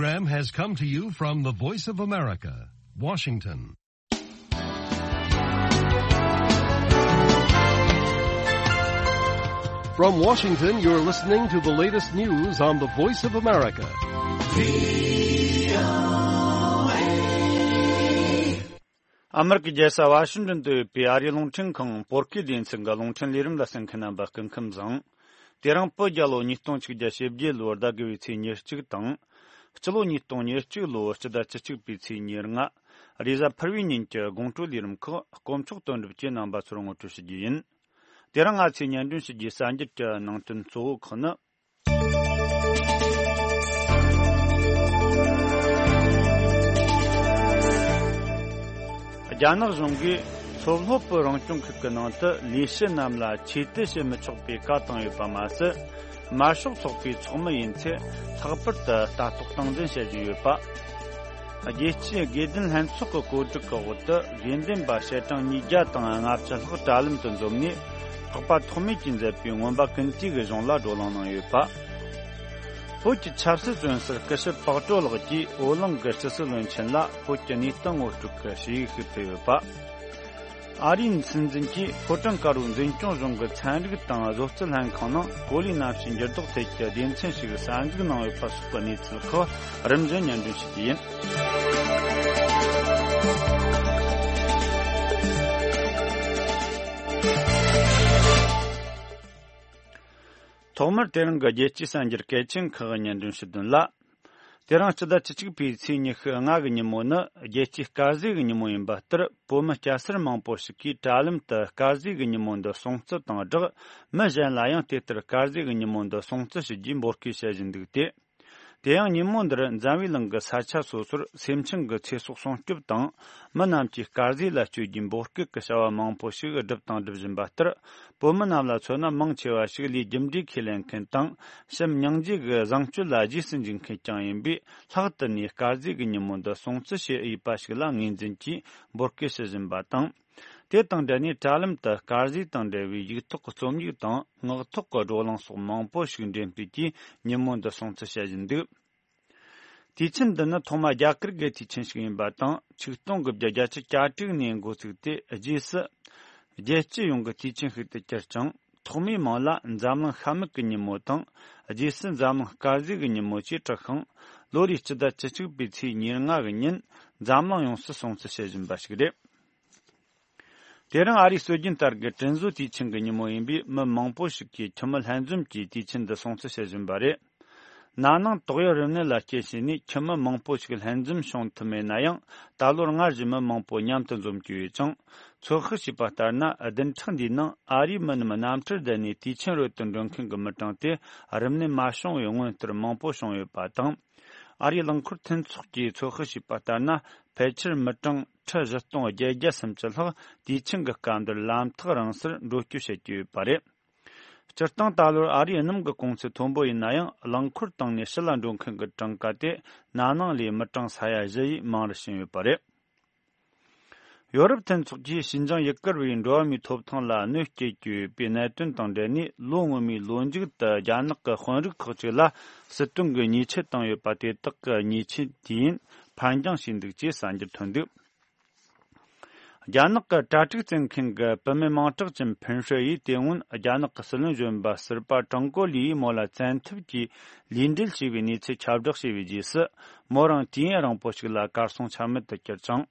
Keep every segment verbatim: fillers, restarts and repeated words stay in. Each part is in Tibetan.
Program has come to you from the Voice of America, Washington. From Washington, you're listening to the latest news on the Voice of America. ཨ་མེ་རི་ཀའི་རྒྱལ་ས་ཝ་ཤིང་ཏོན་དུ་ཡོད་པའི་ཨ་རིའི་རླུང་འཕྲིན་ཁང་བོད་སྐད་སྡེ་ཚན་གྱི་རླུང་འཕྲིན་ལས་རིམ་ལ་གསན་མཁན་རྣམ་པ་སྐུ་ཁམས་བཟང་། དེ་རིང་བོད་རྒྱལ་ལོ་ཉིས་སྟོང་ཆིག་བརྒྱ་ཞེ་བརྒྱད་ལོའི་ཟླ་དགུ་བའི་ཚེས་ཉེར་གཅིག་དང་། སྤྱི་ལོ་ཉིས་སྟོང་ཉེར་གཅིག་ལོའི་སྤྱི་ཟླ་བཅུ་གཅིག་པའི་ཚེས་ཉེར་ལྔ། རེས་གཟའ་ཕུར་བུའི་ཉིན་གྱི་དགོང་དྲོའི་ལས་རིམ་ཁག་དཀོན་མཆོག་དོན་གྲུབ་ཀྱིས་རྣམ་པ་ཚོར་ངོ་སྤྲོད་ཞུ་རྒྱུ་ཡིན། དེ་རིང་ང་ཚོས་སྙན་སྒྲོན་ཞུ་རྒྱུའི་གསར་འགྱུར་གྱི་ནང་དོན་གཙོ་བོ་ཁག་ནི། རྒྱ་ནག་གཞུང་གིས་མཚོ་སློབ་བུ་རང་སྐྱོང་ཁུལ་གྱི་ནང་དུ་ལས་བྱེད་རྣམས་ལ་ཆོས་དད་བྱེད་མི་ཆོག་པའི་བཀའ་བཏང་ཡོད་པ་མ་ཟད། དམར་ཤོག་ཚོགས་པའི་ཚོགས་མི་ཡིན་ཚེ་ལྷག་པར་དུ་ལྟ་རྟོག་སྟངས་འཛིན་བྱེད་བཞིན་ཡོད་པ། རྒྱལ་སྤྱིའི་དགེ་ལྡན་ལྷན་ཚོགས་ཀྱི་བཀོད་སྒྲིག་གི་འོག་ཏུ་དགེ་འདུན་པ་བཤད་གྲངས་ཉིས་བརྒྱ་དང་ལྔ་བཅུ་ལྷག་དྲ་ལམ་དུ་འཛོམས་ནས། ཚོགས་པ་ཐོགས་མེད་ཀྱིས་མཛད་པའི་མངོན་པ་ཀུན་བཏུས་ཀྱི་གཞུང་ལ་བགྲོ་གླེང་གནང་ཡོད་པ། བོད་ཀྱི་ཆབ་སྲིད་བཙོན་ཟུར་སྐུ་ཞབས་པགས་ཀྲོ་ལགས་ཀྱིས་བོད་གླིང་གི་སྤྱི་སྲིད་བློན་ཆེན་ལ་བོད་ཀྱི་གནས་སྟངས་ངོ་སྤྲོད་ཀྱི་ཞུ་ཡིག་ཞིག་ཕུལ་ཡོད་པ། ཨ་རིའི་སྲིད་འཛིན་གྱིས་ཕོ་བྲང་དཀར་པོའི་འཛིན་སྐྱོང་གཞུང་གི་ཚན་རིག་དང་བཟོ་རྩལ་ལྷན་ཁང་ནང་གོ་ལའི་གནམ་གཤིས་འགྱུར་ལྡོག་ཐད་ཀྱི་སྡེ་ཚན་ཞིག་གསར་འཛུགས་གནང་ཡོད་པ་སོགས་ཀྱི་གནས་ཚུལ་ཁག་རིམ་བཞིན་སྙན་སྒྲོན་ཞུ་རྒྱུ་ཡིན། ཐོག་མར་དེ་རིང་གི་རྒྱལ་སྤྱིའི་གསར་འགྱུར་གལ་ཆེན་ཁག་གི་སྙན་སྒྲོན་ཞུ་དོན་ལ། དེ་རིང་སྤྱི་ཟླ་བཅུ་གཅིག་པའི་ཚེས་ཉི་ཤུ་ལྔ་གི་ཉིན་མོ་ནི་རྒྱལ་སྤྱིའི་དཀར་ཟས་ཀྱི་ཉིན་མོ་ཡིན་པ་ལྟར། བོད་མི་སྐྱ་སེར་མང་པོ་ཞིག་གིས་དྲ་ལམ་དུ་དཀར་ཟས་ཀྱི་ཉིན་མོ་འདི་སྲུང་བརྩི་དང་སྦྲགས། མི་གཞན་ལ་ཡང་དེ་ལྟར་དཀར་ཟས་ཀྱི་ཉིན་མོ་འདི་སྲུང་བརྩི་ཞུ་རྒྱུའི་འབོད་སྐུལ་བྱེད་བཞིན་འདུག་སྟེ། དེ་ཡང་ཉིན་མོ་འདིར་འཛམ་བུའི་གླིང་གི་ས་ཆ་སོ་སོར་སེམས་ཅན་གྱི་ཚེ་སྲོག་སྲུང་སྐྱོབ་དང་། མི་རྣམས་ཀྱིས་དཀར་ཟས་ལ་སྤྱོད་རྒྱུའི་འབོད་སྐུལ་གྱི་བྱ་བ་མང་པོ་ཞིག་བསྒྲུབས་དང་སྒྲུབ་བཞིན་པ་ལྟར། བོད་མི་རྣམས་ལ་མཚོན་ན་མང་ཆེ་བ་ཞིག་ལས་རྒྱུ་འབྲས་ཁས་ལེན་མཁན་དང་། བྱམས་སྙིང་རྗེ་གི་བཟང་སྤྱོད་ལ་རྗེས་སུ་འཇུག་མཁན་རྐྱང་ཡིན་པས། ལྷག་ཏུ་ནས་དཀར་ཟས་ཀྱི་ཉིན་མོ་འདི་སྲུང་བརྩི་བྱེད་འོས་པ་ཞིག་ལ་ངོས་འཛིན་གྱིས་འབོད་སྐུལ་ཞུ་བཞིན་པ་དང་། དེ་དང་འབྲེལ་ནས་དྲ་ལམ་དུ་དཀར་ཟས་དང་འབྲེལ་བའི་ཡིག་ཐོག་གི་རྩོམ་ཡིག་དང་ངག་ཐོག་གི་བགྲོ་གླེང་སོགས་མང་པོ་ཞིག་འགྲེམས་སྤེལ་གྱིས་ཉིན་མོ་འདི་སྲུང་བརྩི་བྱེད་བཞིན་འདུག། དུས་ཆེན་འདི་ནི་ཐོག་མ་རྒྱ་གར་གྱི་དུས་ཆེན་ཞིག་ཡིན་པ་དང་། ཆིག་སྟོང་དགུ་བརྒྱ་བརྒྱད་ཅུ་གྱ་དྲུག་ནས་འགོ་བཙུགས་ཏེ། རྗེས་སུ་རྒྱལ་སྤྱི་ཡོངས་ཀྱི་དུས་ཆེན་ཞིག་ཏུ་གྱུར་ཅིང་། ཐོག་མའི་མིང་ལ་འཛམ་གླིང་ཤ་མུག་གི་ཉིན་མོ་དང་། རྗེས་སུ་འཛམ་གླིང་དཀར་ཟས་ཀྱི་ཉིན་མོ་ཞེས་གྲགས་ཤིང་། ལོ་རེའི་སྤྱི་ཟླ་བཅུ་གཅིག་པའི་ཚེས་ཉེར་ལྔ་གི་ཉིན་འཛམ་གླིང་ཡོངས་སུ་སྲུང་བརྩི་བྱེད་བཞིན་པ་ཞིག་རེད། དེ་རིང་ཨ་རིའི་སྲོལ་རྒྱུན་ལྟར་གྱི་དྲིན་གཟོ་དུས་ཆེན་གྱི་ཉིན་མོ་ཡིན་པས། མི་མང་པོ་ཞིག་གིས་ཁྱིམ་མི་ལྷན་འཛོམས་ཀྱིས་དུས་ཆེན་འདི་སྲུང་བརྩི་བྱེད་བཞིན་པ་རེད། ན་ནིང་ཏོག་དབྱིབས་རིམས་ནད་ལ་རྐྱེན་བྱས་ནས་ཁྱིམ་མི་མང་པོ་ཞིག་ལྷན་འཛོམས་བྱུང་ཐུབ་མེད་ན་ཡང་། ད་ལོར་སྔར་བཞིན་མི་མང་པོ་མཉམ་དུ་འཛོམས་ཀྱི་ཡོད་ཅིང་། ཚོད་དཔག་བྱས་པ་ལྟར་ན། བདུན་ཕྲག་འདིའི་ནང་ཨ་རིའི་མི་རྣམས་གནམ་གྲུར་བསྡད་ནས་དུས་ཆེན་རོལ་དུ་འགྲོ་མཁན་གྱི་མི་གྲངས་དེ་རིམས་ནད་མ་བྱུང་བའི་སྔོན་ལྟར་མང་པོ་བྱུང་ཡོད་པ་དང་། ཨ་རིའི་རླངས་འཁོར་མཐུན་ཚོགས་ཀྱིས་ཚོད་དཔག་བྱས་པ་ལྟར་ན། ཕལ་ཆེར་མི་གྲངས་ཁྲི་བཞི་སྟོང་བརྒྱད་བརྒྱ་སུམ་ཅུ་ལྷག་དུས་ཆེན་གྱི་སྐབས་འདིར་ལམ་ཐག་རིང་སར་འགྲོ་སྐྱོད་བྱེད་ཀྱི་ཡོད་པ་རེད། སྤྱིར་བཏང་ད་ལོར་ཨ་རིའི་སྣུམ་གྱི་གོང་ཚད་མཐོན་པོ་ཡིན་ན་ཡང་། རླངས་འཁོར་བཏང་ནས་ཕྱི་ལ་འགྲོ་མཁན་གྱི་གྲངས་ཀ་དེ་ན་ནིང་ལས་མི་གྲངས་ས་ཡ་བཞི་ཡིས་མང་རུ་ཕྱིན་ཡོད་པ་རེད། ཡོ་རོབ་མཐུན་ཚོགས་ཀྱིས་ཞི་འཇིང་ཡུ་གུར་བའི་འགྲོ་བ་མིའི་ཐོབ་ཐང་ལ་གནོད་སྐྱེལ་གྱི་ཡོད་པའི་གནད་དོན་དང་འབྲེལ་ནས། ལོ་སྔོན་མའི་ལོ་མཇུག་ཏུ་རྒྱ་ནག་གི་དཔོན་རིགས་ཁག་ཅིག་ལ་སྲིད་དོན་གྱི་ཉེས་ཆད་བཏང་ཡོད་པ། དེ་དག་གི་ཉེས་ཆད་དུས་ཡུན་ཕར་འགྱངས་བྱས་འདུག་ཅེས་གསར་འགྱུར་ཐོན་འདུག། རྒྱ་ནག་གི་གྲ་སྒྲིག་བཙལ་མཁན་གྱི་བུད་མེད་མིང་གྲགས་ཅན་ཕིན་ཧྲོས་ཡིས་དེ་སྔོན་རྒྱ་ནག་གི་སྲིད་བློན་གཞོན་པ་ཟུར་པ་ཀྲང་གོ་ལི་ཡིས་མོ་ལ་བཙན་ཐབས་ཀྱིས་ལུས་འབྲེལ་བྱས་པའི་གནས་ཚུལ་ཁྱབ་བསྒྲགས་བྱས་པའི་རྗེས་སུ། མོ་རང་དུས་ཡུན་རིང་པོ་ཞིག་ལ་གར་སོང་ཆ་མེད་དུ་གྱུར་ཅིང་།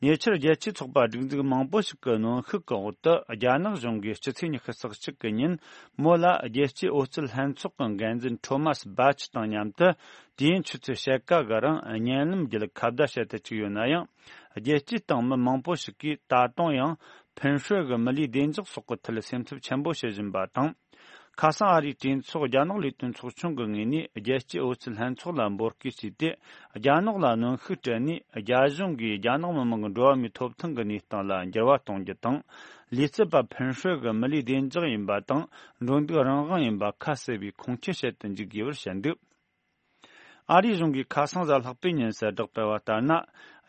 ཉེ་ཆར་རྒྱལ་སྤྱིའི་ཚོགས་པ་སྒྲིག་འཛུགས་མང་པོ་ཞིག་གི་གནོན་ཤུགས་ཀྱི་འོག་ཏུ། རྒྱ་ནག་གཞུང་གིས་སྤྱི་ཚེས་ཉི་ཤུ་རྩ་གཅིག་གི་ཉིན་མོ་ལ་རྒྱལ་སྤྱིའི་འོ་སྐོལ་ལྷན་ཚོགས་ཀྱི་འགན་འཛིན་ཁྲོ་མཱས་སྦ་ཆི་དང་མཉམ་དུ། དུས་ཡུན་ཆུ་ཚོད་ཕྱེད་ཀ་གི་རིང་བརྙན་ལམ་བརྒྱུད་ཁ་བརྡ་བྱེད་དུ་བཅུག་ཡོད་ན་ཡང་། རྒྱལ་སྤྱིའི་སྟེང་མི་མང་པོ་ཞིག་གིས་ད་དུང་ཡང་ཕིན་ཧྲོས་ཀྱི་མི་ལུས་བདེ་འཇགས་སོགས་ཀྱི་ཐད་སེམས་འཚབ་ཆེན་པོ་བྱེད་བཞིན་པ་དང་། ཁ་སང་ཨ་རིའི་གྲོས་ཚོགས་རྒྱ་ནག་ལས་དོན་ཚོགས་ཆུང་གི་ངོས་ནས་རྒྱལ་སྤྱིའི་འོ་སྐོལ་ལྷན་ཚོགས་ལ་འབོད་སྐུལ་བྱས་ཏེ། རྒྱ་ནག་ལ་གནོན་ཤུགས་སྤྲད་ནས། རྒྱ་གཞུང་གིས་རྒྱ་ནག་མི་དམངས་ཀྱི་འགྲོ་བ་མིའི་ཐོབ་ཐང་གི་གནས་སྟངས་ལ་འགྱུར་བ་གཏོང་རྒྱུ་དང་། ལུས་རྩལ་པ་ཕིན་ཧྲོས་ཀྱི་མི་ལུས་བདེ་འཇགས་ཡིན་པ་དང་། འགྲོ་འདུག་རང་དབང་ཡིན་པ་ཁ་གསལ་བའི་ཁུངས་སྐྱེལ་བྱེད་དུ་འཇུག་དགོས་པར་བཤད་འདུག། ཨ་རིའི་གཞུང་གིས་ཁ་སང་གཟའ་ལྷག་པའི་ཉིན་གསལ་བསྒྲགས་སྤེལ་བ་ལྟར་ན།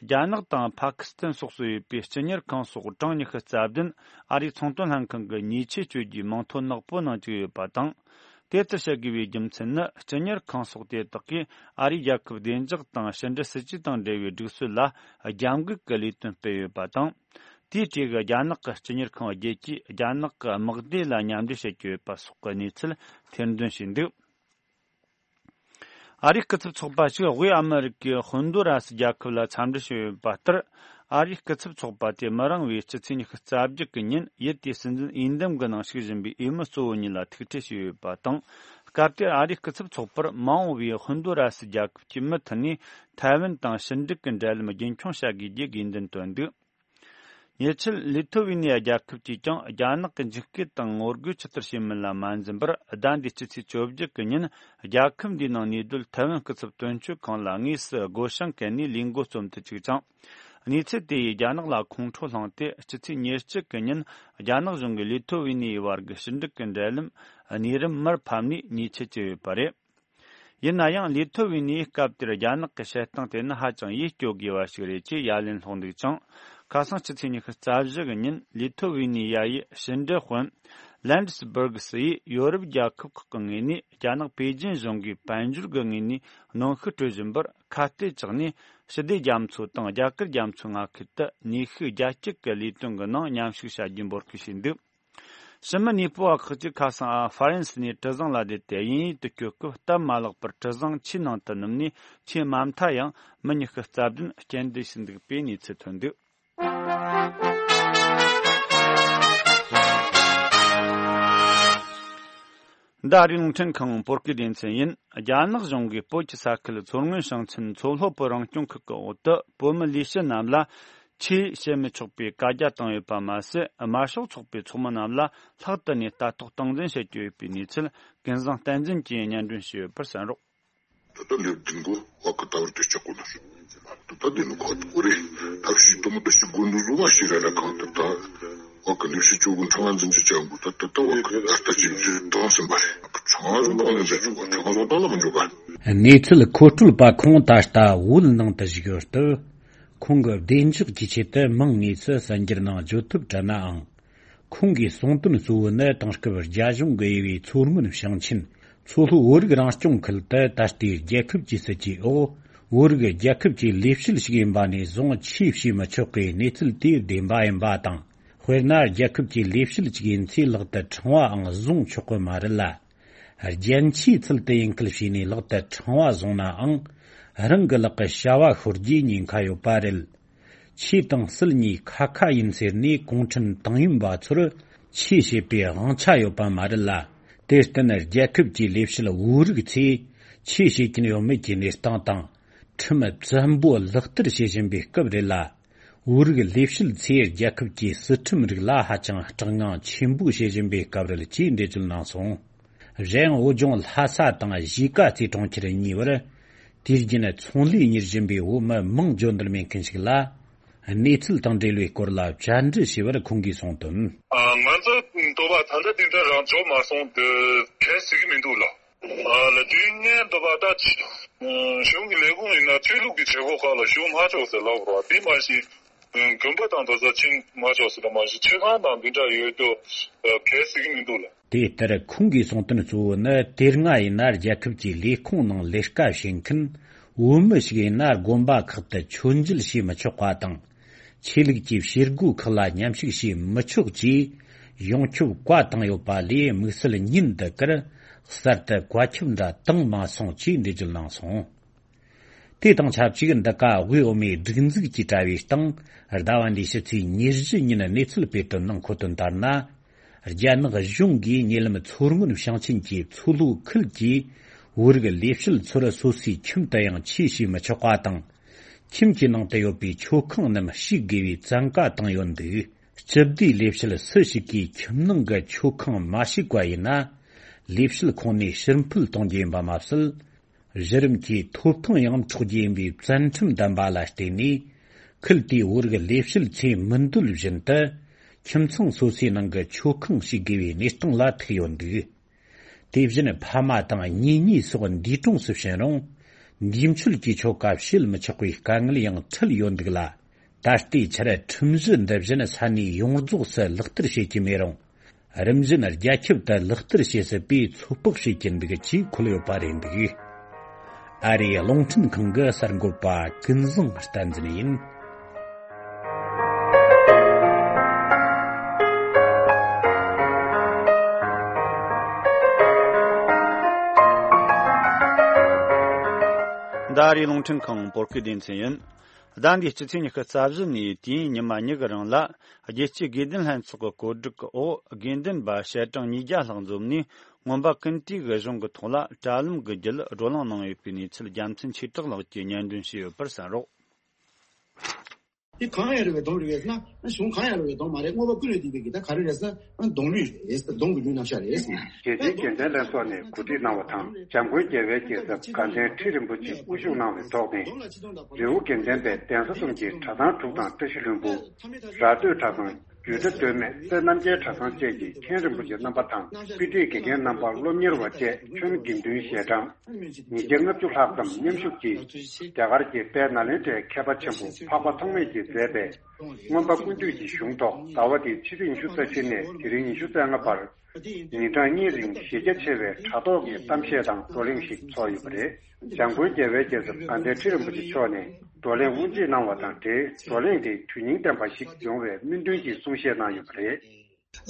རྒྱ་ནག་དང་ཕ་ཁི་སི་ཐན་སོགས་སུ་ཡོད་པའི་སྤྱི་གཉེར་ཁང་སོགས་གྲངས་ཉི་ཤུ་རྩ་བདུན་ཨ་རིའི་ཚོང་དོན་ལྷན་ཁང་གི་ཉེས་ཆད་གཅོད་རྒྱུའི་མིང་ཐོ་ནག་པོའི་ནང་བཅུག་ཡོད་པ་དང་། དེ་ལྟར་བྱེད་དགོས་པའི་རྒྱུ་མཚན་ནི། སྤྱི་གཉེར་ཁང་སོགས་དེ་དག་གིས་ཨ་རིའི་རྒྱལ་ཁབ་བདེ་འཇགས་དང་ཕྱི་འབྲེལ་སྲིད་ཇུས་དང་འབྲེལ་བའི་སྒྲིག་སྲོལ་ལ་རྒྱབ་འགལ་གྱི་ལས་དོན་སྤེལ་ཡོད་པ་དང་། དེའི་གྲས་ཀྱི་རྒྱ་ནག་གི་སྤྱི་གཉེར་ཁང་བརྒྱད་ཀྱིས་རྒྱ་ནག་གི་དམག་སྡེ་ལ་མཉམ་འབྲེལ་བྱེད་ཀྱི་ཡོད་པ་སོགས་ཀྱི་གནས་ཚུལ་ཐེར་འདོན་བྱས་འདུག་ཨ་རིའི་སྐུ་ཚབ་ཚོགས་པ་ཞིག་དབུས་ཨ་མི་རི་ཀའི་ཧོན་དུ་ར་སི་རྒྱལ་ཁབ་ལ་འཚམས་འདྲི་ཞུས་ཡོད་པ་ལྟར། ཨ་རིའི་སྐུ་ཚབ་ཚོགས་པ་དེ་མི་རིང་བའི་སྤྱི་ཚེས་ཉི་ཤུ་རྩ་བརྒྱད་གི་ཉིན་ཡུལ་དེའི་སྲིད་འཛིན་འོས་འདེམས་ཀྱི་ནང་ཞུགས་བཞིན་པའི་འོས་མི་གཙོ་བོ་གཉིས་ལ་ཐུག་འཕྲད་བྱས་ཡོད་པ་དང་། སྐབས་དེར་ཨ་རིའི་སྐུ་ཚབ་ཚོགས་པར་མ་འོངས་པའི་ཧོན་དུ་ར་སི་རྒྱལ་ཁབ་ཀྱི་མུ་མཐུད་ནས་ཐའེ་ཝན་དང་ཕྱི་འབྲེལ་གྱི་འབྲེལ་ལམ་རྒྱུན་འཁྱོངས་བྱ་དགོས་རྒྱུའི་དགོས་འདུན་བཏོན་འདུག་ཉེ་ཆར་ལི་ཐོ་ཝི་ནི་ཡ་རྒྱལ་ཁབ་ཀྱིས་ཀྱང་རྒྱ་ནག་གི་འཇིགས་སྐུལ་དང་ངོ་རྒོལ་ཇི་ལྟར་བྱེད་མིན་ལ་མ་འཛེམ་པར། ཟླ་འདིའི་སྤྱི་ཚེས་བཅོ་བརྒྱད་གི་ཉིན་རྒྱལ་ཁབ་འདིའི་ནང་གནས་སྡོད་ཐའེ་ཝན་སྐུ་ཚབ་དོན་གཅོད་ཁང་ལ་དངོས་སུ་སྒོ་བྱང་བཀལ་ནས་ལས་འགོ་རྩོམ་དུ་བཅུག་ཅིང་། གནས་ཚུལ་དེ་ཡིས་རྒྱ་ནག་ལ་ཁོང་ཁྲོ་བསླངས་ཏེ། སྤྱི་ཚེས་ཉེར་གཅིག་གི་ཉིན་རྒྱ་ནག་གཞུང་གིས་ལི་ཐོ་ཝི་ནི་ཡའི་བར་གྱི་ཕྱི་འབྲེལ་གྱི་འབྲེལ་ལམ་གནས་རིམ་མར་ཕབ་ནས་ཉེས་ཆད་བཅད་ཡོད་པ་རེད། ཡིན་ན་ཡང་། ལི་ཐོ་ཝི་ནི་ཡིས་སྐབས་དེར་རྒྱ་ནག་གི་བྱེད་སྟངས་དེ་ནི་ཧ་ཅང་ཡིད་སྐྱོ་དགོས་པ་ཞིག་རེད་ཅེས་ཡ་ལན་སློག་འདུག་ཅིང་། ཁ་སང་སྤྱི་ཚེས་ཉི་ཤུ་རྩ་བཞི་གི་ཉིན་ལི་ཐོ་ཝི་ནི་ཡ་ཡི་ཕྱི་འབྲེལ་དཔོན་ལན་ཌི་སི་བྷར་གི་སི་ཡིས་ཡོ་རོབ་རྒྱལ་ཁབ་ཁག་གི་ངོས་ནས་རྒྱ་ནག་པེ་ཅིན་གཞུང་གིས་དཔལ་འབྱོར་གྱི་ངོས་ནས་གནོན་ཤུགས་སྤྲོད་བཞིན་པར་ཁ་གཏད་བཅག་ནས། ཞི་བདེ་རྒྱ་མཚོ་དང་རྒྱ་གར་རྒྱ་མཚོའི་མངའ་ཁུལ་དུ་ནུས་ཤུགས་རྒྱ་སྐྱེད་ཀྱི་ལས་དོན་གྱི་ནང་མཉམ་ཞུགས་བྱ་རྒྱུའི་འབོད་སྐུལ་བྱས་འདུག་ཕྱི་མི་གནས་སྤོ་བ་ཁག་ཅིག་ཁ་སང་ཨ་ཧྥ་རན་སི་ནས་གྲུ་གཟིངས་ལ་བསྡད་དེ། དབྱིན་ཡུལ་དུ་སྐྱོད་སྐབས་སྟབས་མ་ལེགས་པར་གྲུ་གཟིངས་ཆུའི་ནང་དུ་ནུབ་ནས། ཆུའི་མ་མཐའ་ཡང་མི་ཉི་ཤུ་རྩ་བདུན་རྐྱེན་འདས་ཕྱིན་འདུག་པའི་གནས་ཚུལ་ཐོན་འདུག་འདི་ཨ་རིའི་རླུང་འཕྲིན་ཁང་བོད་སྐད་སྡེ་ཚན་ཡིན། རྒྱ་ནག་གཞུང་གིས་བོད་ཀྱི་ས་ཁུལ་མཚོ་སྔོན་ཞིང་ཆེན་མཚོ་ལྷོ་བོད་རང་སྐྱོང་ཁུལ་གྱི་འོག་ཏུ་བོད་མི་ལས་བྱེད་རྣམས་ལ་ཆོས་བཤད་མི་ཆོག་པའི་བཀའ་རྒྱ་བཏང་ཡོད་པ་མ་ཟད། དམར་ཤོག་ཚོགས་པའི་ཚོགས་མི་རྣམས་ལ་ལྷག་ཏུ་ནས་ལྟ་རྟོག་སྟངས་འཛིན་བྱེད་ཀྱི་ཡོད་པའི་གནས་ཚུལ་ཀུན་བཟང་བསྟན་འཛིན་གྱིས་སྙན་སྒྲོན་ཞུས་ཡོད་པར་གསན་རོགས། ད་ལྟ་ལེབ་བདུན་གོ་བ་ཀ་ད་བར་དུ་ཆག་གོ་ན་སོང་། ད་ལྟ་དེ་ནི་ཁོ་ཐག་གོ་རེད། ཐབས་ཤེས་དུ་མ་ད་ཤི་དགོས་འདུག་བཟོ་མ་ཤེས་ར་ར་གང་ལྟར་ད་བ་ཀ་ལེབ་ཤི་ཆོག་གི་ཁྲང་འཛིན་གྱི་ཅང་གོ་ད་ད་ད་བ་ཀ་ད་ལྟ་ཅིག་ཅིག་བཏང་ཟིན་པ་རེད། ཁྲང་བཟོ་བཏང་ལེན་ཟེར་ཆོག་ག་ཁྲང་བཟོ་བཏང་ལ་མི་འཇོག་ག་གནས་ཚུལ་མཁོ་སྤྲོད་པ་ཁོང་ད་ལྟ་བོད་ནང་དུ་བཞུགས་ཡོད་སྟབས། ཁོང་གི་བདེ་འཇགས་ཀྱི་ཆེད་དུ་མིང་དངོས་སུ་གསར་འགྱུར་ནང་བརྗོད་ཐབས་བྲལ་ནའང་། ཁོང་གིས་གསུངས་དོན་གཙོ་བོ་ནི། དེང་སྐབས་རྒྱ་གཞུང་གིས་དབྱེ་བའི་མཚོ་སྔོན་ཞིང་ཆེན་མཚོ་ལྷོ་བོད་རིགས་རང་སྐྱོང་ཁུལ་དུ་ད་ལྟའི་རྒྱལ་ཁབ་ཀྱི་སྲིད་ཇུས་འོག་བོད་རིགས་རྒྱལ་ཁབ་ཀྱི་ལས་བྱེད་ཞིག་ཡིན་པ་ནས་བཟུང་ཆོས་བྱེད་མི་ཆོག་པའི་གནས་ཚུལ་དེ་བདེན་པ་ཡིན་པ་དང་། དཔེར་ན། རྒྱལ་ཁབ་ཀྱི་ལས་བྱེད་ཅིག་ཡིན་ཚེ་ལག་ཏུ་ཕྲེང་བའང་བཟུང་ཆོག་གི་མ་རེད་ལ། རྒྱན་ཆའི་ཚུལ་དུ་ཡིན་ཁུལ་བྱས་ནས་ལག་ཏུ་ཕྲེང་བ་བཟུང་ནའང་། རང་གི་ལག་གི་བྱ་བ་ཤོར་རྒྱུའི་ཉེན་ཁ་ཡོད་པ་རེད། ཆོས་དང་སྲིད་གཉིས་ཁ་ཁ་ཡིན་ཟེར་ནས་གུང་ཁྲན་ཏང་ཡོན་པ་ཚོར་ཆོས་བྱེད་པའི་དབང་ཆ་ཡོད་པ་མ་རེད་ལ། དེར་བརྟེན་རྒྱལ་ཁབ་ཀྱི་ལས་བྱེད་བོད་རིགས་ཚོས་ཆོས་བྱེད་ཀྱིན་ཡོད་མེད་ཀྱི་གནས་སྟངས་དང་། ཁྲིམས་བཙན་པོ་ལག་བསྟར་བྱེད་བཞིན་པའི་སྐབས་རེད་ལ། བོད་རིགས་ལས་བྱེད་ཚོས་རྒྱལ་ཁབ་ཀྱི་སྲིད་ཁྲིམས་རིགས་ལ་ཧ་ཅང་སྐྲག་སྣང་ཆེན་པོ་བྱེད་བཞིན་པའི་སྐབས་རེད་ཅེས་འགྲེལ་བརྗོད་གནང་སོང་། གཞན་ཡང་བོད་ལྗོངས་ལྷ་ས་དང་གཞིས་ཀ་རྩེ་གྲོང་ཁྱེར་གཉིས་བར་དུས་རྒྱུན་ཚོང་ལས་གཉེར་བཞིན་པའི་བོད་མི་མིང་བརྗོད་འདོད་མེད་མཁན་ཞིག་ལ། གནས་ཚུལ་དང་འབྲེལ་བའི་སྐོར་ལ་བཅར་འདྲི་ཞུས་པར་ཁོང་གིས་གསུངས་དོན། ང་ཚོ་འདོད་པ་ད་ལྟ་འདི་འདྲ་རང་འཇོག་མ་སོང་དུ་གལ་སྲིད་ཀྱི་མི་འདུག་ལ། ལ་དུས་ངན་འདོད་པ་ད་གཞུང་གི་ལས་ཁུངས་ཡིན་ན་ཆོས་ལུགས་ཀྱི་བྱེད་སྒོ་ཁག་ལ་ཞུགས་མ་ཆོག་ཟེར་ལབ་རོགས་དེ་མ་གཞི། དགོན་པ་དང་དེ་ཚོ་ཕྱིན་མ་ཆོག་ཟེར་མ་གཞི་ཆོས་ཁང་དང་འདི་འདྲ་ཡོད་དུ་གལ་སྲིད་ཀྱི་མི་འདུག་ལ། དེ་ལྟར་ཁོང་གིས་གསུངས་དོན་གཙོ་བོ་ནི་དེ་སྔ་ཡིན་ན་རྒྱལ་ཁབ་ཀྱི་ལས་ཁུངས་ནང་ལས་ཀ་བྱེད་མཁན་བོད་མི་ཞིག་ཡིན་ན་དགོན་པ་ཁག་ཏུ་མཆོད་མཇལ་བྱེད་མི་ཆོག་པ་དང་། ཆོས་ལུགས་ཀྱི་བྱེད་སྒོ་ཁག་ལ་མཉམ་ཞུགས་བྱེད་མི་ཆོག་ཅེས་ཡོངས་ཁྱབ་བཀའ་བཏང་ཡོད་པ་ལས་དམིགས་བསལ་ཉིན་འདི་གར་གསར་དུ་བཀའ་ཁྱབ་འདྲ་བཏང་མ་སོང་ཅེས་འགྲེལ་བརྗོད་གནང་སོང་། དེ་དང་ཆབས་ཅིག་འདི་ག་དབུས་འོ་མའི་སྒྲིག་འཛུགས་ཀྱིས་དྲ་བའི་སྟེང་ཟླ་བ་འདིའི་ཕྱི་ཚེས་ཉེར་བཞི་ཉིན་གནས་ཚུལ་སྤེལ་དོན་ནང་འཁོད་དོན་ལྟར་ན། རྒྱ་ནག་གཞུང་གིས་ཉེ་ལམ་མཚོ་སྔོན་ཞིང་ཆེན་གྱི་མཚོ་ལྷོ་ཁུལ་གྱི་བོད་རིགས་ལས་བྱེད་ཚོར་སོ་སོའི་ཁྱིམ་དུ་ཡང་ཆོས་བྱེད་མི་ཆོག་པ་དང་། ཁྱིམ་གྱི་ནང་དུ་ཡོད་པའི་མཆོད་ཁང་རྣམས་ཕྱེ་དགོས་པའི་བཙན་བཀའ་བཏང་ཡོད་འདུག་སྤྱི་བདེའི་ལས་བྱེད་སུ་ཞིག་གིས་ཁྱིམ་ནང་གི་མཆོད་ཁང་མ་ཕྱེ་བ་ཡིན་ན། ལས་བྱེད་ཁོངས་ནས་ཕྱིར་འཕུད་གཏོང་རྒྱུ་ཡིན་པ་མ་ཟད། གཞི་རིམ་གྱི་ཐོབ་ཐང་ཡང་འཕྲོག་རྒྱུ་ཡིན་པའི་བཙན་ཁྲིམས་བསྡམས་པ་ལ་བརྟེན་ནས། ཁུལ་དེའི་བོད་རིགས་ལས་བྱེད་ཚོས་མི་འདོད་བཞིན་དུ་ཁྱིམ་ཚང་སོ་སོའི་ནང་གི་མཆོད་ཁང་ཕྱེ་དགོས་པའི་གནས་སྟངས་ལ་ཐུག་ཡོད་འདུག་དེ་བཞིན་ཕ་མ་དང་གཉེན་ཉེ་སོགས་འདས་གྲོངས་སུ་ཕྱིན་རུང་། འདས་མཆོད་ཀྱི་ཆོ་ག་བྱེད་མི་ཆོག་པའི་དཀའ་ངལ་ཡང་འཕྲད་ཡོད་འདུག་ལ། ད་ལྟའི་ཆར་ཁྲིམས་གཞི་འདི་བཞིན་ས་གནས་ཡོངས་རྫོགས་སུ་ལག་བསྟར་བྱེད་ཀྱི་མེད་རུང་། རིམ་བཞིན་རྒྱ་ཁྱབ་ཏུ་ལག་བསྟར་བྱེད་སྲིད་པའི་ཚོད་དཔག་བྱེད་ཀྱིན་འདུག་ཅེས་འཁོད་ཡོད་པ་རེད་འདུག་ཨ་རིའི་རླུང་འཕྲིན་ཁང་གི་གསར་འགོད་པ་ཀུན་བཟང་བསྟན་འཛིན་ཡིན། འདི་ཨ་རིའི་རླུང་འཕྲིན་ཁང་བོད་སྐད་སྡེ་ཚན་ཡིན། ཟླ་འདིའི་སྤྱི་ཚེས་ཉི་ཤུ་རྩ་བཞི་ནས་དུས་ཡུན་ཉི་མ་གཉིས་ཀྱི་རིང་ལ། རྒྱལ་སྤྱིའི་དགེ་ལྡན་ལྷན་ཚོགས་ཀྱི་གོ་སྒྲིག་འོག་དགེ་འདུན་པ་ཞལ་གྲངས་ཉིས་བརྒྱ་ལྷག་འཛོམས་ནས། སྔོན་པ་ཀུན་ཏུའི་གཞུང་གི་ཐོག་ལ་དྲ་ལམ་གྱི་བརྒྱུད་བགྲོ་གླེང་གནང་ཡོད་པའི་གནས་ཚུལ་རྒྱལ་མཚན་ཆོས་གྲགས་ལགས་ཀྱིས་སྙན་སྒྲོན་ཞུས་ཡོད་པར་གསན་རོགས། དེ་གང་ཡང་རེད་པས་གདོང་རེད་པས་ན། གཞུང་གང་ཡང་རེད་པས་གདོང་མ་རེད། དངོས་པོ་ཀུན་ལས་བཏུས་པའི་གི་ད་ག་རེ་རེད་ཟེར་ན། གདོང་ལུས་རེད། གདོང་གི་ལུས་རྣམ་གཞག་རེད་ཟེར་ན། རྒྱལ་སྤྱིའི་དགེ་ལྡན་ལྷན་ཚོགས་ནས་གོ་སྒྲིག་གནང་བ་དང་། འཇམ་མགོན་རྒྱལ་བའི་རྒྱལ་ཚབ་དགའ་ལྡན་ཁྲི་རིན་པོ་ཆེ་དབུ་བཞུགས་གནང་བའི་ཐོག་ནས། རི་བོ་དགེ་ལྡན་པའི་གདན་ས་གསུམ་གྱི་གྲྭ་ཚང་དྲུག་དང་བཀྲ་ཤིས་ལྷུན་པོ། ར་སྟོད་གྲྭ་ཚང་། རྒྱུད་གྲྭ་སྟོད་སྨད་སྲས་རྣམ་རྒྱལ་གྲྭ་ཚང་བཅས་ཀྱི་མཁན་རིན་པོ་ཆེ་རྣམ་པ་དང་། དཔེ་ཁྲིད་དགེ་རྒན་རྣམ་པ། སློབ་གཉེར་བ་བཅས་ཁྱོན་དགེ་འདུན་ཞལ་གྲངས་ཉིས་བརྒྱ་ལྔ་བཅུ་ལྷག་ཙམ་མཉམ་ཞུགས་ཀྱིས། རྒྱ་གར་གྱི་དཔལ་ནཱ་ལེནྡྲའི་མཁས་པ་ཆེན་པོ་འཕགས་པ་ཐོགས་མེད་ཀྱིས་མཛད་པའི་སྔོན་པ་ཀུན་འདུས་ཀྱི་གཞུང་ཐོག་ཟླ་བ་འདིའི་ཕྱི་ཚེས་ཉི་ཤུ་རྩ་བཞི་ནས་དེ་རིང་ཉི་ཤུ་རྩ་ལྔ་བར། ཉིན་གྲངས་གཉིས་རིང་གཞི་རྒྱ་ཆེ་བའི་དྲ་ཐོག་གི་གཏམ་བཤད་དང་བགྲོ་གླེང་ཞིག་ཚོགས་ཡོད་པ་རེད། འཇམ་མགོན་རྒྱལ་བའི་རྒྱལ་ཚབ་དགའ་ལྡན་ཁྲི་རིན་པོ་ཆེ་མཆོག་ནས་བགྲོ་གླེང་དབུ་འབྱེད་གནང་བ་དང་འབྲེལ། བགྲོ་གླེང་དེ་དོན་སྙིང་ལྡན་པ་ཞིག་ཡོང་བའི་སྨོན་འདུན་གྱི་གསུང་བཤད་གནང་ཡོད་པ་རེད།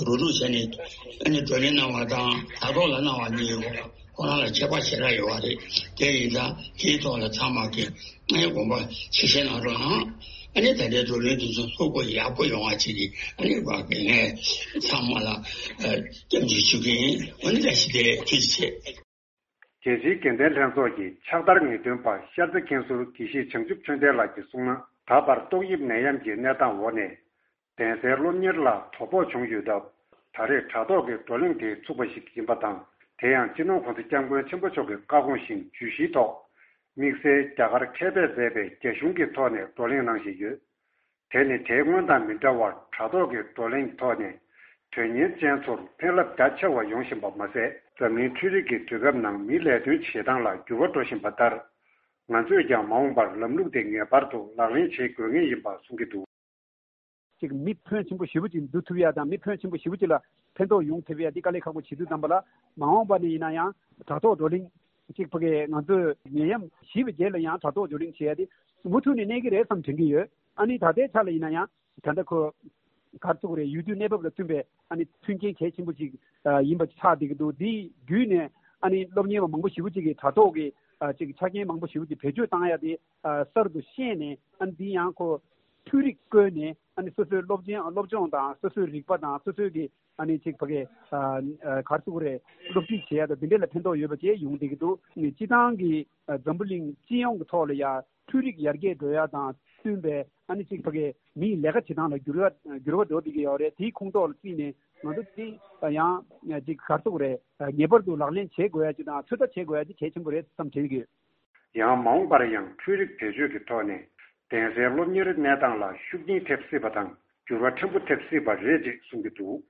རུ་རུ་བྱས་ནས་ཨ་ནི་བགྲོ་གླེང་གནང་བ་དང་དྲ་ཐོག་ལ་གནང་བ་གཉིས་ཡོད། ཁོ་རང་ལ་ཁྱད་པར་ཞེ་དྲག་ཡོད་པ་རེད། དེ་ཡིན་ཙང་དེའི་ཐོག་ལ་ཚང་མ་གིས་ཨ་ནི་དགོངས་པ་ཆེ་བཞེས་གནང་རོགས་གནང་། ཨ་ནི་ད་ལྟའི་བགྲོ་གླེང་དེ་ཚོ་ལྷུག་པོ་ཡག་པོ་ཡོང་བ་བྱེད་ཀྱི་ཨ་ནི་ངས་ཚང་མ་ལ་སྐྱབས་འཇུག་ཞུ་གི་ཡིན། ཨ་ནི་བཀྲ་ཤིས་བདེ་ལེགས། ཐུགས་རྗེ་ཆེ། རྒྱལ་སྤྱིའི་དགེ་ལྡན་ལྷན་ཚོགས་ཀྱི་ཕྱག་བསྟར་ངེས་སྟོན་པ་ཤར་རྩེ་མཁན་ཟུར་དགེ་བཤེས་བྱང་ཆུབ་ཆོས་ལྡན་ལགས་ཀྱིས་གསུངས་ན། ད་བར་ཏོག་དབྱིབས་ནད་ཡམས་ཀྱི་གནས་སྟངས་འོག་ནས། གདན་སའི་སློབ་གཉེར་ལ་དོ་ཕོག་བྱུང་ཡོད་སྟབས། ད་རེས་དྲ་ཐོག་གི་བགྲོ་གླེང་དེ་ཚུགས་པ་ཞིག་ཡིན་པ་དང་། དེ་ཡང་སྤྱི་ནོར་༸གོང་ས་༸སྐྱབས་མགོན་ཆེན་པོ་མཆོག་གི་བཀའ་དགོངས་བཞིན་བརྗོད་གཞིའི་ཐོག་དམིགས་བསལ་རྒྱ་གར་མཁས་པས་མཛད་པའི་རྒྱ་གཞུང་གི་ཐོག་ནས་བགྲོ་གླེང་གནང་བཞིན་ཡོད། དེ་ནི་དེའི་སྔོན་དང་མི་འདྲ་བར་དྲ་ཐོག་གི་བགྲོ་གླེང་ཐོག་ནས་དོན་གཉེར་ཅན་ཚོར་ཕན་རླབས་རྒྱ་ཆེ་བ་ཡོང་བཞིན་པ་མ་ཟད། འཛམ་གླིང་འཕྲུལ་རིག་གི་དུས་སྐབས་ནང་མིའི་ལས་དོན་བྱེད་སྟངས་ལ་འགྱུར་བ་འགྲོ་བཞིན་པ་ལྟར། ང་ཚོས་ཀྱང་མ་འོངས་པར་ལམ་ལུགས་དེ་ངེས་པར་དུ་ལག་ལེན་བྱེད་དགོས་ངེས་ཡིན་པ་གསུང་གི་འདུག་ཅིག་མི་ཕོན་ཆེན་པོ་ཞེ་པོ་ཅིག་བསྡུ་ཐུབ་ཡ་དང་། མི་ཕོན་ཆེན་པོ་ཞེ་པོ་ཅིག་ལ་ཕན་ཐོགས་ཡོང་ཐུབ་ཡ་འདི་དཀའ་ལས་ཁག་པོ་བྱེད་དུས་ཙམ་པ་ལ། མ་འོངས་པ་ནས་ཡིན་ན་ཡང་དྲ་ཐོག་བགྲོ་གླེང་ཅིག་ཕ་གི་ང་ཚོས་ནད་ཡམས་ཞི་བའི་རྗེས་ལ་ཡང་དྲ་ཐོག་བགྲོ་གླེང་བྱེད་ཡ་དེ་མུ་མཐུད་ནས་གནས་ཀྱི་རེད་བསམ་དྲན་གྱི་ཡོད། ཨ་ནི་ད་ལྟའི་ཆ་ལ་ཡིན་ན་ཡང་ད་ལྟ་ཁོ་ག་རེ་ཟེར་དགོས་རེད། ཡུལ་དུས་གནས་བབ་ལ་བསྟུན་པའི་ཨ་ནི་མཐུན་རྐྱེན་གལ་ཆེན་པོ་ཅིག་ཡིན་པ་ཆགས་བསྡད་ཀྱི་འདུག་འདི་བརྒྱུད་ནས་ཨ་ནི་སློབ་གཉེར་བ་མང་པོ་ཞེ་པོ་ཅིག་གིས་དྲ་ཐོག་གི་ཅིག་ཆ་རྐྱེན་མང་པོ་ཞེ་པོ་ཅིག་བེད་སྤྱོད་བཏང་ཡ་དེ་གསར་དུ་ཤེས་ནས། ཨ་ནི་འདི་ཡང་ཁོ་འཕྲུལ་རིག་བཀོལ་ནས་ཨ་ནི་སོ་སོའི་སློབ་ཆེན་སློབ་སྦྱོང་དང་སོ་སོའི་རིག་པ་དང་སོ་སོའི་གི་ཨ་ནི་ཅིག་ཕ་གི་ཨ་ཨ་ག་རེ་ཟེར་དགོས་རེད། སློབ་ཁྲིད་བྱེད་ཡ་དང་འདི་འདྲ་ལ་ཕན་ཐོགས་ཡོད་པ་བཅས་ཡོང་བསྡད་ཀྱི་འདུག་ནི་སྤྱི་བཏང་གི་ཨ་འཛམ་བུ་གླིང་སྤྱི་ཡོངས་ཀྱི་ཐོག་ལ་ཡ་འཕྲུལ་རིག་ཡར་རྒྱས་འགྲོ་ཡ་དང་བསྟུན་པའི་ཨ་ནི་ཅིག་ཕ་གི་མིའི་ལས་ཀ་བྱེད་སྟངས་ལ་འགྱུར་བ་འགྱུར་བ་འགྲོ་བསྡད་ཀྱི་ཡོད་རེད། དེའི་ཁོངས་གཏོགས་ལ་བརྩིས་ནས་ང་ཚོ་དེ་ཡང་ཅིག་ག་རེ་ཟེར་དགོས་རེད། ངེས་པར་དུ་ལག་ལེན་བྱེད་དགོས་ཡ་ཅིག་དང་ཚོད་ལྟ་བྱེད་དགོས་ཡ་ཅིག་གལ་ཆེན་པོ་རེད་བསམ་དྲན་གྱི་ཡོད། ཡང་མ་འོངས་པར་ཡང་འཕྲུལ་རིག་བེད་སྤྱོད་ཀྱི་ཐོག་ནས་གདན་སའི་སློབ་གཉེར་གནས་སྟངས་ལ་ཤུགས་རྐྱེན་ཐེབས་སྲིད་པ་དང་འགྱུར་བ་ཕྲན་བུ་ཐེབས་སྲིད་པ་རེད་ཅེས་གསུང་གི་འདུག་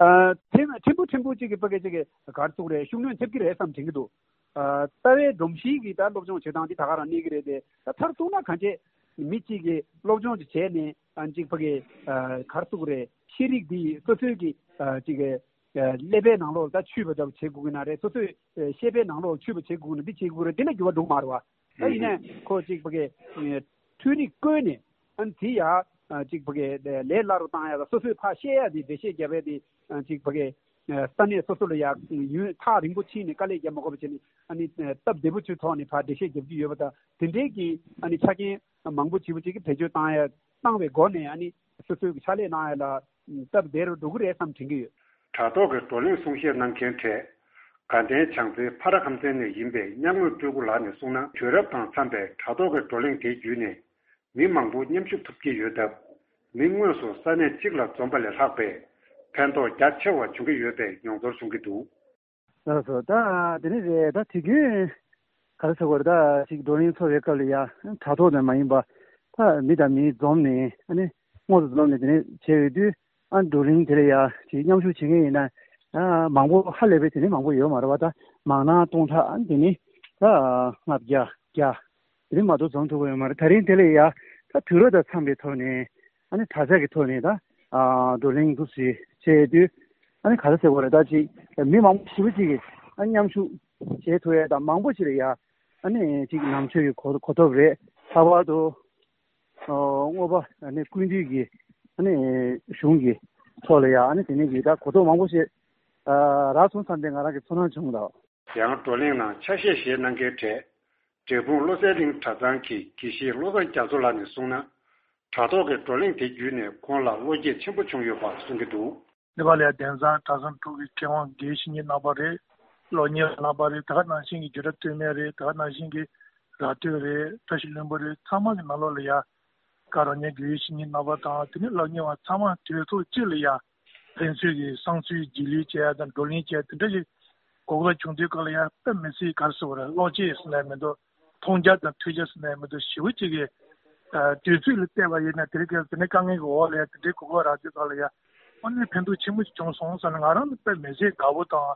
ཨ་ཐེབས་ཕྲན་བུ་ཕྲན་བུ་གཅིག་གི་ཕ་གི་གཅིག་གི་ག་རེ་ཟེར་དགོས་རེད། ཤུགས་སྣོན་ཐེབས་ཀྱི་རེད་བསམ་དྲན་གྱི་འདུག་ཨ་རྩ་བའི་སྒྲོམ་གཞིའི་གི་ད་སློབ་སྦྱོང་བྱེད་སྟངས་འདི་ད་ག་རང་གནས་ཀྱི་རེད་དེ། ད་མཐར་གཏུགས་ན་གང་བྱས་མི་གཅིག་གིས་སློབ་སྦྱོང་ཅིག་བྱས་ནས་ཨ་གཅིག་ཕ་གི་ཨ་ག་རེ་ཟེར་དགོས་རེད། ཤེས་རིག་འདི་སོ་སོའི་གི་ཨ་གཅིག་གི་ཀླད་པའི་ནང་ལོགས་ད་ཆུད་པ་འདྲ་བོ་བྱེད་དགོས་ཀྱི་ན་རེད། སོ་སོའི་ཤེས་པའི་ནང་ལོགས་ཆུད་པ་བྱེད་དགོས་ཀྱི་ན་འདི་བྱེད་དགོས་རེད། འདི་ལ་འགྱུར་བ་འགྲོ་མ་རེད་བ། ད་ཡིན་ནའི་ཁོ་ཅིག་ཕ་གི་འཕྲུལ་རིག་བཀོལ་ནས་ཨ་ནི་དེ་ཡ་ཅིག་ཕ་གི་ལས་སླ་རུ་བཏང་ཡ་དང་སོ་སོས་ཕར་ཤེས་ཡ་དེ་འགྲེལ་བཤད་རྒྱབ་ཡ་དེ་ཅིག་ཕ་གི་ས་གནས་སོ་སོ་ལ་ཡ་ཡུན་ཐག་རིང་པོ་ཕྱིན་ནས་དཀའ་ལས་རྒྱབ་མ་དགོས་པ་བྱས་ནས་ཨ་ནི་སྟབས་བདེ་པོ་ཅིག་ཐོག་ནས་ཕར་འགྲེལ་བཤད་རྒྱབ་ཀྱི་ཡོད་པ་དང་། དེ་འདྲའི་གི་ཨ་ནི་ཆ་རྐྱེན་མང་པོ་ཅིག་ཅིག་བེད་སྤྱོད་བཏང་ཡ་བཏང་བའི་སྒོ་ནས་ཨ་ནི་སོ་སོའི་གི་ཕྱག་ལས་གནང་ཡ་ལ་སྟབས་བདེ་རུ་འགྲོ་གི་རེད་བསམ་དྲན་གྱི་ཡོད། དྲ་ཐོག་གི་བགྲོ་གླེང་གསུང་བཤད་གནང་མཁན་གྲས། དགའ་ལྡན་བྱང་རྩེ་ཕ་ར་ཁམས་ཚན་ནས་ཡིན་པའི་མཉམ་ངོས་སྤྲུལ་སྐུ་ལགས་ནས་གསུངས་ན། དུས་རབས་དང་འཚམ་པའི་དྲ་ཐོག་གི་བགྲོ་གླེང་དེ་བརྒྱུད་ནས་མི་མང་པོ་མཉམ་ཞུགས་ཐུབ་ཀྱི་ཡོད་སྟབས། མི་དངོས་སུ་ས་གནས་གཅིག་ལ་འཛོམས་པ་ལས་ལྷག་པའི་ཕན་ཐོགས་རྒྱ་ཆེ་བ་བྱུང་གི་ཡོད་པའི་མྱོང་ཚོར་བྱུང་གི་འདུག་ལགས་སོ། ད་དེ་ནི་རེད། ད་དུས་རྒྱུན་ག་རེ་ཟེར་དགོས་རེད། ད་ཅིག་བགྲོ་གླེང་ཚོགས་པའི་སྐབས་ལ་ཡ་དྲ་ཐོག་ནས་མ་ཡིན་པ་ད་མི་དང་མི་འཛོམས་ནས་ཨ་ནི་དངོས་སུ་འཛོམས་ནས་དེ་ནས་བྱས་ཡོད་དུས། ཨ་བགྲོ་གླེང་དེ་ལ་ཡ་ཅིག་མཉམ་ཞུགས་བྱེད་མཁན་ཡིན་ན་ཨ་མང་པོ་ཧ་ལས་པའི་དེ་ནི་མང་པོ་ཡོད་མ་རེད་བ། ད་མང་ན་སྟོང་ཕྲག་ཨ་དེ་ནི་ད་ལྔ་བརྒྱ་བརྒྱ་དེ་ནི་མ་གཏོགས་འཛོམས་ཐུབ་པ་ཡོད་མ་རེད། ད་རིང་དེ་ལ་ཡ་ད་དུས་རབས་དང་འཚམ་པའི་ཐོག་ནས་ཨ་ནི་དྲ་ཐོག་གི་ཐོག་ནས་ད་ཨ་བགྲོ་གླེང་འདུག་སེ་བྱས་དུས། ཨ་ནི་ག་རེ་ཟེར་དགོས་རེད། ད་ཅིག་མི་མང་པོ་ཞེ་པོ་ཅིག་གིས་ཨ་མཉམ་ཞུགས་བྱེད་ཐུབ་ཡས་དང་མང་པོ་ཞིག་ལ་ཡ་ཨ་ནི་ཅིག་ནང་ཆོས་ཀྱི་གོ་གོ་རྟོགས་རེད། ལྷག་པར་དུ་ཨོ་དངོས་པོ་ཨ་ནི་ཀུན་འདུས་ཀྱི་ཨ་ནི་གཞུང་གི་ཐོག་ལ་ཡ་ཨ་ནི་དེ་ནས་ཀྱི་ད་གོ་རྟོགས་མང་པོ་ཞིག་ཨ་རག་སོང་བསམ་སྟེ་ང་རང་གི་ཚོར་སྣང་བྱུང་འདུག། ཡང་བགྲོ་གླེང་ནང་ཆ་ཤས་བཞེས་གནང་མཁན་གྲས། འབྲས་སྤུངས་བློ་གསལ་གླིང་གྲྭ་ཚང་གི་དགེ་བཤེས་བློ་བཟང་རྒྱ་མཚོ་ལགས་ནས་གསུངས་ན། དྲ་ཐོག་གི་བགྲོ་གླེང་དེ་བརྒྱུད་ནས་ཁོང་ལ་བློ་སྐྱེད་ཆེན་པོ་བྱུང་ཡོད་པ་གསུང་གི་འདུག། ནེ་པ་ལ་ཡ་དེང་སང་གྲྭ་ཚང་དྲུག་གི་མཁས་དབང་དགེ་བཤེས་གཉེན་རྣམ་པ་རེད། སློབ་གཉེར་རྣམ་པ་རེད། ད་ག་ནང་བཞིན་གྱི་རྒྱུད་གྲྭ་སྟོད་སྨད་རེད། ད་ག་ནང་བཞིན་གྱི་ར་སྟོད་རེད། བཀྲ་ཤིས་ལྷུན་པོ་རེད། ཚང་མ་གི་ནང་ལོགས་ལ་ཡ་ག་རང་ཉིད་དགེ་བཤེས་གཉེན་རྣམ་པ་དང་དེ་ནས་སློབ་གཉེར་བ་ཚང་མ་དུས་ཚོད་གཅིག་ལ་ཡ་ཕན་ཚུན་གྱི་བསམ་ཚུལ་བརྗེ་ལེན་བྱས་དང་བགྲོ་གླེང་བྱས་དེ་འདྲ་ཞིག་གོ་སྐབས་བྱུང་དུས་སྐབས་ལ་ཡ་དཔེ་མི་སྲིད་ག་རེ་ཟེར་བ་རེད། བློ་སྐྱེད་ཟེར་ནའི་མི་འདུག། མཐོང་རྒྱ་དང་ཐོས་རྒྱ་ཟེར་ནའི་མི་འདུག། ཞེ་པོ་ཅིག་གི་ཨ་དུས་ཚོད་ལ་བལྟས་པ་ཡིན་ན་དེ་རིང་ཁ་སང་དེ་འདྲའི་དཀའ་ངལ་གྱི་འོག་ལ་ཡ་དེ་འདྲའི་གོ་སྐབས་རག་དུས་སྐབས་ལ་ཡ་དངོས་གནས་ཕན་ཐོགས་ཆེན་པོ་ཞིག་བྱུང་སོང་ཟེར་ནས་ང་རང་ནི་དཔེ་མི་སྲིད་དགའ་པོ་དང་།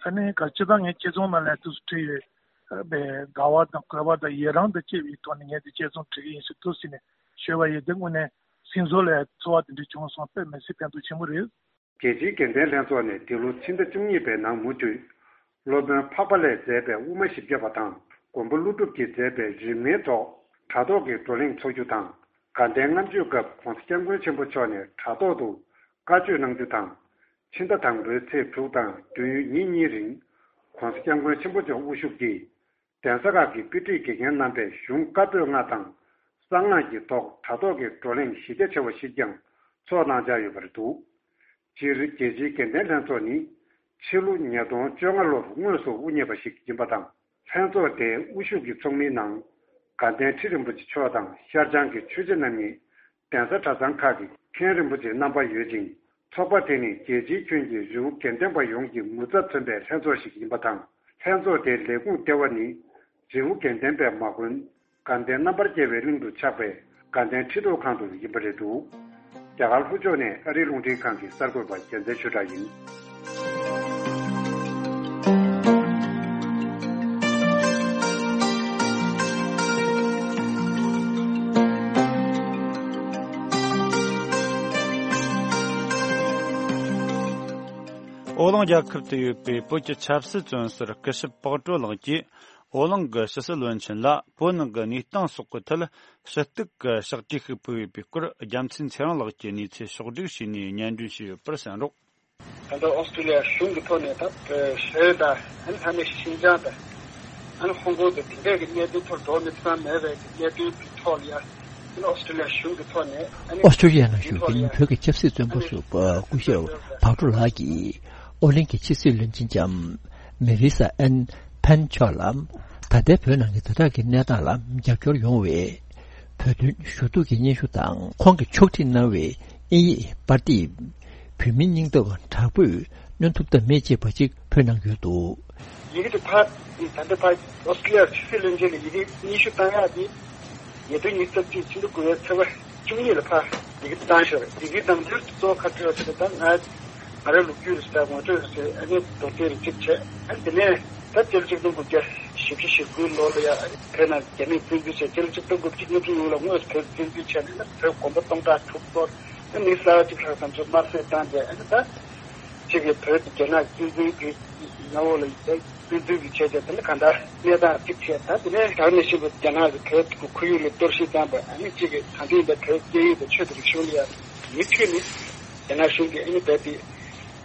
ཨ་ནི་ག་སྤྱིར་བཏང་ངའི་དཔྱད་རྩོམ་ནང་ལ་དུས་སུ་བྲིས་ཡོད། ཨ་པའི་དགའ་བ་དང་གུས་པ་དང་ཡི་རང་དང་བཅས་པའི་ཐོག་ནས་ངས་དེ་དཔྱད་རྩོམ་བྲིས་ཀྱི་ཡིན་ཟེར་དུས་ཟེར་ནས་ཞུས་པ་ཡིན། དེ་དངོས་གནས་སེམས་ཚོར་ལ་ཚོར་བ་དེ་འདྲ་བྱུང་སོང་། དཔེ་མི་སྲིད་ཕན་ཐོགས་ཆེན་པོ་རེད། རྒྱལ་སྤྱིའི་དགེ་ལྡན་ལྷན་ཚོགས་ནས་འདི་ལོ་ཕྱི་ཟླ་བཅུ་གཉིས་པའི་ནང་མུ་མཐུད། སློབ་དཔོན་འཕགས་པ་ལས་མཛད་པའི་དབུ་མ་བཞི་བརྒྱ་པ་དང་མགོན་པོ་ཀླུ་སྒྲུབ་ཀྱིས་མཛད་པའི་རིམ་ལྔའི་ཐོག་དྲ་ཐོག་གི་བགྲོ་གླེང་འཚོགས་རྒྱུ་དང་། དགའ་ལྡན་ལྔ་མཆོད་སྐབས་༸གོང་ས་༸སྐྱབས་མགོན་ཆེན་པོ་མཆོག་ནས་དྲ་ཐོག་ཏུ་བཀའ་ཆོས་གནང་རྒྱུ་དང་། ཕྱི་ཟླ་དང་པོའི་ཚེས་དྲུག་དང་བདུན་ཉིན་གཉིས་རིང་༸གོང་ས་༸སྐྱབས་མགོན་ཆེན་པོ་མཆོག་དབུ་བཞུགས་ཀྱིས་གདན་ས་ཁག་གི་དཔེ་ཁྲིད་དགེ་རྒན་རྣམ་པས་གཞུང་བཀའ་པོད་ལྔ་དང་གསང་སྔགས་ཀྱི་ཐོག་དྲ་ཐོག་གི་བགྲོ་གླེང་གཞི་རྒྱ་ཆེ་བ་ཞིག་ཀྱང་ཚོགས་གནང་འཆར་ཡོད་པ་རེད་འདུག། སྤྱིར་རྒྱལ་སྤྱིའི་དགེ་ལྡན་ལྷན་ཚོགས་ནི་ཕྱི་ལོ་ཉིས་སྟོང་བཅོ་ལྔ་ལོར་དངོས་སུ་དབུ་བརྙེས་པ་ཞིག་ཡིན་པ་དང་། ལྷན་ཚོགས་དེའི་དབུ་བཞུགས་ཀྱི་ཚོགས་མིའི་ནང་དགའ་ལྡན་ཁྲི་རིན་པོ་ཆེ་མཆོག་དང་ཤར་བྱང་གི་ཆོས་རྗེ་རྣམ་གཉིས། གདན་ས་གྲྭ་ཚང་ཁག་གི་མཁན་རིན་པོ་ཆེ་རྣམ་པ་ཡོད་ཅིང་། ཚོགས་པ་དེ་ནི་རྒྱལ་སྤྱིའི་ཁྱོན་གྱི་རི་བོ་དགེ་ལྡན་པ་ཡོངས་ཀྱི་ངོ་ཚབ་མཚོན་པའི་ལྷན་ཚོགས་ཤིག་ཡིན་པ་དང་། ལྷན་ཚོགས་དེའི་ལས་ཁུངས་ལྟེ་བ་ནི་རི་བོ་དགེ་ལྡན་པས་མ་དགོན་དགའ་ལྡན་རྣམ་པར་རྒྱལ་བའི་གླིང་དུ་ཆགས་པའི་དགའ་ལྡན་ཁྲི་ཐོག་ཁང་དུ་ཡིན་པ་རེད་འདུག། རྒྱ་གར་ལྷོ་ཕྱོགས་ནས་ཨ་རིའི་རླུང་འཕྲིན་ཁང་གི་གསར་འགོད་པ་རྒྱལ་མཚན་ཆོས་གྲགས་ཡིན། ཨོ་གླིང་རྒྱལ་ཁབ་ཏུ་ཡོད་པའི་བོད་ཀྱི་ཆབ་སྲིད་བཙོན་ཟུར་སྐུ་ཞབས་པགས་ཀྲོ་ལགས་ཀྱིས། ཨོ་གླིང་གི་ཕྱི་སྲིད་བློན་ཆེན་ལ་བོད་ནང་གི་གནས་སྟངས་སོགས་ཀྱི་ཐད་ཞུ་གཏུག་གི་ཕྱག་བྲིས་ཤིག་ཕུལ་ཡོད་པའི་སྐོར། རྒྱལ་མཚན་ཚེ་རིང་ལགས་ཀྱིས་གནས་ཚུལ་ཕྱོགས་བསྒྲིགས་བྱས་ནས་སྙན་སྒྲོན་ཞུས་ཡོད་པར་གསན་རོགས། ད་ལྟ་ཨོ་སི་ཀྲི་ལི་ཡ་གཞུང་གི་ཐོག་ནས་ད་བོད་དང་ཨ་ནི་ལྷ་ནི་ཤིན་ཅང་དང་ཨ་ནི་ཧོང་ཀོང་དང་དེ་འདྲའི་གི་གནད་དོན་ཐོག་འགྲོ་མི་ཚང་མེད་པའི་གི་གནད་དོན་གྱི་ཐོག་ལ་ཡ། ཨོ་སི་ཀྲི་ལི་ཡ་གཞུང་གི་ཐོག་ནས་ཨ་ནི་ཨོ་སི་ཀྲི་ལི་ཡ་ནང་བཞུགས་པའི་བོད་ཀྱི་ཆབ་སྲིད་བཙོན་པ་ཟུར་པ་སྐུ་ཞབས་བག་གྲོ་ལགས་ཀྱིས་ཨོ་གླིང་གི་ཕྱི་སྲིད་བློན་ཆེན་ལྕམ་མེ་རི་ས་ཨན་ཕན་མཆོག་ལ། ད་ལྟའི་བོད་ནང་གི་དེ་དག་གི་གནས་སྟངས་ལ་རྒྱབ་སྐྱོར་ཡོང་བའི་བོད་དོན་ཞུ་གཏུག་གི་སྙན་ཞུ་དང་། ཁོང་གིས་ཕྱོགས་སྒྲིག་གནང་བའི་དབྱིན་ཡིག་པར་དེབ། བོད་མིའི་སྙིང་སྟོབས་དྲག་པོས་གནོན་ཐུབ་ཐབས་མེད་ཅེས་པ་ཅིག་ཕུལ་གནང་ཡོད་འདུག། ཡི་གེ་དེ་ཕར་ད་ལྟ་ཕར་ཨོ་སི་ཀྲི་ལི་ཡ་ཕྱི་སྲིད་བློན་ཆེན་ལ་ཡི་གེ་སྙན་ཞུ་བཏང་ཡག་དེ་ཉིས་སྟོང་ཉི་ཤུ་རྩ་གཅིག་ཕྱི་ཟླ་དགུ་པའི་ཚེས་པ་བཅུ་གཉིས་ལ་ཕར་ཡི་གེ་བཏང་ཤག་རེད། ཡི་གེ་བཏང་དུས་གཙོ་བོ་ག་རེ་ཟེར་ན། ད་ང་ང་རང་ལོ་རྒྱུས་རེད་ཟེར། ངོ་སྤྲོད་རེད་ཟེར། ཨ་ནི་མདོར་བསྡུས་རེ་གཅིག་བྱས། ཨ་ནི་དེ་ནས་ད་སྤྱི་ལོ་ཆིག་སྟོང་དགུ་བརྒྱ་བཞི་བཅུ་ཞེ་དགུའི་ལོ་ལ་ཡ་ཨ་ནི་བོད་ནང་རྒྱ་མིས་བཙན་འཛུལ་བྱས། སྤྱི་ལོ་ཆིག་སྟོང་དགུ་བརྒྱ་ཉི་ཤུ་ལོ་ལ་དངོས་སུ་བོད་བཙན་འཛུལ་བྱས་ནས་ན་བོད་དགོན་པ་སྟོང་ཕྲག་དྲུག་གཏོར། ཨ་ནི་གསར་བ་གཅིག་ལྷག་ཙམ་ཚོ་དམར་གསོད་བཏང་རྗེས། ཨ་ནི་ད་གཅིག་གིས་བོད་དེ་རྒྱ་ནག་བཙན་འཛུལ་གྱི་མཉམ་འོག་ལ་བཙན་འཛུལ་གྱི་བྱས་རྗེས་དེ་ནི་གང་ལྟར་གནས་སྟངས་གཅིག་བྱས། ད་དེ་ནས་ད་ནས་བཞིན་པ་རྒྱ་ནག་གིས་བོད་ཀྱི་ཁོར་ཡུག་ལ་གཏོར་བཤིག་བཏང་པ། ཨ་ནི་གཅིག་གིས་ད་ཐེངས་འདི་བོད་སྐད་ཡིག་དང་ཆོས་དང་རིག་གཞུང་ལ་ཡང་མུ་མཐུད་ནས་རྒྱ་ནག་གཞུང་གིས་ཨ་ནི་བོད་དེ་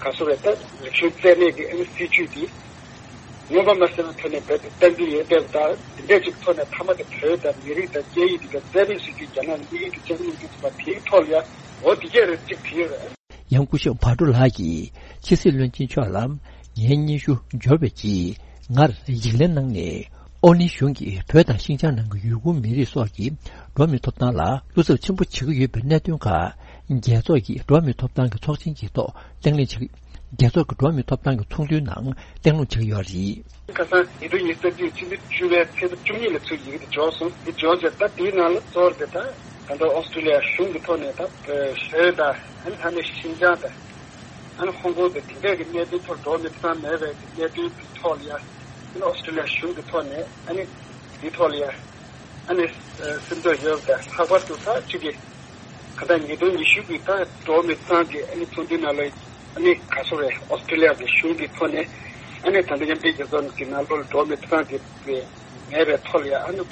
ག་སོ་རེད། ད་རིག་གཞུང་རྩ་མེད་ཀྱི་ཨ་ནི་སྲིད་བྱུས་དེ་མངོན་པ་མ་གསལ་བའི་ཐོག་ནས་བོད་དེ་བསྟན་འཛིན་ཡོད་བསྡད་པ་དང་། དེ་འདྲ་ཅིག་ཐོག་ནས་མཐའ་མ་དེ་བོད་དང་མི་རིགས་དང་སྐད་ཡིག་དེ་ག་རྩ་མེད་བཟོ་རྒྱུའི་རྒྱ་ནག་ལ་དམིགས་ཡུལ་དེ་ཅང་མི་འདུག་པ། དེའི་ཐོག་ལ་ཡང་འོ་དེ་གས་རེད་ཅིག་བྲིས་ཡོད་རེད། ཡང་སྐུ་ཞབས་བག་གྲོ་ལགས་ཀྱིས་ཕྱི་སྲིད་བློན་ཆེན་མཆོག་ལ་ངའི་སྙན་ཞུ་འབྱོར་བའི་རྗེས་ང་ལ་ཡིག་ལན་གནང་ནས། ཨོ་གླིང་གཞུང་གིས་བོད་དང་ཤིན་ཅང་ནང་གི་ཡུ་གུར་མི་རིགས་སོགས་ཀྱི་འགྲོ་བ་མིའི་ཐོབ་ཐང་ལ་བློ་འཚབ་ཆེན་པོ་བྱེད་ཀྱི་ཡོད་པའི་གནད་དོན་ཁག་རྒྱལ་ཚོགས་ཀྱི་འགྲོ་བ་མིའི་ཐོབ་ཐང་གི་ཚོགས་ཆེན་གྱི་ཐོག་གླེང་སློང་བྱེད། རྒྱལ་ཚོགས་ཀྱི་འགྲོ་བ་མིའི་ཐོབ་ཐང་གི་ཚོགས་འདུའི་ནང་གླེང་སློང་བྱེད་ཀྱི་ཡོད་རེད། ཁ་སང་ཉིས་སྟོང་ཉི་ཤུ་རྩ་གཅིག་ཕྱི་ཟླ་བཅུ་པའི་ཚེས་པ་བཅུ་གཉིས་ལ་ཚུར་ཡི་གེ་དེ་འབྱོར་སོང་། དེ་འབྱོར་རྗེས་ད་དེའི་ནང་ལ་གཙོ་བོར་དེ་ད་ད་ལྟ་ཨོ་སི་ཀྲི་ལི་ཡ་གཞུང་གི་ཐོག་ནས་ད་བོད་དང་ཨ་ནི་ད་ནི་ཤིན་ཅང་དང་ཨ་ནི་ཧོང་ཀོང་དང་དེ་འདྲས་ཀྱི་གནད་དོན་ཐོག་འགྲོ་མི་ཚང་མེད་པའི་གནད་དོན་གྱི་ཐོག་ལ་ཡ། ཨ་ནི་ཨོ་སི་ཀྲི་ལི་ཡ་གཞུང་གི་ཐོག་ནས་ཨ་ནི་དེའི་ཐོག་ལ་ཡ་ཨ་ནི་སེམས་ཚོར་ཡོད་པ་དང་། ལྷག་པར་དུ་ད་ཅིག་གི་ག་ད་ཉིས་སྟོང་ཉི་ཤུ་གི་ད་འགྲོ་མི་ཚང་གི་ཨ་ནི་ཚོགས་འདུའི་ནང་ལ། ཨ་ནི་ག་སོ་རེད། ཨོ་སི་ཀྲི་ལི་ཡ་གི་གཞུང་གི་ཐོག་ནས་ཨ་ནི་ད་ལྟ་མཉམ་འབྲེལ་རྒྱལ་ཚོགས་ཀྱི་ནང་ལོགས་ལ་འགྲོ་མི་ཐོབ་ཐང་དེ་མེད་པའི་ཐོག་ལ་ཡ། ཨ་ནི་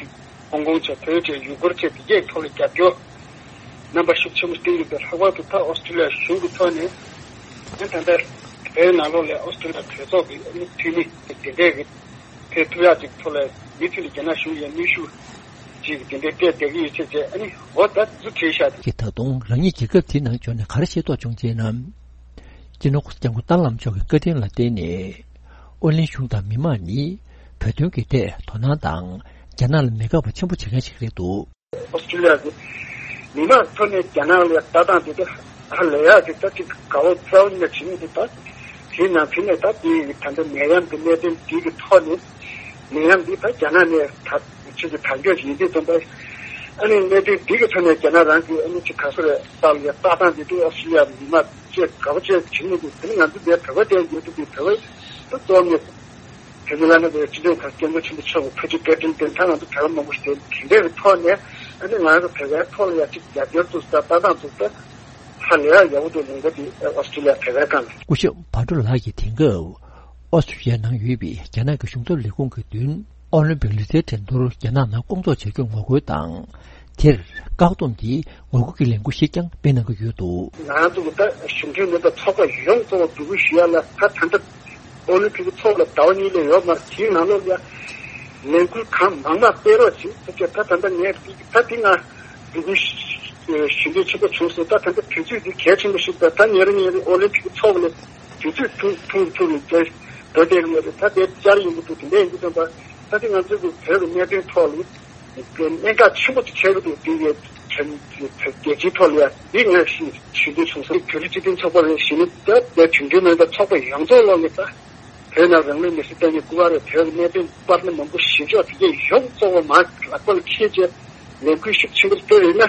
ཧོང་ཀོང་བྱས། བོད་བྱས། ཡུ་གུར་བྱས། དེ་གའི་ཐོག་ལ་རྒྱབ་སྐྱོར་རྣམ་པ་ཤུགས་ཆེན་པོ་བསྟན་ཡོད་པས། ལྷག་པར་དུ་ད་ཨོ་སི་ཀྲི་ལི་ཡ་གཞུང་གི་ཐོག་ནས་ཨ་ནི་ད་ལྟ་བོད་ནང་ལོགས་ལ་ཨོ་སི་ཀྲི་ལི་ཡ་གྲོས་ཚོགས་ཀྱི་ཨ་ནི་འཐུས་མི་དེ་འདྲས་ཀྱི་ཕེབས་ཐུབ་ཡག་ཅིག་ཐོག་ལ་མུ་མཐུད་ནས་རྒྱ་ནག་གཞུང་ཡ་གནོན་ཤུགས་ཅིག་དེ་འདྲའི་སྤྲད་བསྡད་ཀྱི་ཡོད་ཚེ་བྱས། ཨ་ནི་འོ་ད་ཚུར་བྲིས་བཞག་དེ། གིས་ད་དུང་རང་ཉིད་རྒྱལ་ཁབ་དེའི་ནང་བྱོན་ནས་ག་རེ་ཤེས་རྟོགས་བྱུང་ཅེ་ན། སྤྱི་ནོར་༸གོང་ས་༸སྐྱབས་མགོན་ཏཱ་ལའི་བླ་མ་མཆོག་གི་བཀའ་དྲིན་ལ་བརྟེན་ནས། ཨོ་གླིང་གཞུང་དང་མི་མང་ནི་བོད་དོན་གྱི་ཐད་དོ་སྣང་དང་རྒྱ་ནག་ལ་མི་དགའ་བ་ཆེན་པོ་བྱེད་མཁན་ཞིག་རེད་འདུག། ཨོ་སི་ཀྲི་ལི་ཡ་གི་མི་མང་ཐོག་ནས་རྒྱ་ནག་ལ་ལྟ་སྟངས་དེ་ད་ཧ་ལས་ཡག་གི་ད་ཅིག་དགའ་བོ་རྩ་བ་ཉིད་ནས་བྱེད་མི་འདུག། ད་དེའི་ནང་དེ་ནས་ད་དེའི་ད་ལྟ་ནད་ཡམས་ཀྱི་གནད་དོན་འདི་གི་ཐོག་ནས། ནད་ཡམས་འདི་ད་རྒྱ་ནག་ནས་ད་ཕྱིར་གྱི་དར་འགྱོག་ཡིན་དུས་ཙམ་པ། ཨ་ནི་གནད་དོན་འདི་གི་ཐོག་ནས་རྒྱ་ནག་རང་གི་ཨ་ནི་ཅིག་ག་སོ་རེད། ལྟ་ལ་ལྟ་སྟངས་འདི་དུས་ཨོ་སི་ཀྲི་ལི་ཡ་མི་མང་བཅས་དགའ་པོ་བཅས་བྱེད་མི་འདུག། དེ་ནི་ང་ཚོ་འདིར་བོད་པ་དེ་ཡོད་དུས་བོད་པ་ད་གཙོ་བོ་ནས། དེ་ཚོ་ལ་ནི་བོད་སྤྱི་འཐུས་ཁག་སྐྱབས་མགོན་ཆེན་པོ་མཆོག་གི་ཕ་ཇི་བཀའ་དྲིན་དེ་ད་ང་ཚོ་བོད་པ་མང་པོ་ཞིག་དེ་དེ་འདྲའི་གི་ཐོག་ནས། ཨ་ནི་ང་ཚོ་བོད་པའི་ཐོག་ལ་ཡ་གཅིག་རྒྱབ་སྐྱོར་ཚུགས་ས། ལྟ་སྟངས་ཚུགས་ས་ཧ་ལས་ཡག་ཡག་པོ་འདུག། ལུང་པ་དེ་ཨོ་སི་ཀྲི་ལི་ཡ་བོད་པའི་སྒང་ལ། སྐུ་ཞབས་བྷ་ཏྲོ་ལགས་ཀྱིས་དེང་སྐབས་ཨོ་སི་ཀྲི་ལི་ཡ་ནང་ཡོད་པའི་རྒྱ་ནག་གི་གཞུང་ཚབ་ལས་ཁུངས་ཀྱི་མདུན། ཨོ་ལིམ་པིག་ལུས་རྩལ་འགྲན་བསྡུར་རྒྱ་ནག་ནང་སྐོང་ཚོགས་བྱ་རྒྱུར་ངོ་རྒོལ་དང་། དེར་བཀག་སྡོམ་གྱིས་ངོ་རྒོལ་གྱི་ལས་འགུལ་ཞིག་ཀྱང་སྤེལ་གནང་གི་ཡོད་འདུག། ང་ཚོ་གི་ད་གཞུང་འབྲེལ་མིན་པའི་ཚོགས་པ་ཡོངས་རྫོགས་ལ་འབོད་སྐུལ་ཞུ་ཡ་ལ། ད་ད་ལྟ་ཨོ་ལིམ་པིག་གི་ཚོགས་ལ་ཟླ་བ་གཉིས་ལས་ཡོད་མ་རེད། དེའི་ནང་ལོགས་ལ་ལས་འགུལ་གང་མང་མང་སྤེལ་རོགས་བྱེད་ཟེར་བྱས། ད་ད་ལྟ་ངས་ད་དེ་ང་འབོད་སྐུལ་ཞུ་འདོད་ཆེན་པོ་བྱུང་སོང་། ད་ད་ལྟ་དུས་ཚོད་འདི་གལ་ཆེན་པོ་ཞིག་ད་ད་ཉེ་རིང་ཉེ་རིང་ཨོ་ལིམ་པིག་གི་ཚོགས་ལ་དུས་ཚོད་ཐུང་ཐུང་ཐུང་ནས་བསྡད་བསྡད་ཡོད་རེད། ད་དེ་བཅར་ཡོང་གི་འདུག། དེ་འདྲ་ཡིན་དུས་ཙམ་པ། ད་དེ་ང་ཚོ་གི་བོད་ཀྱི་གནད་དོན་ཐོག་ལ་གནད་འགག་ཆེན་པོ་ཅིག་ཆགས་ཀྱི་འདུག། དེ་ཡི་རྒྱལ་སྤྱིའི་ཐོག་ལ་ཡ་འདི་ངས་ཞུ་ཞུ་འདོད་བྱུང་སོང་། བོད་རིགས་སྤྱི་མཐུན་ཚོགས་པ་རེད། གཞི་ནས་ད་ལྟ་གཞུང་འབྲེལ་མིན་པའི་ཚོགས་པ་ཡོངས་རྫོགས་ལོག་ནས་ད་བོད་ནང་རང་ལུས་མེར་སྲེག་བཏང་མཁན་སྐུ་པར་རེད། བོད་ཀྱི་གནད་དོན་པར་ནི་མང་པོ་ཞིབ་འཇུག་དེ་གས་ཡོངས་རྫོགས་པ་མར་ལག་པ་ལ་འཁྱེར་བྱས་ལས་འགུལ་ཤུགས་ཆེན་པོ་སྤེལ་ཡོད་ན།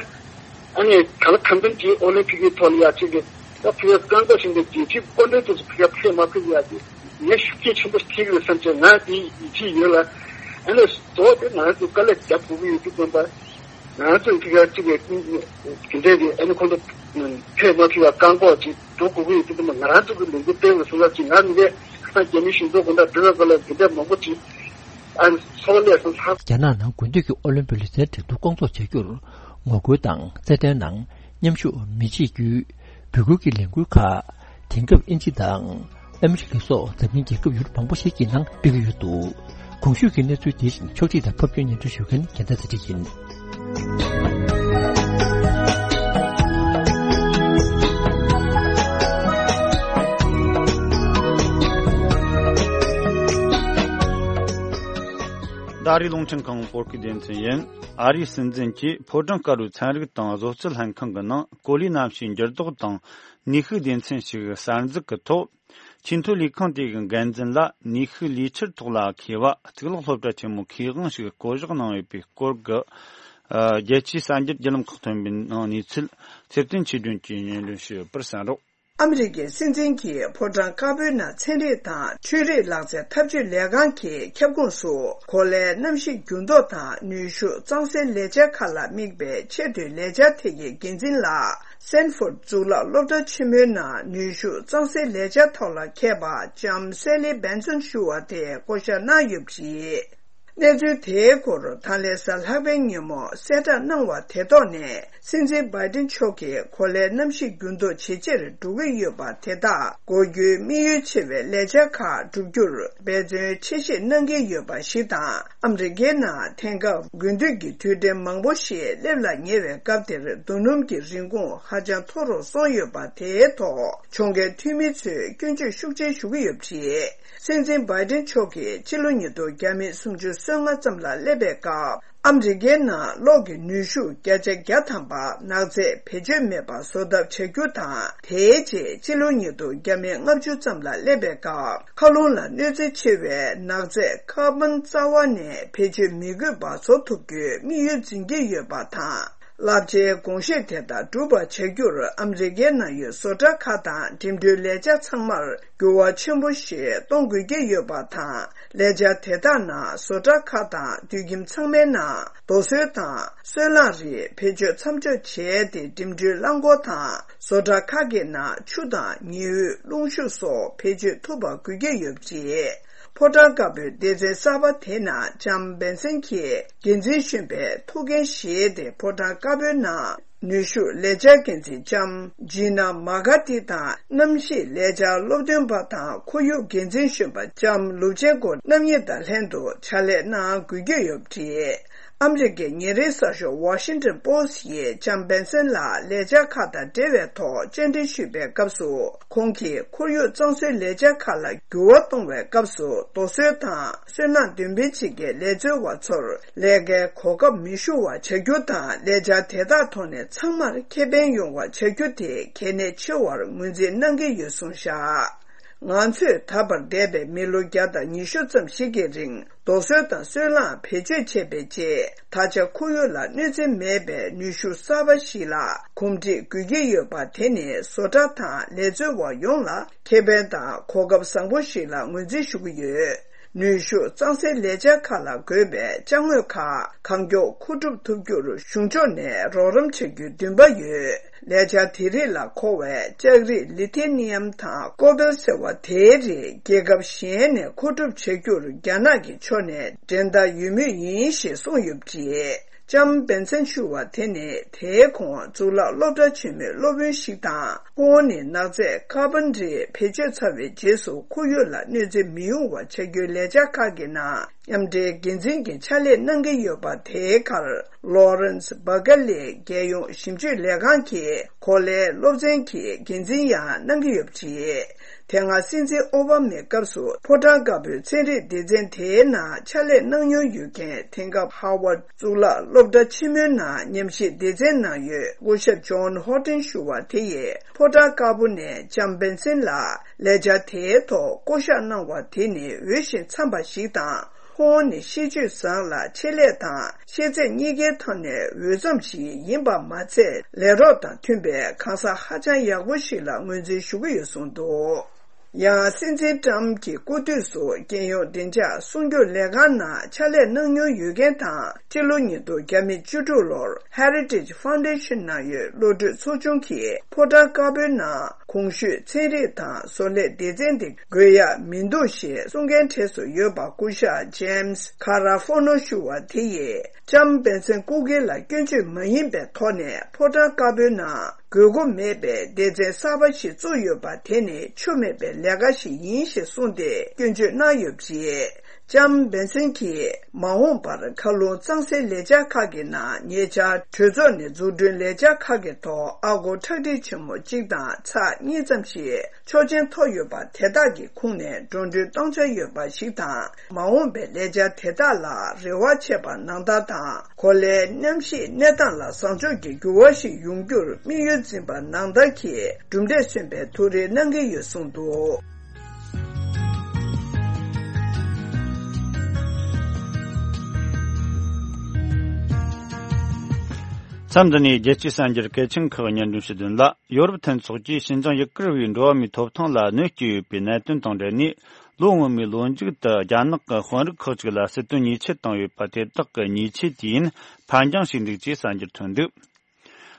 ཨ་ནི་ག་ལ་གང་འཚམ་གྱིས་ཨོ་ལིམ་པིག་གི་ཐོག་ལ་ཡ་གཅིག་གི་ད་ཕུལ་བའི་བཀའ་འགོག་བཞིན་པའི་རྒྱལ་སྤྱིའི་དཔོན་རིགས་དེ་ཚོ་ཕུལ་བ་ཕུལ་མ་ཕུལ་ཡ་གི་ངས་ཤུགས་རྐྱེན་ཆེན་པོ་ཐེབས་ཀྱི་རེད་བསམ་བྱས་ང་དེའི་ཡིད་ཆེས་ཡོད་ལ། ཨ་ནི་གཙོ་བོ་དེ་ང་ཚོ་དཀའ་ལས་རྒྱབ་དགོས་ཀྱི་ཡོད་དུས་ཙམ་པ། ང་ཚོས་ཕུལ་བ་གཅིག་གི་དེ་འདྲའི་གི་ཨ་ནི་ཁོང་ཚོ་ཕུལ་མ་ཕུལ་བ་བཀག་འགོག་ཅིག་འགྲོ་དགོས་ཀྱི་ཡོད་དུས་ཙམ་པ། ང་རང་ཚོ་གི་ལས་འགུལ་སྤེལ་བའི་བཟོ་འདྲ་ཅིག་ང་མི་འདྲ་ཁ་སང་རྒྱ་མིའི་གཞུང་ཚབ་དགོན་བདག་བི་ར་ཀ་ལ་འདི་འདྲ་མང་པོ་ཅིག་ཨ་ནི་ཚོགས་ལས་སུ་ལྷག། རྒྱ་ནག་ནང་དགུན་དུས་ཀྱི་ཨོ་ལིམ་པིག་ལུས་རྩལ་འགྲན་བསྡུར་སྐོང་ཚོགས་བྱ་རྒྱུར་ངོ་རྒོལ་དང་རྩེད་འགྲན་ནང་མཉམ་ཞུགས་མི་བྱེད་རྒྱུའི་འབོད་སྐུལ་གྱི་ལས་འགུལ་ཁག་དེང་སྐབས་དབྱིན་ཇི་དང་ཨ་མི་རི་ཀ་སོགས་འཛམ་གླིང་རྒྱལ་ཁབ་ཡུལ་མང་པོ་ཞིག་གི་ནང་སྤེལ་གྱི་ཡོད་འདུག། གོང་ཞུས་ཀྱི་གནས་ཚུལ་དེ་བཞིན་ཕྱོགས་སྒྲིག་དང་ཕབ་སྒྱུར་སྙན་སྒྲོན་ཞུ་མཁན་རྒྱལ་མཚན་ཚེ་རིང་ཡིན། ད་རེས་རླུང་འཕྲིན་ཁང་བོད་སྐད་སྡེ་ཚན་ཡིན། ཨ་རིའི་སྲིད་འཛིན་གྱིས་ཕོ་བྲང་དཀར་པོའི་ཚན་རིག་དང་བཟོ་རྩལ་ལྷན་ཁང་གི་ནང་གོ་ལའི་གནམ་གཤིས་འགྱུར་ལྡོག་དང་ནུས་ཤུགས་སྡེ་ཚན་ཞིག་གསར་འཛུགས་ཀྱི་ཐོག་ཆེས་མཐོའི་ལས་ཁང་དེ་གི་འགན་འཛིན་ལ་ནུས་ཤུགས་ལས་འཆར་ཐོག་ལ་མཁས་པ་གཙུག་ལག་སློབ་གྲྭ་ཆེན་མོའི་མཁས་དབང་ཞིག་བསྐོ་གཞག་གནང་ཡོད་པའི་སྐོར་གྱི་རྒྱལ་སྤྱིའི་གསར་འགྱུར་བརྒྱུད་ལམ་ཁག་ཐོན་པའི་ནང་གནས་ཚུལ་ཚེ་བརྟན་ཆོས་སྒྲོན་གྱིས་སྙན་སྒྲོན་ཞུས་ཡོད་པར་གསན་རོགས། ཨ་མི་རི་ཀའི་སྲིད་འཛིན་གྱིས་ཕོ་བྲང་དཀར་པོའི་ནང་ཚན་རིག་དང་ཆོས་རིག་ལག་རྩལ་འཐབ་ཇུས་ལས་ཁང་གི་ཁྱབ་ཁོངས་སུ་གོ་ལའི་གནམ་གཤིས་འགྱུར་ལྡོག་དང་ནུས་ཤུགས་གཙང་སེལ་ལས་འཆར་ཁག་ལ་དམིགས་པའི་ཆེས་མཐོའི་ལས་འཆར་ཐད་ཀྱི་འགན་འཛིན་ལ། སན་ཕོར་གཙུག་ལག་སློབ་གྲྭ་ཆེན་མོའི་ནང་ནུས་ཤུགས་གཙང་སེལ་ལས་འཆར་ཐོག་ལ་མཁས་པ་ལྕམ་སེ་ལི་བན་སོན་ཞུ་བ་དེ་བསྐོ་བཞག་གནང་ཡོད་པ་རེད། གནས་ཚུལ་དེའི་སྐོར་ད་ལན་གཟའ་ལྷག་པའི་ཉིན་མོ་གསལ་བསྒྲགས་གནང་བ་དེ་ཐོག་ནས། སྲིད་འཛིན་བྷའི་ཏིན་མཆོག་གིས་གོ་ལའི་གནམ་གཤིས་འགྱུར་ལྡོག་ཇེ་ཆེར་འགྲོ་གི་ཡོད་པ་དེ་དག་འགོག་རྒྱུའི་དམིགས་ཡུལ་ཆེ་བའི་ལས་འཆར་ཁག་བསྒྲུབ་རྒྱུར་འབད་བརྩོན་ཆེ་བཞེས་གནང་གི་ཡོད་པ་ཞིག་དང་། ཨ་མི་རི་ཀའི་ནང་དེང་སྐབས་དགུན་དུས་ཀྱི་དུས་དྲན་མང་པོ་ཞིག་སླེབས་ལ་ཉེ་བའི་སྐབས་དེར་རྡོ་སྣུམ་གྱི་རིན་གོང་ཧ་ཅང་མཐོ་རུ་སོང་ཡོད་པ་དེའི་ཐོག་ཕྱོགས་འགལ་འཐུས་མི་ཚོས་སྐྱོན་བརྗོད་ཤུགས་ཆེ་ཞུ་གི་ཡོད་པ་རེད། སྲིད་འཛིན་བྷའི་ཏིན་མཆོག་གིས་ཕྱི་ལོ་ཉིས་སྟོང་བརྒྱ་མེད་སུམ་ཅུ་སོ་ལྔ་ཙམ་ལ་སླེབས་པའི་སྐབས། ཨ་མི་རི་ཀའི་ནང་གློག་གི་ནུས་ཤུགས་བརྒྱ་ཆ་བརྒྱ་ཐམ་པ་ནག་རྫས་བེད་སྤྱོད་མེད་པ་བཟོ་ཐབས་བྱ་རྒྱུ་དང་། དེའི་རྗེས་ཕྱི་ལོ་ཉིས་སྟོང་བརྒྱ་མེད་ལྔ་བཅུ་ཙམ་ལ་སླེབས་པའི་སྐབས། མཁའ་རླུང་ལ་གནོད་འཚེ་ཆེ་བའི་ནག་རྫས་ཀར་བོན་རྩ་བ་ནས་བེད་སྤྱོད་མི་དགོས་པ་བཟོ་ཐུབ་རྒྱུའི་དམིགས་ཡུལ་འཛིན་གྱི་ཡོད་པ་དང་། རླབས་ཆེའི་དགོངས་བཞེད་དེ་དག་འགྲུབ་པ་བྱ་རྒྱུར་ཨ་མི་རི་ཀའི་ནང་ཡོད་བཟོ་གྲྭ་ཁག་དང་འགྲིམ་འགྲུལ་ལས་འཆར་ཚང་མར་འགྱུར་བ་ཆེན་པོ་ཞིག་གཏོང་དགོས་ཀྱི་ཡོད་པ་དང་། ལས་འཆར་དེ་དག་ནང་བཟོ་གྲྭ་ཁག་དང་དུད་ཁྱིམ་ཚང་མའི་ནང་རྡོ་སོལ་དང་སོལ་རླངས་རིགས་བེད་སྤྱོད་མཚམས་འཇོག་བྱས་ཏེ། འགྲིམ་འགྲུལ་རླངས་འཁོར་དང་བཟོ་གྲྭ་ཁག་གི་ནང་ཆུ་དང་ཉི་འོད། རླུང་ཤུགས་སོགས་བེད་སྤྱོད་ཐུབ་པ་དགོས་ཀྱི་ཡོད་པ་རེད། ཕོ་བྲང་དཀར་པོའི་སྡེ་ཚན་གསར་པ་དེ་ནང་ལྕམ་བན་སན་གྱིས་འགན་འཛིན་གཞོན་པའི་ཐུགས་འགན་བཞེས་ཏེ། ཕོ་བྲང་དཀར་པོའི་ནང་ནུས་ཤུགས་ལས་འཆར་འགན་འཛིན་ལྕམ་ཇི་ན་མ་ག་ཏི་དང་། གནམ་གཤིས་ལས་འཆར་སློབ་སྟོན་པ་དང་ཁོར་ཡུག་འགན་འཛིན་གཞོན་པ་ལྕམ་ལུབ་ཆེན་ཀོ་རྣམ་གཉིས་དང་ལྷན་དུ་ཕྱག་ལས་གནང་དགོས་ཀྱི་ཡོད་པ་རེད། ཨ་མི་རི་ཀའི་ཉིན་རེའི་གསར་ཤོག་Washington Post་ཡིས་ལྕམ་བན་སན་ལ་ལས་འཆར་ཁག་དང་འབྲེལ་བའི་ཐོག་བཅར་འདྲི་ཞུས་པའི་སྐབས་སུ། ཁོང་གིས་ཁོར་ཡུག་གཙང་བཟོའི་ལས་འཆར་ཁག་ལ་འགྱུར་བ་གཏོང་བའི་སྐབས་སུ། རྡོ་སོལ་དང་སོལ་རླངས་འདོན་སྤེལ་བྱེད་མཁན་ལས་བཟོ་བ་ཚོར་ལས་ཀའི་གོ་སྐབས་མི་ཤོར་བ་བྱ་རྒྱུ་དང་། ལས་འཆར་དེ་དག་ཐོག་ནས་ཚང་མར་ཁེ་ཕན་ཡོང་བ་བྱ་རྒྱུ་དེ་གལ་གནད་ཆེ་བར་ངོས་འཛིན་གནང་གི་ཡོད་གསུངས་བཞག། ང་ཚོས་ད་བར་འདས་པའི་མི་ལོ་བརྒྱ་དང་ཉི་ཤུ་ཙམ་ཞིག་གི་རིང་རྡོ་སོལ་དང་སོལ་རླངས་བེད་སྤྱོད་བྱས་པའི་རྗེས། ད་ཆ་ཁོར་ཡུག་ལ་གནོད་འཚེ་མེད་པའི་ནུས་ཤུགས་གསར་པ་ཞིག་ལ་གོམས་འདྲིས་དགོས་ཀྱི་ཡོད་པ། དེ་ནི་བཟོ་གྲྭ་དང་ལས་བཟོ་བ་ཡོངས་ལ་ཁེ་ཕན་དང་གོ་སྐབས་བཟང་པོ་ཞིག་ལ་ངོས་འཛིན་ཞུ་གི་ཡོད། ནུས་ཤུགས་གཙང་སེལ་ལས་འཆར་ཁག་ལ་དགོས་པའི་ཅ་དངོས་ཁག་གང་མགྱོགས་མཁོ་སྒྲུབ་ཐུབ་རྒྱུར་གཞུང་ཕྱོགས་ནས་རོགས་རམ་བྱ་རྒྱུའི་འདུན་པ་ཡོད། ལས་འཆར་དེ་རིགས་ལ་མཁོ་བའི་ལྕགས་རིགས་ལི་ཐི་ནི་ཡམ་དང་ཀོ་བལ་ཟེར་བ་དེའི་རིགས་རྒྱལ་ཁབ་གཞན་ནས་མཁོ་སྒྲུབ་བྱ་རྒྱུར་རྒྱ་ནག་གི་ཕྱོགས་ནས་འགྲན་ཟླ་ཡོད་མུས་ཡིན་ཞེས་གསུངས་ཡོད་པ་རེད། ལྕམ་བན་སན་ཞུ་བ་དེ་ནི་དེའི་གོང་གཙུག་ལག་སློབ་གྲྭ་ཆེན་མོའི་སློབ་དཔོན་ཞིག་དང་། ཁོང་ནི་ནག་རྫས་ཀར་བོན་རིགས་བེད་སྤྱོད་ཚར་བའི་རྗེས་སུ་ཁོར་ཡུག་ལ་གནོད་འཚེ་མི་ཡོང་བ་བྱ་རྒྱུའི་ལས་འཆར་ཁག་གི་ནང་མཉམ་འབྲེལ་འགན་འཛིན་གྱི་ཕྱག་ལས་གནང་གི་ཡོད་པ། དེའི་ཁར་ལོ་རན་སི་བྷ་ཀ་ལེ་རྒྱལ་ཡོངས་ཞིབ་དཔྱོད་ལས་ཁང་གི་གོ་ལའི་སློབ་ཚན་གྱི་འགན་འཛིན་ཡང་གནང་གི་ཡོད་པ་རེད། དེ་སྔ་སྲིད་འཛིན་ཨོ་བྷ་མའི་སྐབས་སུ་ཕོ་བྲང་དཀར་པོའི་ཚན་རིག་སྡེ་ཚན་དེའི་ནང་ཕྱག་ལས་གནང་མྱོང་ཡོད་མཁན། དེང་སྐབས་ཧ་ཝར་གཙུག་ལག་སློབ་གྲྭ་ཆེན་མོའི་ནང་ཉམས་ཞིབ་སྡེ་ཚན་ནང་ཡོད་སྐུ་ཞབས་ཇོན་ཧོ་ཏིན་ཞུ་བ་དེ་ཡིས་ཕོ་བྲང་དཀར་པོ་ནས་ལྕམ་བན་སན་ལ་ལས་འཆར་དེའི་ཐོག་བསྐོ་གཞག་གནང་བ་དེ་ནི་འོས་ཤིང་འཚམས་པ་ཞིག་དང་། ཁོང་ནི་ཤེས་སྤྱོད་བཟང་ལ་ཆེད་ལས་དང་ཤེས་ཚད་གཉིས་ཀའི་ཐོག་ནས་འོས་འཚམ་ཞིག་ཡིན་པ་མ་ཚད། ལས་རོགས་དང་མཐུན་པའི་གང་ཟག་ཧ་ཅང་ཡག་པོ་ཞིག་ལ་ངོས་འཛིན་ཞུ་གི་ཡོད་གསུངས་འདུག། ཡང་སྲིད་འཛིན་ཏྲམ་གྱི་སྐུ་དུས་སུ་རྒྱལ་ཡོངས་བདེ་འཇགས་སྲུང་སྐྱོབ་ལས་ཁང་ནང་ཕྱག་ལས་གནང་མྱོང་ཡོད་མཁན་དང་། སྤྱི་ལོ་ཉིས་སྟོང་བརྒྱ་མེད་བཅུ་དྲུག་ལོར་Heritage Foundation་ནང་ཡོད་བློ་གྲོས་ཚོགས་ཆུང་གིས་ཕོ་བྲང་དཀར་པོའི་ནང་གོང་ཞུས་ཚན་རིག་དང་བཟོ་ལས་སྡེ་ཚན་དེ་དགོས་ཡག་མི་འདུག་ཞེས་གསུང་མཁན་གྲས་སུ་ཡོད་པ་སྐུ་ཞབས་James Garofano་ཞུ་བ་དེ་ཡིས་ལྕམ་བན་སན་སྐུ་སྒེར་ལ་སྐྱོན་བརྗོད་མ་ཡིན་པའི་ཐོག་ནས་ཕོ་བྲང་དཀར་པོའི་ནང་དགོས་མཁོ་མེད་པའི་སྡེ་ཚན་གསར་པ་ཞིག་བཙུགས་ཡོད་པ་དེ་ནི་ཆོ་མེད་པའི་ལས་ཀ་ཞིག་ཡིན་ཞེས་གསུངས་ཏེ་སྐྱོན་བརྗོད་གནང་ཡོད་པ་རེད། ལྕམ་བན་སན་གྱིས་མ་འོངས་པར་མཁའ་རླུང་གཙང་སེལ་ལས་འཆར་ཁག་གི་ནང་ཉེ་ཆར་གྲོས་ཚོགས་ནས་འཛུགས་སྐྲུན་ལས་འཆར་ཁག་གི་ཐོག་ཨ་སྒོར་ཁྲག་ཁྲིག་ཆེན་མོ་གཅིག་དང་ཚེག་གཉིས་ཙམ་ཞིག་ཆོག་མཆན་ཐོབ་ཡོད་པ་དེ་དག་གི་ཁོངས་ནས་འགྲོ་གྲོན་གཏོང་འཆར་ཡོད་པ་ཞིག་དང་། མ་འོངས་པའི་ལས་འཆར་དེ་དག་ལ་རེ་བ་བྱེད་པ་ནང་ལྟར་དང་། གོ་ལའི་གནམ་གཤིས་གནས་སྟངས་ལ་བཟང་ཕྱོགས་ཀྱི་འགྱུར་བ་ཞིག་ཡོང་རྒྱུར་དམིགས་ཡུལ་འཛིན་པ་ནང་ལྟར་གྱི་གྲུབ་འབྲས་སོན་པའི་ཐུགས་རེ་གནང་གི་ཡོད་གསུངས་འདུག། མཚམས་འདི་ནས་རྒྱལ་སྤྱིའི་གསར་འགྱུར་གལ་ཆེན་ཁག་སྙན་སྒྲོན་ཞུ་དོན་ལ། ཡོ་རོབ་མཐུན་ཚོགས་ཀྱིས་ཞིན་ཅང་ཡུ་གུར་བའི་འགྲོ་བ་མིའི་ཐོབ་ཐང་ལ་གནོད་སྐྱེལ་ཡོད་པའི་གནད་དོན་དང་འབྲེལ་ནས། ལོ་སྔོན་མའི་ལོ་མཇུག་ཏུ་རྒྱ་ནག་གི་དཔོན་རིགས་ཁག་ཅིག་ལ་སྲིད་དོན་ཉེས་ཆད་བཏང་ཡོད་པ་དེ་དག་གི་ཉེས་ཆད་དུས་ཡུན་ཕར་འགྱངས་བྱས་འདུག་ཅེས་གསར་འགྱུར་ཐོན་འདུག།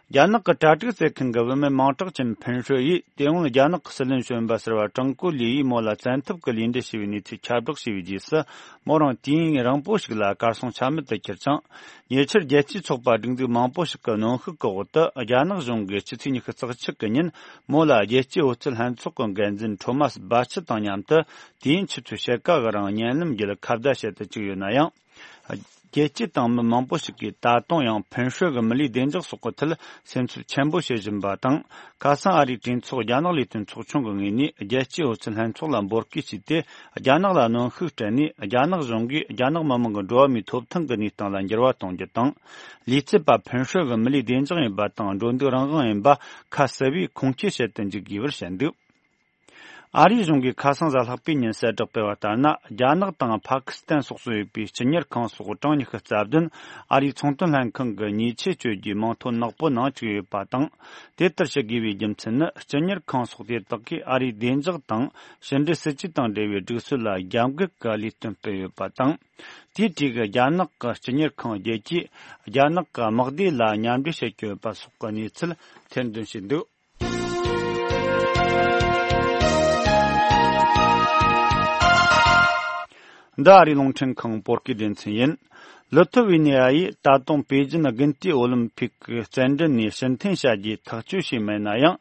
རྒྱ་ནག་གི་གྲ་སྒྲིག་སྤེལ་མཁན་གྱི་བུད་མེད་མིང་གྲགས་ཅན་ཕིན་ཧྲོས་ཡིས། དེ་སྔོན་རྒྱ་ནག་གི་སྲིད་བློན་གཞོན་པ་ཟུར་པ་ཀྲང་ཀོ་ལི་ཡིས་མོ་ལ་བཙན་ཐབས་ཀྱིས་ལུས་འབྲེལ་བྱས་པའི་གནས་ཚུལ་ཁྱབ་བསྒྲགས་བྱས་པའི་རྗེས་སུ། མོ་རང་དུས་ཡུན་རིང་པོ་ཞིག་ལ་གར་སོང་ཆ་མེད་དུ་གྱུར་ཅིང་། ཉེ་ཆར་རྒྱལ་སྤྱིའི་ཚོགས་པ་སྒྲིག་འཛུགས་མང་པོ་ཞིག་གི་གནོན་ཤུགས་ཀྱི་འོག་ཏུ། རྒྱ་ནག་གཞུང་གིས་སྤྱི་ཚེས་ཉི་ཤུ་རྩ་གཅིག་གི་ཉིན་མོ་ལ་རྒྱལ་སྤྱིའི་འོལ་ཚོད་ལྷན་ཚོགས་ཀྱི་འགན་འཛིན་ཁྲོ་མཱས་སྦ་ཆི་དང་མཉམ་དུ། དུས་ཡུན་ཆུ་ཚོད་ཕྱེད་ཀ་གི་རིང་བརྙན་ལམ་བརྒྱུད་ཁ་བརྡ་བྱེད་དུ་བཅུག་ཡོད་ན་ཡང་། རྒྱལ་སྤྱིའི་ཏང་མི་མང་པོ་ཞིག་གིས་ད་དུང་ཡང་ཕིན་ཧྲོས་ཀྱི་མི་ལུས་བདེ་འཇགས་སོགས་ཀྱི་ཐད་སེམས་འཚབ་ཆེན་པོ་བྱེད་བཞིན་པ་དང་། ཁ་སང་ཨ་རིའི་གྲོས་ཚོགས་རྒྱ་ནག་ལས་དོན་ཚོགས་ཆུང་གི་ངོས་ནས་རྒྱལ་སྤྱིའི་འོལ་ཚོད་ལྷན་ཚོགས་ལ་འབོད་སྐུལ་བྱས་ཏེ། རྒྱ་ནག་ལ་གནོན་ཤུགས་སྤྲད་ནས། རྒྱ་ནག་གཞུང་གིས་རྒྱ་ནག་མི་དམངས་ཀྱི་འགྲོ་བ་མིའི་ཐོབ་ཐང་གི་གནས་སྟངས་ལ་འགྱུར་བ་གཏོང་རྒྱུ་དང་། ལུས་རྩལ་པ་ཕིན་ཧྲོས་ཀྱི་མི་ལུས་བདེ་འཇགས་ཡིན་པ་དང་། འགྲོ་འདུག་རང་དབང་ཡིན་པ་ཁ་གསལ་བོས་ཁུངས་སྐྱེལ་བྱེད་དུ་འཇུག་དགོས་པར་བཤད་འདུག། ཨ་རིའི་གཞུང་གིས་ཁ་སང་གཟའ་ལྷག་པའི་ཉིན་གསལ་བསྒྲགས་སྤེལ་བ་ལྟར་ན། རྒྱ་ནག་དང་ཕ་ཀི་སི་ཐན་སོགས་སུ་ཡོད་པའི་སྤྱི་གཉེར་ཁང་སོགས་གྲངས་ཉི་ཤུ་རྩ་བདུན་ཨ་རིའི་ཚོང་དོན་ལྷན་ཁང་གི་ཉེས་ཆད་གཅོད་རྒྱུའི་མིང་ཐོ་ནག་པོའི་ནང་བཅུག་ཡོད་པ་དང་། དེ་ལྟར་བྱེད་དགོས་པའི་རྒྱུ་མཚན་ནི། སྤྱི་གཉེར་ཁང་སོགས་དེ་དག་གིས་ཨ་རིའི་བདེ་འཇགས་དང་ཕྱི་འབྲེལ་སྲིད་ཇུས་དང་འབྲེལ་བའི་སྒྲིག་སྲོལ་ལ་རྒྱབ་འགལ་གྱི་ལས་དོན་སྤེལ་ཡོད་པ་དང་། དེའི་གྲས་ཀྱི་རྒྱ་ནག་གི་སྤྱི་གཉེར་ཁང་བརྒྱད་ཀྱིས་རྒྱ་ནག་གི་དམག་སྡེ་ལ་མཉམ་འབྲེལ་བྱེད་ཀྱི་ཡོད་པ་སོགས་ཀྱི་གནས་ཚུལ་ཐེར་འདོན་བྱས་འདུག། འདི་ཨ་རིའི་རླུང་འཕྲིན་ཁང་བོད་སྐད་སྡེ་ཚན་ཡིན། ལི་ཐུ་ཝེ་ནི་ཡ་ཡིས་ད་དུང་པེ་ཅིན་དགུན་དུས་ཨོ་ལིམ་ཕིག་གི་རྩེད་འགྲན་ནས་ཕྱིར་འཐེན་བྱ་རྒྱུའི་ཐག་གཅོད་བྱས་མེད་ན་ཡང་།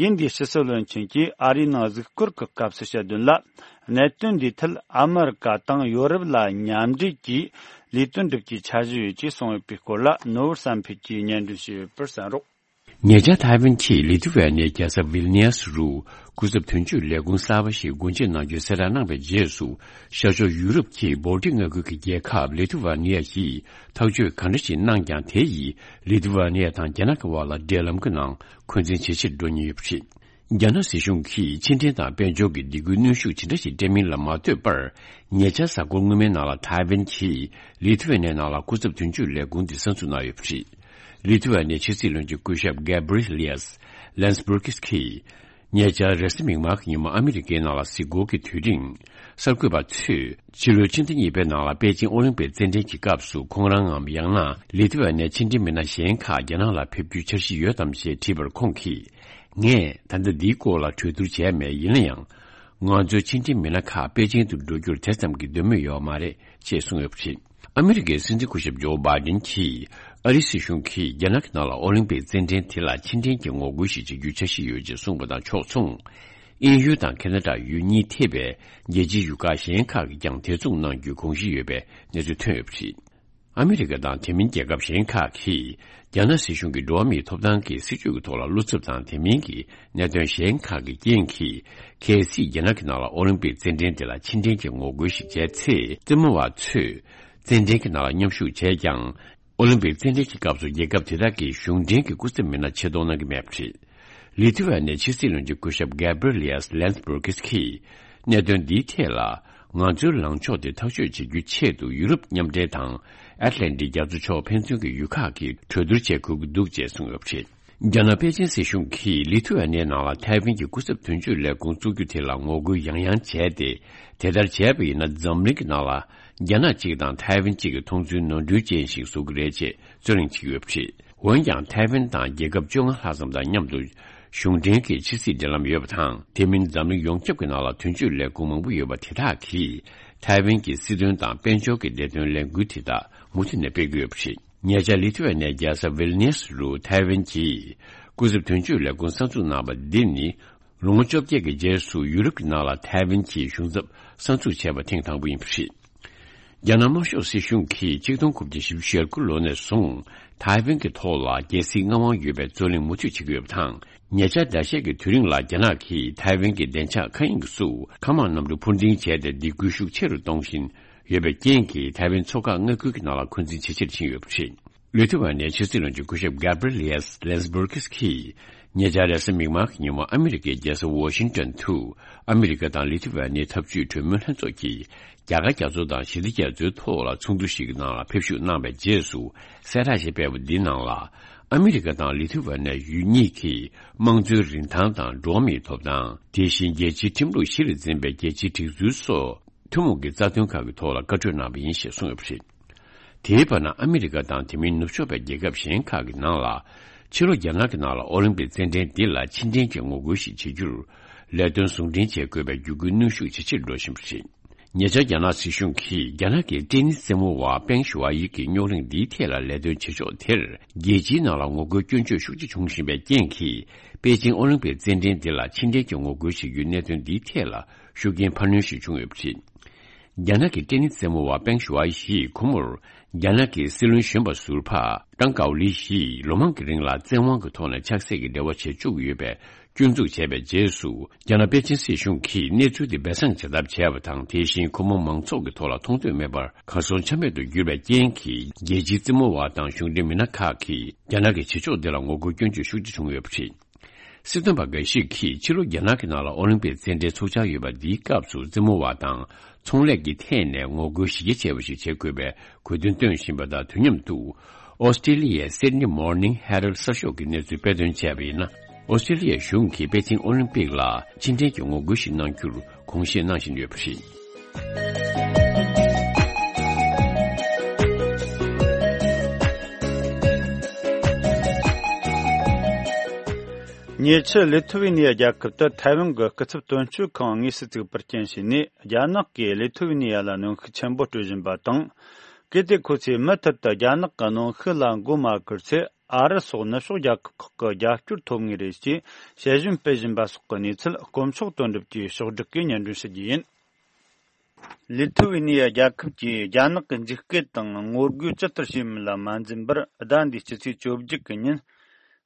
ཡིན་དེའི་ཕྱི་སྲིད་བློན་ཆེན་གྱིས་ཨ་རིའི་ནང་གཟིགས་སྐོར་གྱི་སྐབས་སུ་བཤད་དོན་ལ། གནད་དོན་འདིའི་ཐད་ཨ་མི་རི་ཀ་དང་ཡོ་རོབ་ལ་མཉམ་འབྲེལ་གྱིས་ལས་དོན་སྒྲུབ་རྒྱུའི་འཆར་གཞི་ཡོད་ཅེས་གསུངས་ཡོད་པའི་སྐོར་ལ། ནོར་བུ་བསམ་འཕེལ་གྱིས་སྙན་སྒྲོན་ཞུས་ཡོད་པར་གསན་རོགས། ཉེ་ཆར་ཐའེ་ཝན་གྱིས་ལི་ཐུ་ཝེ་ནི་ཡའི་རྒྱལ་ས་ཝིལ་ནི་ཡ་སི་རུ་སྐུ་ཚབ་དོན་གཅོད་ལས་ཁུངས་གསར་པ་ཞིག་སྒོ་འབྱེད་གནང་རྒྱུའི་གསལ་བསྒྲགས་གནང་བའི་རྗེས་སུ། ཤར་ཕྱོགས་ཡུ་རོབ་ཀྱི་བོལ་ཊིག་མངའ་ཁུལ་གྱི་རྒྱལ་ཁབ་ལི་ཐུ་ཝེ་ནི་ཡ་ཡིས་ཐག་གཅོད་ག་འདྲ་ཞིག་གནང་ཀྱང་། དེ་ཡིས་ལི་ཐུ་ཝེ་ནི་ཡ་དང་རྒྱ་ནག་གི་བར་ལ་འབྲེལ་ལམ་གྱི་ནང་འཁོན་འཛིན་ཇེ་ཆེར་འགྲོ་ཉེན་ཡོད་པ་རེད། རྒྱ་ནག་སྲིད་གཞུང་གིས་ཕྱི་འབྲེལ་དང་དཔལ་འབྱོར་གྱི་སྡིགས་སྐུལ་གནོན་ཤུགས་ཇི་འདྲ་ཞིག་སྤྲད་མིན་ལ་མ་ལྟོས་པར། ཉེ་ཆར་གཟའ་འཁོར་སྔོན་མའི་ནང་ལ་ཐའེ་ཝན་གྱིས་ལི་ཐུ་ཝེ་ནི་ནང་ལ་སྐུ་ཚབ་དོན་གཅོད་ལས་ཁུངས་དེ་གསར་འཛུགས་གནང་ཡོད་པ་རེད། ལི་ཐུ་ཝེ་ནི་ཕྱི་སྲིད་བློན་ཆེན་སྐུ་ཞབས་Gabrielius Landsbergis གིས། ཉེ་ཆར་རེས་གཟའ་མིག་དམར་གྱི་ཉིན་མོ་ཨ་མི་རི་ཀའི་ནང་ལ་གཟིགས་སྐོར་གྱི་དུས་རིང་། གསར་འགོད་པ་ཚོས་ཕྱི་ལོའི་ཕྱི་ཟླ་གཉིས་པའི་ནང་ལ་པེ་ཅིང་ཨོ་ལིམ་པིག་རྩེད་འགྲན་གྱི་སྐབས་སུ་ཁོང་རང་ངམ། ཡང་ན་ལི་ཐུ་ཝེ་ནི་ཕྱི་འབྲེལ་མི་སྣ་གཞན་ཁག་རྒྱ་ནག་ལ་ཕེབས་རྒྱུའི་འཆར་གཞི་ཡོད་དམ་ཞེས་དྲིས་པར། ཁོང་གིས། ངས་ད་ལྟ་འདིའི་སྐོར་ལ་གྲོས་བསྡུར་བྱས་མེད། ཡིན་ན་ཡང་། ང་ཚོའི་ཕྱི་འབྲེལ་མི་སྣ་ཁག་པེ་ཅིང་དུ་འགྲོ་རྒྱུར་དེ་ཙམ་གྱི་འདོད་མོས་ཡོད་མ་རེད་ཅེས་གསུངས་ཡོད་པ་རེད། ཨ་མི་རི་ཀའི་སྲིད་འཛིན་སྐུ་ཞབས་ཇོ་བྷའི་ཌེན་གྱིས་ཨ་རིའི་སྲིད་གཞུང་གིས་རྒྱ་ནག་གི་ནང་ལ་ཨོ་ལིམ་པིག་རྩེད་འགྲན་དེ་ལ་ཕྱི་འབྲེལ་གྱི་ངོ་རྒོལ་ཞིག་བྱེད་རྒྱུའི་འཆར་གཞི་ཡོད་ཅེས་གསུངས་པ་དང་ཕྱོགས་མཚུངས། དབྱིན་ཡུལ་དང་ཁེ་ན་ཌ་ཡུལ་གཉིས་ཐེ་བའི་རྒྱལ་སྤྱིའི་ཡུལ་ཁག་གཞན་ཁག་གིས་ཀྱང་དེ་མཚུངས་གནང་རྒྱུའི་དགོངས་གཞི་ཡོད་པའི་གནས་ཚུལ་ཐོན་ཡོད་པ་རེད། ཨ་མི་རི་ཀ་དང་དེ་མིན་རྒྱལ་ཁབ་གཞན་ཁག་གིས་རྒྱ་ནག་སྲིད་གཞུང་གིས་འགྲོ་བ་མིའི་ཐོབ་ཐང་གི་སྲིད་བྱུས་ཀྱི་ཐོག་ལ་བློ་འཚབ་དང་དེ་མིན་གྱི་གནད་དོན་གཞན་ཁག་གི་རྐྱེན་གྱིས། གལ་སྲིད་རྒྱ་ནག་གི་ནང་ལ་ཨོ་ལིམ་པིག་རྩེད་འགྲན་དེ་ལ་ཕྱི་འབྲེལ་གྱི་ངོ་རྒོལ་ཞིག་བྱས་ཚེ། རྩེད་མོ་བ་ཚོས་རྩེད་འགྲན་གྱི་ནང་ལ་མཉམ་ཞུགས་བྱས་ཀྱང་། ཨོ་ལིམ་པིག་རྩེད་འགྲན་གྱི་སྐབས་སུ་རྒྱལ་ཁབ་དེ་དག་གི་གཞུང་འབྲེལ་གྱི་སྐུ་ཚབ་མི་སྣ་ཆེད་གཏོང་གནང་གི་མེད་པ་རེད། ལི་ཐུ་ཝེ་ནི་ཕྱི་སྲིད་བློན་ཆེན་སྐུ་ཞབས་Gabrielius Landsbergis གིས། གནད་དོན་འདིའི་ཐད་ལ། ང་ཚོའི་ལངས་ཕྱོགས་དེ་ཐག་གཅོད་བྱེད་རྒྱུའི་ཆེད་དུ། ཡུ་རོབ་མཉམ་འབྲེལ་དང་། ཨེཊ་ལན་ཊིག་རྒྱ་མཚོ་ཕྱོགས་ཕན་ཚུན་གྱི་ཡུལ་ཁག་གིས་གྲོས་བསྡུར་བྱེད་དགོས་ཀྱི་འདུག་ཅེས་གསུངས་ཡོད་པ་རེད། རྒྱ་ནག་པེ་ཅིན་སྲིད་གཞུང་གིས་ལི་ཐུ་ཝེ་ནིའི་ནང་ལ་ཐའེ་ཝན་གྱི་སྐུ་ཚབ་དོན་གཅོད་ལས་ཁུངས་བཙུགས་རྒྱུ་དེ་ལ་ངོ་རྒོལ་ཡང་ཡང་བྱས་ཏེ། དེ་ལྟར་བྱས་པ་ཡིན་ན། འཛམ་གླིང་གི་ནང་ལ་རྒྱ་ནག་གཅིག་དང་ཐའེ་ཝན་གཅིག་གི་མཐོང་ཚུལ་ནོར་འཁྲུལ་ཅན་ཞིག་བཟོ་གི་རེད་ཅེས་རྩོད་གླེང་བྱེད་ཀྱི་ཡོད་པ་རེད། འོན་ཀྱང་། ཐའེ་ཝན་དང་རྒྱལ་ཁབ་བཅོ་ལྔ་ལྷག་ཙམ་དང་མཉམ་དུ་གཞུང་འབྲེལ་གྱི་ཕྱི་སྲིད་འབྲེལ་ལམ་ཡོད་པ་དང་། དེ་མིན་འཛམ་གླིང་ཡོངས་ཁྱབ་ཀྱི་ནང་ལ་དོན་གཅོད་ལས་ཁུངས་མང་པོ་ཡོད་པ་དེ་དག་གིས། ཐའེ་ཝན་གྱི་སྲིད་དོན་དང་དཔལ་འབྱོར་གྱི་བདེ་དོན་ལས་འགུལ་དེ་དག་མུ་མཐུད་ནས་སྤེལ་གྱི་ཡོད་པ་རེད། ཉེ་ཆར་ལི་ཐུ་ཝེ་ནིའི་རྒྱལ་ས་ཝིལ་ནིས་རུ་ཐའེ་ཝན་གྱི་སྐུ་ཚབ་དོན་གཅོད་ལས་ཁུངས་གསར་འཛུགས་གནང་བ་འདི་ནི། ལོ་ངོ་བཅོ་བརྒྱད་ཀྱི་རྗེས་སུ་ཡུ་རོབ་ཀྱི་ནང་ལ་ཐའེ་ཝན་གྱི་གཞུང་ཚབ་གསར་འཛུགས་བྱས་པ་ཐེངས་དང་པོ་ཡིན་པ་རེད། རྒྱ་ནག་དམར་ཤོག་སྲིད་གཞུང་གིས་ཆིག་སྟོང་དགུ་བརྒྱ་བཞི་བཅུ་ཞེ་དགུ་ལོ་ནས་བཟུང་། ཐའེ་ཝན་གྱི་ཐོག་ལ་རྒྱལ་སྲིད་མངའ་དབང་ཡོད་པའི་རྩོད་གླེང་མུ་མཐུད་བྱེད་ཀྱི་ཡོད་པ་དང་། ཉེ་ཆར་ཟླ་ཤས་ཀྱི་དུས་རིང་ལ་རྒྱ་ནག་གིས་ཐའེ་ཝན་གྱི་བདེ་འཇགས་མཁའ་དབྱིངས་སུ་མཁའ་དམག་གནམ་གྲུ་འཕུར་ལྡིང་བྱས་ཏེ། སྡིགས་སྐུལ་ཤུགས་ཆེ་རུ་གཏོང་བཞིན་ཡོད་པའི་རྐྱེན་གྱིས། ཐའེ་ཝན་མཚོ་འགག་མངའ་ཁུལ་གྱི་ནང་ལ་འཁོན་འཛིན་ཇེ་ཆེར་ཕྱིན་ཡོད་པ་རེད། ལི་ཐུ་ཝེ་ནིའི་ཕྱི་སྲིད་བློན་ཆེན་སྐུ་ཞབས་Gabrielius Landsbergis གིས། ཉེ་ཆར་རེས་གཟའ་མིག་དམར་གྱི་ཉིན་མོ་ཨ་མི་རི་ཀའི་རྒྱལ་ས་ཝོ་ཤིང་ཏོན་དུ། ཨ་མི་རི་ཀ་དང་ལི་ཐུ་ཝེ་ནིའི་འཐབ་ཇུས་གྲོས་མོལ་ལྷན་ཚོགས་ཀྱིས། རྒྱ་གར་རྒྱ་མཚོ་དང་ཞི་བདེ་རྒྱ་མཚོའི་ཐོག་ལ་ཚོགས་འདུ་ཞིག་གི་ནང་ལ་ཕེབས་ཞུགས་གནང་བའི་རྗེས་སུ། གསལ་བསྒྲགས་ཤིག་སྤེལ་བ་འདིའི་ནང་ལ། ཨ་མི་རི་ཀ་དང་ལི་ཐུ་ཝེ་ནི་ཡུལ་གཉིས་ཀྱིས་དམངས་གཙོའི་རིན་ཐང་དང་འགྲོ་བ་མིའི་ཐོབ་ཐང་། དེ་བཞིན་རྒྱལ་སྤྱིའི་ཁྲིམས་ལུགས་གཞི་ལ་འཛིན་པའི་རྒྱལ་སྤྱིའི་སྒྲིག་འཛུགས་སོགས། ཐུན་མོང་གི་རྩ་དོན་ཁག་གི་ཐོག་ལ་བཀའ་གྲོས་གནང་བ་ཡིན་ཞེས་གསུངས་ཡོད་པ་རེད། དེའི་བར་ན། ཨ་མི་རི་ཀ་དང་དེ་མིན་ནུབ་ཕྱོགས་པའི་རྒྱལ་ཁབ་གཞན་ཁག་གི་ནང་ལ། ཕྱི་ལོ་རྒྱ་ནག་གི་ནང་ལ་ཨོ་ལིམ་པིག་རྩེད་འགྲན་འདི་ལ་ཕྱི་འབྲེལ་གྱི་ངོ་རྒོལ་ཞིག་བྱེད་རྒྱུར། ལས་དོན་ཟུང་འབྲེལ་བྱེད་དགོས་པའི་བརྒྱུད་སྐུལ་གནོན་ཤུགས་ཇེ་ཆེར་འགྲོ་བཞིན་པ་རེད། ཉེ་ཆར་རྒྱ་ནག་སྲིད་གཞུང་གིས། རྒྱ་ནག་གི་ཏེ་ནིས་རྩེད་མོ་བ་པེང་ཞུ་ཝའི་ཡི་གི་རྙོག་གླེང་འདིའི་ཐད་ལ་ལས་དོན་བྱེད་ཕྱོགས་དེར། རྒྱལ་སྤྱིའི་ནང་ལ་ངོ་རྒོལ་སྐྱོན་བརྗོད་ཤུགས་ཆེ་བྱུང་བཞིན་པའི་རྐྱེན་གྱིས། པེ་ཅིང་ཨོ་ལིམ་པིག་རྩེད་འགྲན་འདི་ལ་ཕྱི་འབྲེལ་གྱི་ངོ་རྒོལ་བྱེད་རྒྱུའི་གནད་དོན་འདིའི་ཐད་ལ། ཤུགས་རྐྱེན་འཕར་སྣོན་ཞིག་བྱུང་ཡོད་པ་རེད། རྒྱ་ནག་གི་ཏེ་ནིས་རྩེད་མོ་བ་པེང་ཞུ་ཝའི་ཡིས་ཁོ་མོར། རྒྱ་ནག་གི་སྲིད་བློན་གཞོན་པ་ཟུར་པ་ཀྲང་ཀའོ་ལི་ཡིས་ལོ་མང་གི་རིང་ལ་བཙན་དབང་གི་ཐོག་ནས་ཕྱག་འཚལ་གྱི་འབྲེལ་བ་བྱེད་བཅུག་ཡོད་པའི་སྐྱོན་འཛུགས་བྱས་པའི་རྗེས་སུ། རྒྱ་ནག་པེ་ཅིན་སྲིད་གཞུང་གིས་གནས་ཚུལ་དེ་སྦས་གསང་བྱ་ཐབས་བྱས་པ་དང་། དེ་བཞིན་ཁོ་མོ་མང་ཚོགས་ཀྱི་ཐོག་ལ་མཐོང་ཐོས་མེད་པར་གར་སོང་ཆ་མེད་དུ་གྱུར་བའི་རྐྱེན་གྱིས། རྒྱལ་སྤྱིའི་རྩེད་མོ་བ་དང་གཞུང་འབྲེལ་མི་སྣ་ཁག་གིས། རྒྱ་ནག་གི་བྱེད་ཕྱོགས་འདི་ལ་ངོ་རྒོལ་སྐྱོན་བརྗོད་ཤུགས་ཆེ་བྱུང་ཡོད་པ་རེད། སྲིད་དོན་པ་འགའ་ཞིག་གིས་ཕྱི་ལོ་རྒྱ་ནག་གི་ནང་ལ་ཨོ་ལིམ་པིག་རྩེད་འགྲན་ཚོགས་འཆར་ཡོད་པ་འདིའི་སྐབས་སུ་རྩེད་མོ་བ་དང་ཚོང་ལས་ཀྱི་ཐད་ནས་ངོ་རྒོལ་གཞི་རྒྱ་ཆེ་བ་ཞིག་བྱེད་དགོས་པའི་དགོས་འདུན་བཏོན་བཞིན་པ་དང་དུས་མཉམ་དུ། ཨོ་སི་ཀྲི་ལི་ཡའི་Sydney Morning Herald་གསར་ཤོག་གིས་གནས་ཚུལ་སྤེལ་དོན་བྱས་པ་ཡིན་ན། ཨོ་སི་ཀྲི་ལི་ཡའི་གཞུང་གིས་པེ་ཅིང་ཨོ་ལིམ་པིག་ལ་ཕྱི་འབྲེལ་གྱི་ངོ་རྒོལ་ཞིག་གནང་རྒྱུར་དགོངས་བཞེས་གནང་བཞིན་ཡོད་པ་རེད། ཉེ་ཆར་ལི་ཐུ་ཝེ་ནི་ཡ་རྒྱལ་ཁབ་ཏུ་ཐའེ་ཝན་གྱི་སྐུ་ཚབ་དོན་གཅོད་ཁང་དངོས་སུ་བཙུགས་པར་རྐྱེན་བྱས་ནས། རྒྱ་ནག་གིས་ལི་ཐུ་ཝེ་ནི་ཡ་ལ་གནོན་ཤུགས་ཆེན་པོ་སྤྲོད་བཞིན་པ་དང་། གལ་ཏེ་ཁོ་ཚོས་མུ་མཐུད་དུ་རྒྱ་ནག་གི་གནོན་ཤུགས་ལ་མགོ་མ་བསྒུར་ཚེ། ཨ་རི་སོགས་ནུབ་ཕྱོགས་རྒྱལ་ཁབ་ཁག་གི་རྒྱབ་སྐྱོར་ཐོབ་ངེས་རེད་ཅེས་དཔྱད་ཞིབ་སྤེལ་བཞིན་པ་སོགས་ཀྱི་གནས་ཚུལ་དཀོན་མཆོག་དོན་གྲུབ་ཀྱིས་ཕྱོགས་བསྒྲིགས་ཀྱིས་སྙན་སྒྲོན་ཞུ་རྒྱུ་ཡིན། ལི་ཐུ་ཝེ་ནི་ཡ་རྒྱལ་ཁབ་ཀྱིས་རྒྱ་ནག་གི་འཇིགས་སྐུལ་དང་ངོ་རྒོལ་ཇི་ལྟར་བྱས་མིན་ལ་མ་འཛེམ་པར། ཟླ་འདིའི་སྤྱི་ཚེས་བཅོ་བརྒྱད་ཀྱི་ཉིན།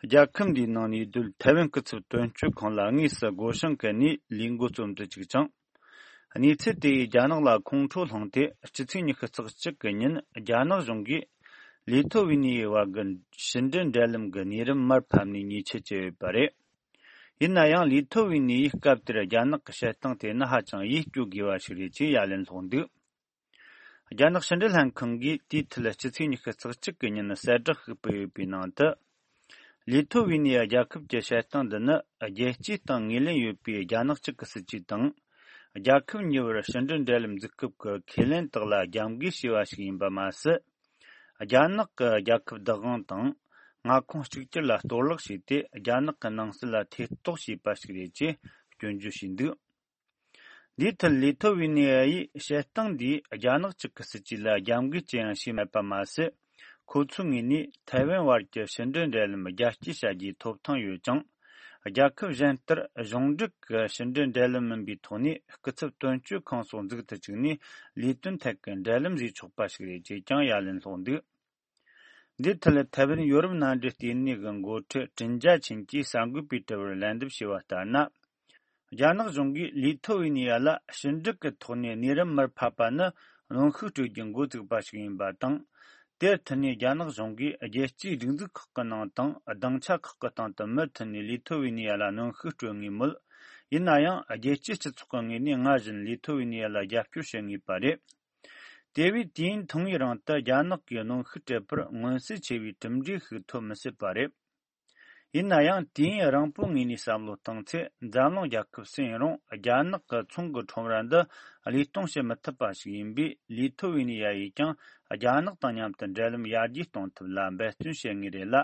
རྒྱལ་ཁབ་འདིའི་ནང་ནས་སྡོད་ཐའེ་ཝན་སྐུ་ཚབ་དོན་གཅོད་ཁང་ལ་དངོས་སུ་སྒོ་བྱང་བཀལ་ནས་ལས་འགོ་རྩོམ་དུ་བཅུག་ཅིང་། གནས་ཚུལ་དེ་ཡིས་རྒྱ་ནག་ལ་ཁོང་ཁྲོ་བསླངས་ཏེ། སྤྱི་ཚེས་ཉི་ཤུ་རྩ་གཅིག་གི་ཉིན་རྒྱ་ནག་གཞུང་གིས་ལི་ཐོ་ཝི་ནི་ཡའི་བར་གྱི་ཕྱི་འབྲེལ་འབྲེལ་ལམ་གྱི་གནས་རིམ་མར་ཕབ་ནས་ཉེས་ཆད་བཅད་ཡོད་པ་རེད། ཡིན་ན་ཡང་། ལི་ཐོ་ཝི་ནི་ཡས་སྐབས་དེར་རྒྱ་ནག་གི་བྱེད་སྟངས་དེ་ནི་ཧ་ཅང་ཡིད་སྐྱོ་དགོས་པ་ཞིག་རེད་ཅེས་ཡ་ལན་སློག་འདུག་རྒྱ་ནག་ཕྱི་འབྲེལ་ལྷན་ཁང་གིས་དེའི་ཐད་སྤྱི་ཚེས་ཉི་ཤུ་རྩ་གཅིག་གི་ཉིན་གསལ་བསྒྲགས་ཤིག་སྤེལ་ཡོད་པའི་ནང་དུ། ལི་ཐོ་ཝི་ནི་ཡ་རྒྱལ་ཁབ་ཀྱི་བྱེད་སྟངས་འདི་ནི། རྒྱལ་སྤྱིའི་སྟེང་ངོས་ལེན་ཡོད་པའི་རྒྱ་ནག་གཅིག་གི་སྲིད་ཇུས་དང་། རྒྱལ་ཁབ་གཉིས་བར་ཕྱི་འབྲེལ་འབྲེལ་ལམ་འཛུགས་སྐབས་ཀྱི་ཁས་ལེན་དག་ལ་རྒྱབ་འགལ་བྱས་པ་ཞིག་ཡིན་པ་མ་ཟད། རྒྱ་ནག་གི་རྒྱལ་ཁབ་བདག་དབང་དང་མངའ་ཁོངས་གཅིག་གྱུར་ལ་གཏོར་བརླག་བྱས་ཏེ། རྒྱ་ནག་གི་ནང་སྲིད་ལ་ཐེ་གཏོགས་བྱས་པ་ཞིག་རེད་ཅེས་སྐྱོན་བརྗོད་བྱས་འདུག་འདིའི་ཐད་ལི་ཐོ་ཝི་ནི་ཡ་ཡིས་བྱེད་སྟངས་འདིས་རྒྱ་ནག་གཅིག་གི་སྲིད་ཇུས་ལ་རྒྱབ་འགལ་ཅི་ཡང་བྱས་མེད་པ་མ་ཟད། ཁོ་ཚོའི་ངོས་ནས་ཐའེ་ཝན་བར་གྱི་ཕྱི་འབྲེལ་འབྲེལ་ལམ་རྒྱ་སྐྱེད་བྱ་རྒྱུའི་ཐོབ་ཐང་ཡོད་ཅིང་། རྒྱལ་ཁབ་གཞན་ལྟར་གཞུང་འབྲེལ་གྱི་ཕྱི་འབྲེལ་འབྲེལ་ལམ་མིན་པའི་ཐོག་ནས་སྐུ་ཚབ་དོན་གཅོད་ཁང་སོགས་འཛུགས་སུ་བཅུག་ནས་ལས་དོན་ཐད་ཀྱི་འབྲེལ་ལམ་བཟོས་ཆོག་པ་ཞིག་རེད་ཅེས་ཀྱང་ཡ་ལན་སློག་འདུག་འདིའི་ཐད་ཐའེ་ཝན་ཡོ་རོབ་མནའ་འབྲེལ་ལྟེ་གནས་ཀྱི་འགོ་ཁྲིད་ཀྲིན་ཅཱ་ཆིན་གྱིས་གསར་འགོད་པའི་དྲི་བར་ལན་འདེབས་བྱས་པ་ལྟར་ན། རྒྱ་ནག་གཞུང་གིས་ལི་ཐོ་ཝི་ནི་ཡ་ལ་ཕྱི་འབྲེལ་གྱི་ཐོག་ནས་གནས་རིམ་མར་ཕབ་པ་ནི་གནོན་ཤུགས་སྤྲོད་རྒྱུའི་འགོ་བཙུགས་པ་ཞིག་ཡིན་པ་དང་། དེར་མཐུད་ནས་རྒྱ་ནག་གཞུང་གིས་རྒྱལ་སྤྱིའི་སྒྲིག་འཛུགས་ཁག་གི་ནང་དང་སྡིངས་ཆ་ཁག་གི་སྟེང་དུ་མུ་མཐུད་ནས་ལི་ཐོ་ཝི་ནི་ཡ་ལ་གནོན་ཤུགས་སྤྲོད་ངེས་མོད། ཡིན་ན་ཡང་། རྒྱལ་སྤྱིའི་སྤྱི་ཚོགས་ཀྱི་ངོས་ནས་སྔར་བཞིན་ལི་ཐོ་ཝི་ནི་ཡ་ལ་རྒྱབ་སྐྱོར་བྱེད་ངེས་པ་རེད། དེ་བས་དུས་ཡུན་ཐུང་ངུའི་རིང་དུ་རྒྱ་ནག་གིས་གནོན་ཤུགས་སྤྲད་པར་མངོན་གསལ་ཆེ་བའི་གྲུབ་འབྲས་ཤིག་ཐོབ་མི་སྲིད་པ་རེད། ཡིན་ན་ཡང་། དུས་ཡུན་རིང་པོའི་ངོས་ནས་བསམ་བློ་བཏང་ཚེ། འཛམ་གླིང་རྒྱལ་ཁབ་སུ་ཡིན་རུང་། རྒྱ་ནག་གི་ཚོང་གི་ཁྲོམ་ར་འདི་བློས་གཏོང་བྱེད་མི་ཐུབ་པ་ཞིག་ཡིན་པས། ལི་ཐོ་ཝི་ནི་ཡ་ཡིས་ཀྱང་རྒྱ་ནག་དང་མཉམ་དུ་འབྲེལ་ལམ་ཡར་རྒྱས་གཏོང་ཐབས་ལ་འབད་བརྩོན་བྱེད་ངེས་རེད་ལ།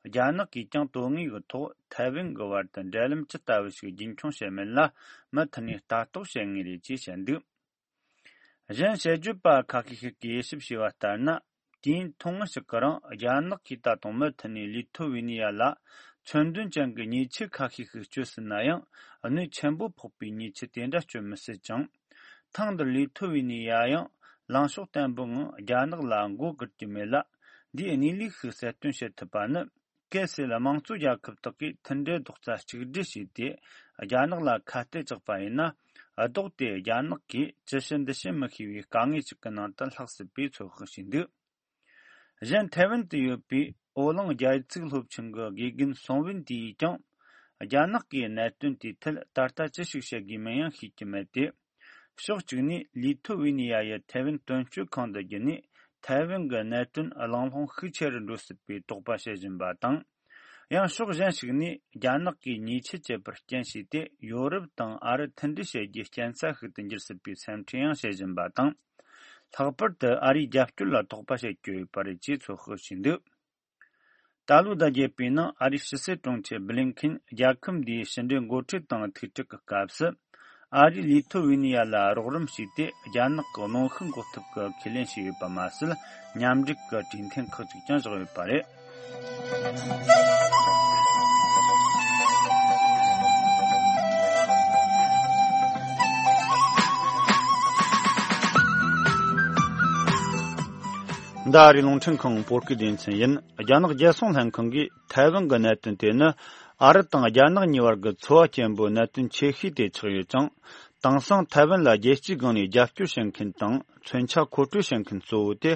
རྒྱ་ནག་གིས་ཀྱང་དོན་དངོས་ཀྱི་ཐོག་ཐའེ་ཝན་གྱི་བར་དུ་འབྲེལ་ལམ་ཇི་ལྟ་བུ་ཞིག་རྒྱུན་འཁྱོངས་བྱེད་མིན་ལ་མུ་མཐུད་ནས་ལྟ་རྟོག་བྱེད་ངེས་རེད་ཅེས་བཤད་འདུག་གཞན་དཔྱད་བརྗོད་པ་ཁ་ཤས་ཤིག་གིས་དབྱེ་ཞིབ་བྱས་པ་ལྟར་ན། དུས་ཡུན་ཐུང་ངུ་ཞིག་གི་རིང་རྒྱ་ནག་གིས་ད་དུང་མུ་མཐུད་ནས་ལི་ཐོ་ཝི་ནི་ཡ་ལ་མཚོན་དོན་ཅན་གྱི་ཉེས་ཆད་ཁ་ཤས་ཤིག་གཅོད་སྲིད་ན་ཡང་། གནོད་ཆེན་པོ་ཕོག་པའི་ཉེས་ཆད་དེ་འདྲ་གཅོད་མི་སྲིད་ཅིང་། ཐེངས་འདིར་ལི་ཐོ་ཝི་ནི་ཡ་ཡང་ལངས་ཕྱོགས་བརྟན་པོའི་ངང་རྒྱ་ནག་ལ་མགོ་སྒུར་གྱི་མེད་ལ། འདིའི་གནས་ལུགས་ཤིག་གསལ་སྟོན་བྱེད་ཐུབ་པ་ནི། གལ་སྲིད་དམངས་གཙོ་རྒྱལ་ཁབ་དག་གིས་མཐུན་སྒྲིལ་རྡོག་རྩ་གཅིག་སྒྲིལ་བྱས་ཏེ། རྒྱ་ནག་ལ་ཁ་གཏད་བཅག་པ་ཡིན་ན། ལྡོག་སྟེ་རྒྱ་ནག་གིས་ཅི་བྱེད་འདི་བྱེད་མི་ཤེས་པའི་དཀའ་ངལ་ཅིག་གི་ནང་དུ་ལྷག་སྲིད་པའི་ཚོད་དཔག་བྱས་འདུག་གཞན་ཐའེ་ཝན་དུ་ཡོད་པའི་ཨོ་གླིང་རྒྱལ་ཡིག་ཚིག་སློབ་ཆེན་གྱི་དགེ་རྒན་སུང་ཝིན་ཏི་ཡིས་ཀྱང་། རྒྱ་ནག་གིས་གནད་དོན་དེའི་ཐད་ད་ལྟ་ཅི་ཞིག་བྱེད་དགོས་མིན་ཡང་ཤེས་ཀྱི་མེད་དེ། ཕྱོགས་གཅིག་ནས་ལི་ཐོ་ཝི་ནི་ཡ་ཡི་ཐའེ་ཝན་དོན་གཅོད་ཁང་དུ་བརྒྱུད་ནས་ཐའེ་ཝན་གྱི་གནད་དོན་གླེང་སློང་ཤུགས་ཆེ་རུ་འགྲོ་སྲིད་པའི་དོགས་པ་བྱེད་བཞིན་པ་དང་། ཡང་ཕྱོགས་གཞན་ཞིག་ནས་རྒྱ་ནག་གིས་ཉེས་ཆད་བཅད་པར་རྐྱེན་བྱས་ཏེ། ཡོ་རོབ་དང་ཨ་རི་མཐུན་སྒྲིལ་བྱེད་རྒྱུའི་རྐྱེན་རྩ་ཤིག་ཏུ་འགྱུར་སྲིད་པའི་སེམས་ཁྲལ་ཡང་བྱེད་བཞིན་པ་དང་། ལྷག་པར་དུ་ཨ་རིའི་རྒྱབ་སྐྱོར་ལ་དོགས་པ་བྱེད་ཀྱི་ཡོད་པ་རེད་ཅེས་ཚོད་དཔག་བྱས་འདུག་ད་ལོའི་ཟླ་བརྒྱད་པའི་ནང་ཨ་རིའི་ཕྱི་སྲིད་དྲུང་ཆེ་བྷི་ལིན་ཁིན་རྒྱལ་ཁབ་འདིའི་ཕྱི་འབྲེལ་འགོ་ཁྲིད་དང་ཐུག་འཕྲད་ཀྱི་སྐབས་སུ། ཨ་རིས་ལི་ཐོ་ཝི་ནི་ཡ་ལ་རོགས་རམ་བྱས་ཏེ། རྒྱ་ནག་གི་གནོན་ཤུགས་འགོག་ཐབས་ཀྱི་ཁས་ལེན་བྱས་ཡོད་པ་མ་ཟད། མཉམ་འབྲེལ་གྱི་གྲོས་མཐུན་ཁག་ཅིག་ཀྱང་བཞག་ཡོད་པ་རེད། འདི་ཨ་རིའི་རླུང་འཕྲིན་ཁང་བོད་སྐད་སྡེ་ཚན་ཡིན། རྒྱ་ནག་རྒྱལ་སྲུང་ལྷན་ཁང་གིས་ཐའེ་ཝན་གྱི་གནད་དོན་དེ་ནི་ཨ་རི་དང་རྒྱ་ནག་གཉིས་བར་གྱི་ཚོར་བ་སྐྱེན་པོའི་གནད་དོན་ཆེ་ཤོས་དེ་ཆགས་ཡོད་ཅིང་། དེང་སང་ཐའེ་ཝན་ལ་རྒྱལ་སྤྱིའི་སྒང་ནས་རྒྱབ་སྐྱོར་བྱེད་མཁན་དང་མཚོན་ཆ་མཁོ་སྤྲོད་བྱེད་མཁན་གཙོ་བོ་དེ་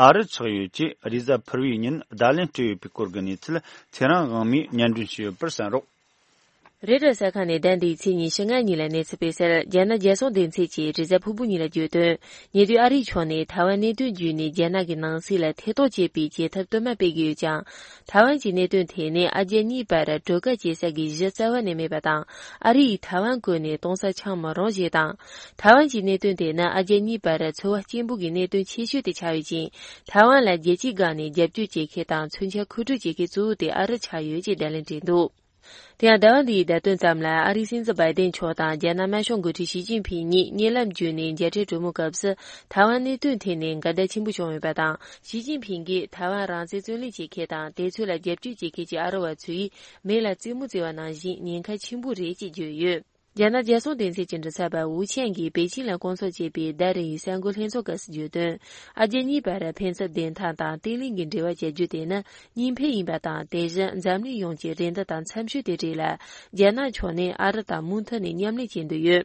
ཨ་རི་ཆགས་ཡོད་ཅེས་རེས་གཟའ་ཕུར་བུའི་ཉིན་བརྡ་ལན་སྤྲད་ཡོད་པའི་སྐོར་གྱི་གནས་ཚུལ་ཚེ་རིང་དབང་མོས་སྙན་སྒྲོན་ཞུས་ཡོད་པར་གསན་རོགས། རེ་ཊར་གསར་ཁང་ནས་ཟླ་འདིའི་ཚེས་ཉི་ཤུ་ལྔ་ཉིན་ལ་གནས་ཚུལ་སྤེལ་གསལ། རྒྱ་ནག་རྒྱལ་སྲུང་སྡེ་ཚན་གྱིས་རེས་གཟའ་ཕུར་བུ་ཉིན་ལ་བརྗོད་དོན། ཉེ་དུས་ཨ་རིའི་ཕྱོགས་ནས་ཐའེ་ཝན་གནད་དོན་བརྒྱུད་ནས་རྒྱ་ནག་གི་ནང་སྲིད་ལ་ཐེ་གཏོགས་བྱེད་པའི་བྱེད་ཐབས་དུ་མ་སྤེལ་གྱི་ཡོད་ཀྱང་། ཐའེ་ཝན་གྱི་གནད་དོན་དེ་ནི་ཨ་རྒྱ་གཉིས་བར་གྲོས་ཁ་བྱེད་ས་གི་གཞི་རྩ་བ་ནས་མེད་པ་དང་། ཨ་རི་ཡིས་ཐའེ་ཝན་བཀོལ་ནས་གཏོང་ས་ཆགས་མི་རུང་ཞེས་དང་། ཐའེ་ཝན་གྱི་གནད་དོན་དེ་ནི་ཨ་རྒྱ་གཉིས་བར་ཚོར་བ་སྐྱེན་པོ་གི་གནད་དོན་ཆེ་ཤོས་དེ་ཆགས་ཡོད་ཅིང་། ཐའེ་ཝན་ལ་རྒྱལ་སྤྱིའི་སྒང་ནས་རྒྱབ་སྐྱོར་བྱེད་མཁན་དང་མཚོན་ཆ་མཁོ་སྤྲོད་བྱེད་མཁན་གཙོ་བོ་དེ་ཨ་རི་ཆགས་ཡོད་ཅེས་བརྡ་ལན་སྤྲད་འདུག་དེ་ཡང་ཟླ་བ་འདིའི་ཟླ་སྟོད་ཙམ་ལ་ཨ་རིའི་སྲིད་འཛིན་བྷའི་ཏན་མཆོག་དང་རྒྱ་ནག་དམར་ཤོག་འགོ་ཁྲིད་ཞི་ཅིན་ཕིང་གཉིས་བརྙན་ལམ་བརྒྱུད་ནས་མཇལ་འཕྲད་གྲོས་མོལ་སྐབས་སུ། ཐའེ་ཝན་གནད་དོན་ཐད་ནས་འགལ་ཟླ་ཆེན་པོ་བྱུང་ཡོད་པ་དང་། ཞི་ཅིན་ཕིང་གིས་ཐའེ་ཝན་རང་བཙན་བརྩོན་ལེན་བྱེད་མཁན་དང་དེ་ཚོ་ལ་རྒྱབ་སྐྱོར་བྱེད་མཁན་གྱི་ཨ་རི་བ་ཚོ་ཡིས་མེ་ལ་རྩེད་མོ་རྩེ་བ་ནང་བཞིན་ཉེན་ཁ་ཆེན་པོ་རེད་ཅེས་བརྗོད་ཡོད། རྒྱ་ནག་རྒྱལ་སྲུང་སྡེ་ཚན་གྱི་མགྲིན་ཚབ་པ་ཝུ་ཆན་གྱིས་པེ་ཅིང་ལ་སྐོང་ཚོགས་བྱས་པའི་ཟླ་རེ་ཡི་གསར་འགོད་ལྷན་ཚོགས་སྐབས་སུ་བརྗོད་དོན། ཨ་རྒྱ་གཉིས་བར་ཕན་ཚུན་བདེན་མཐའ་དང་བརྟན་ལྷིང་གི་འབྲེལ་བ་བྱ་རྒྱུ་དེ་ནི་གཉིས་ཕན་ཡིན་པ་དང་། དེ་བཞིན་འཛམ་གླིང་ཡོངས་ཀྱི་རེ་འདུན་དང་འཚམ་ཤོས་དེ་རེད་ལ། རྒྱ་ནག་ཕྱོགས་ནས་ཨ་རི་དང་མུ་མཐུད་ནས་མཉམ་ལས་བྱེད་འདོད་ཡོད།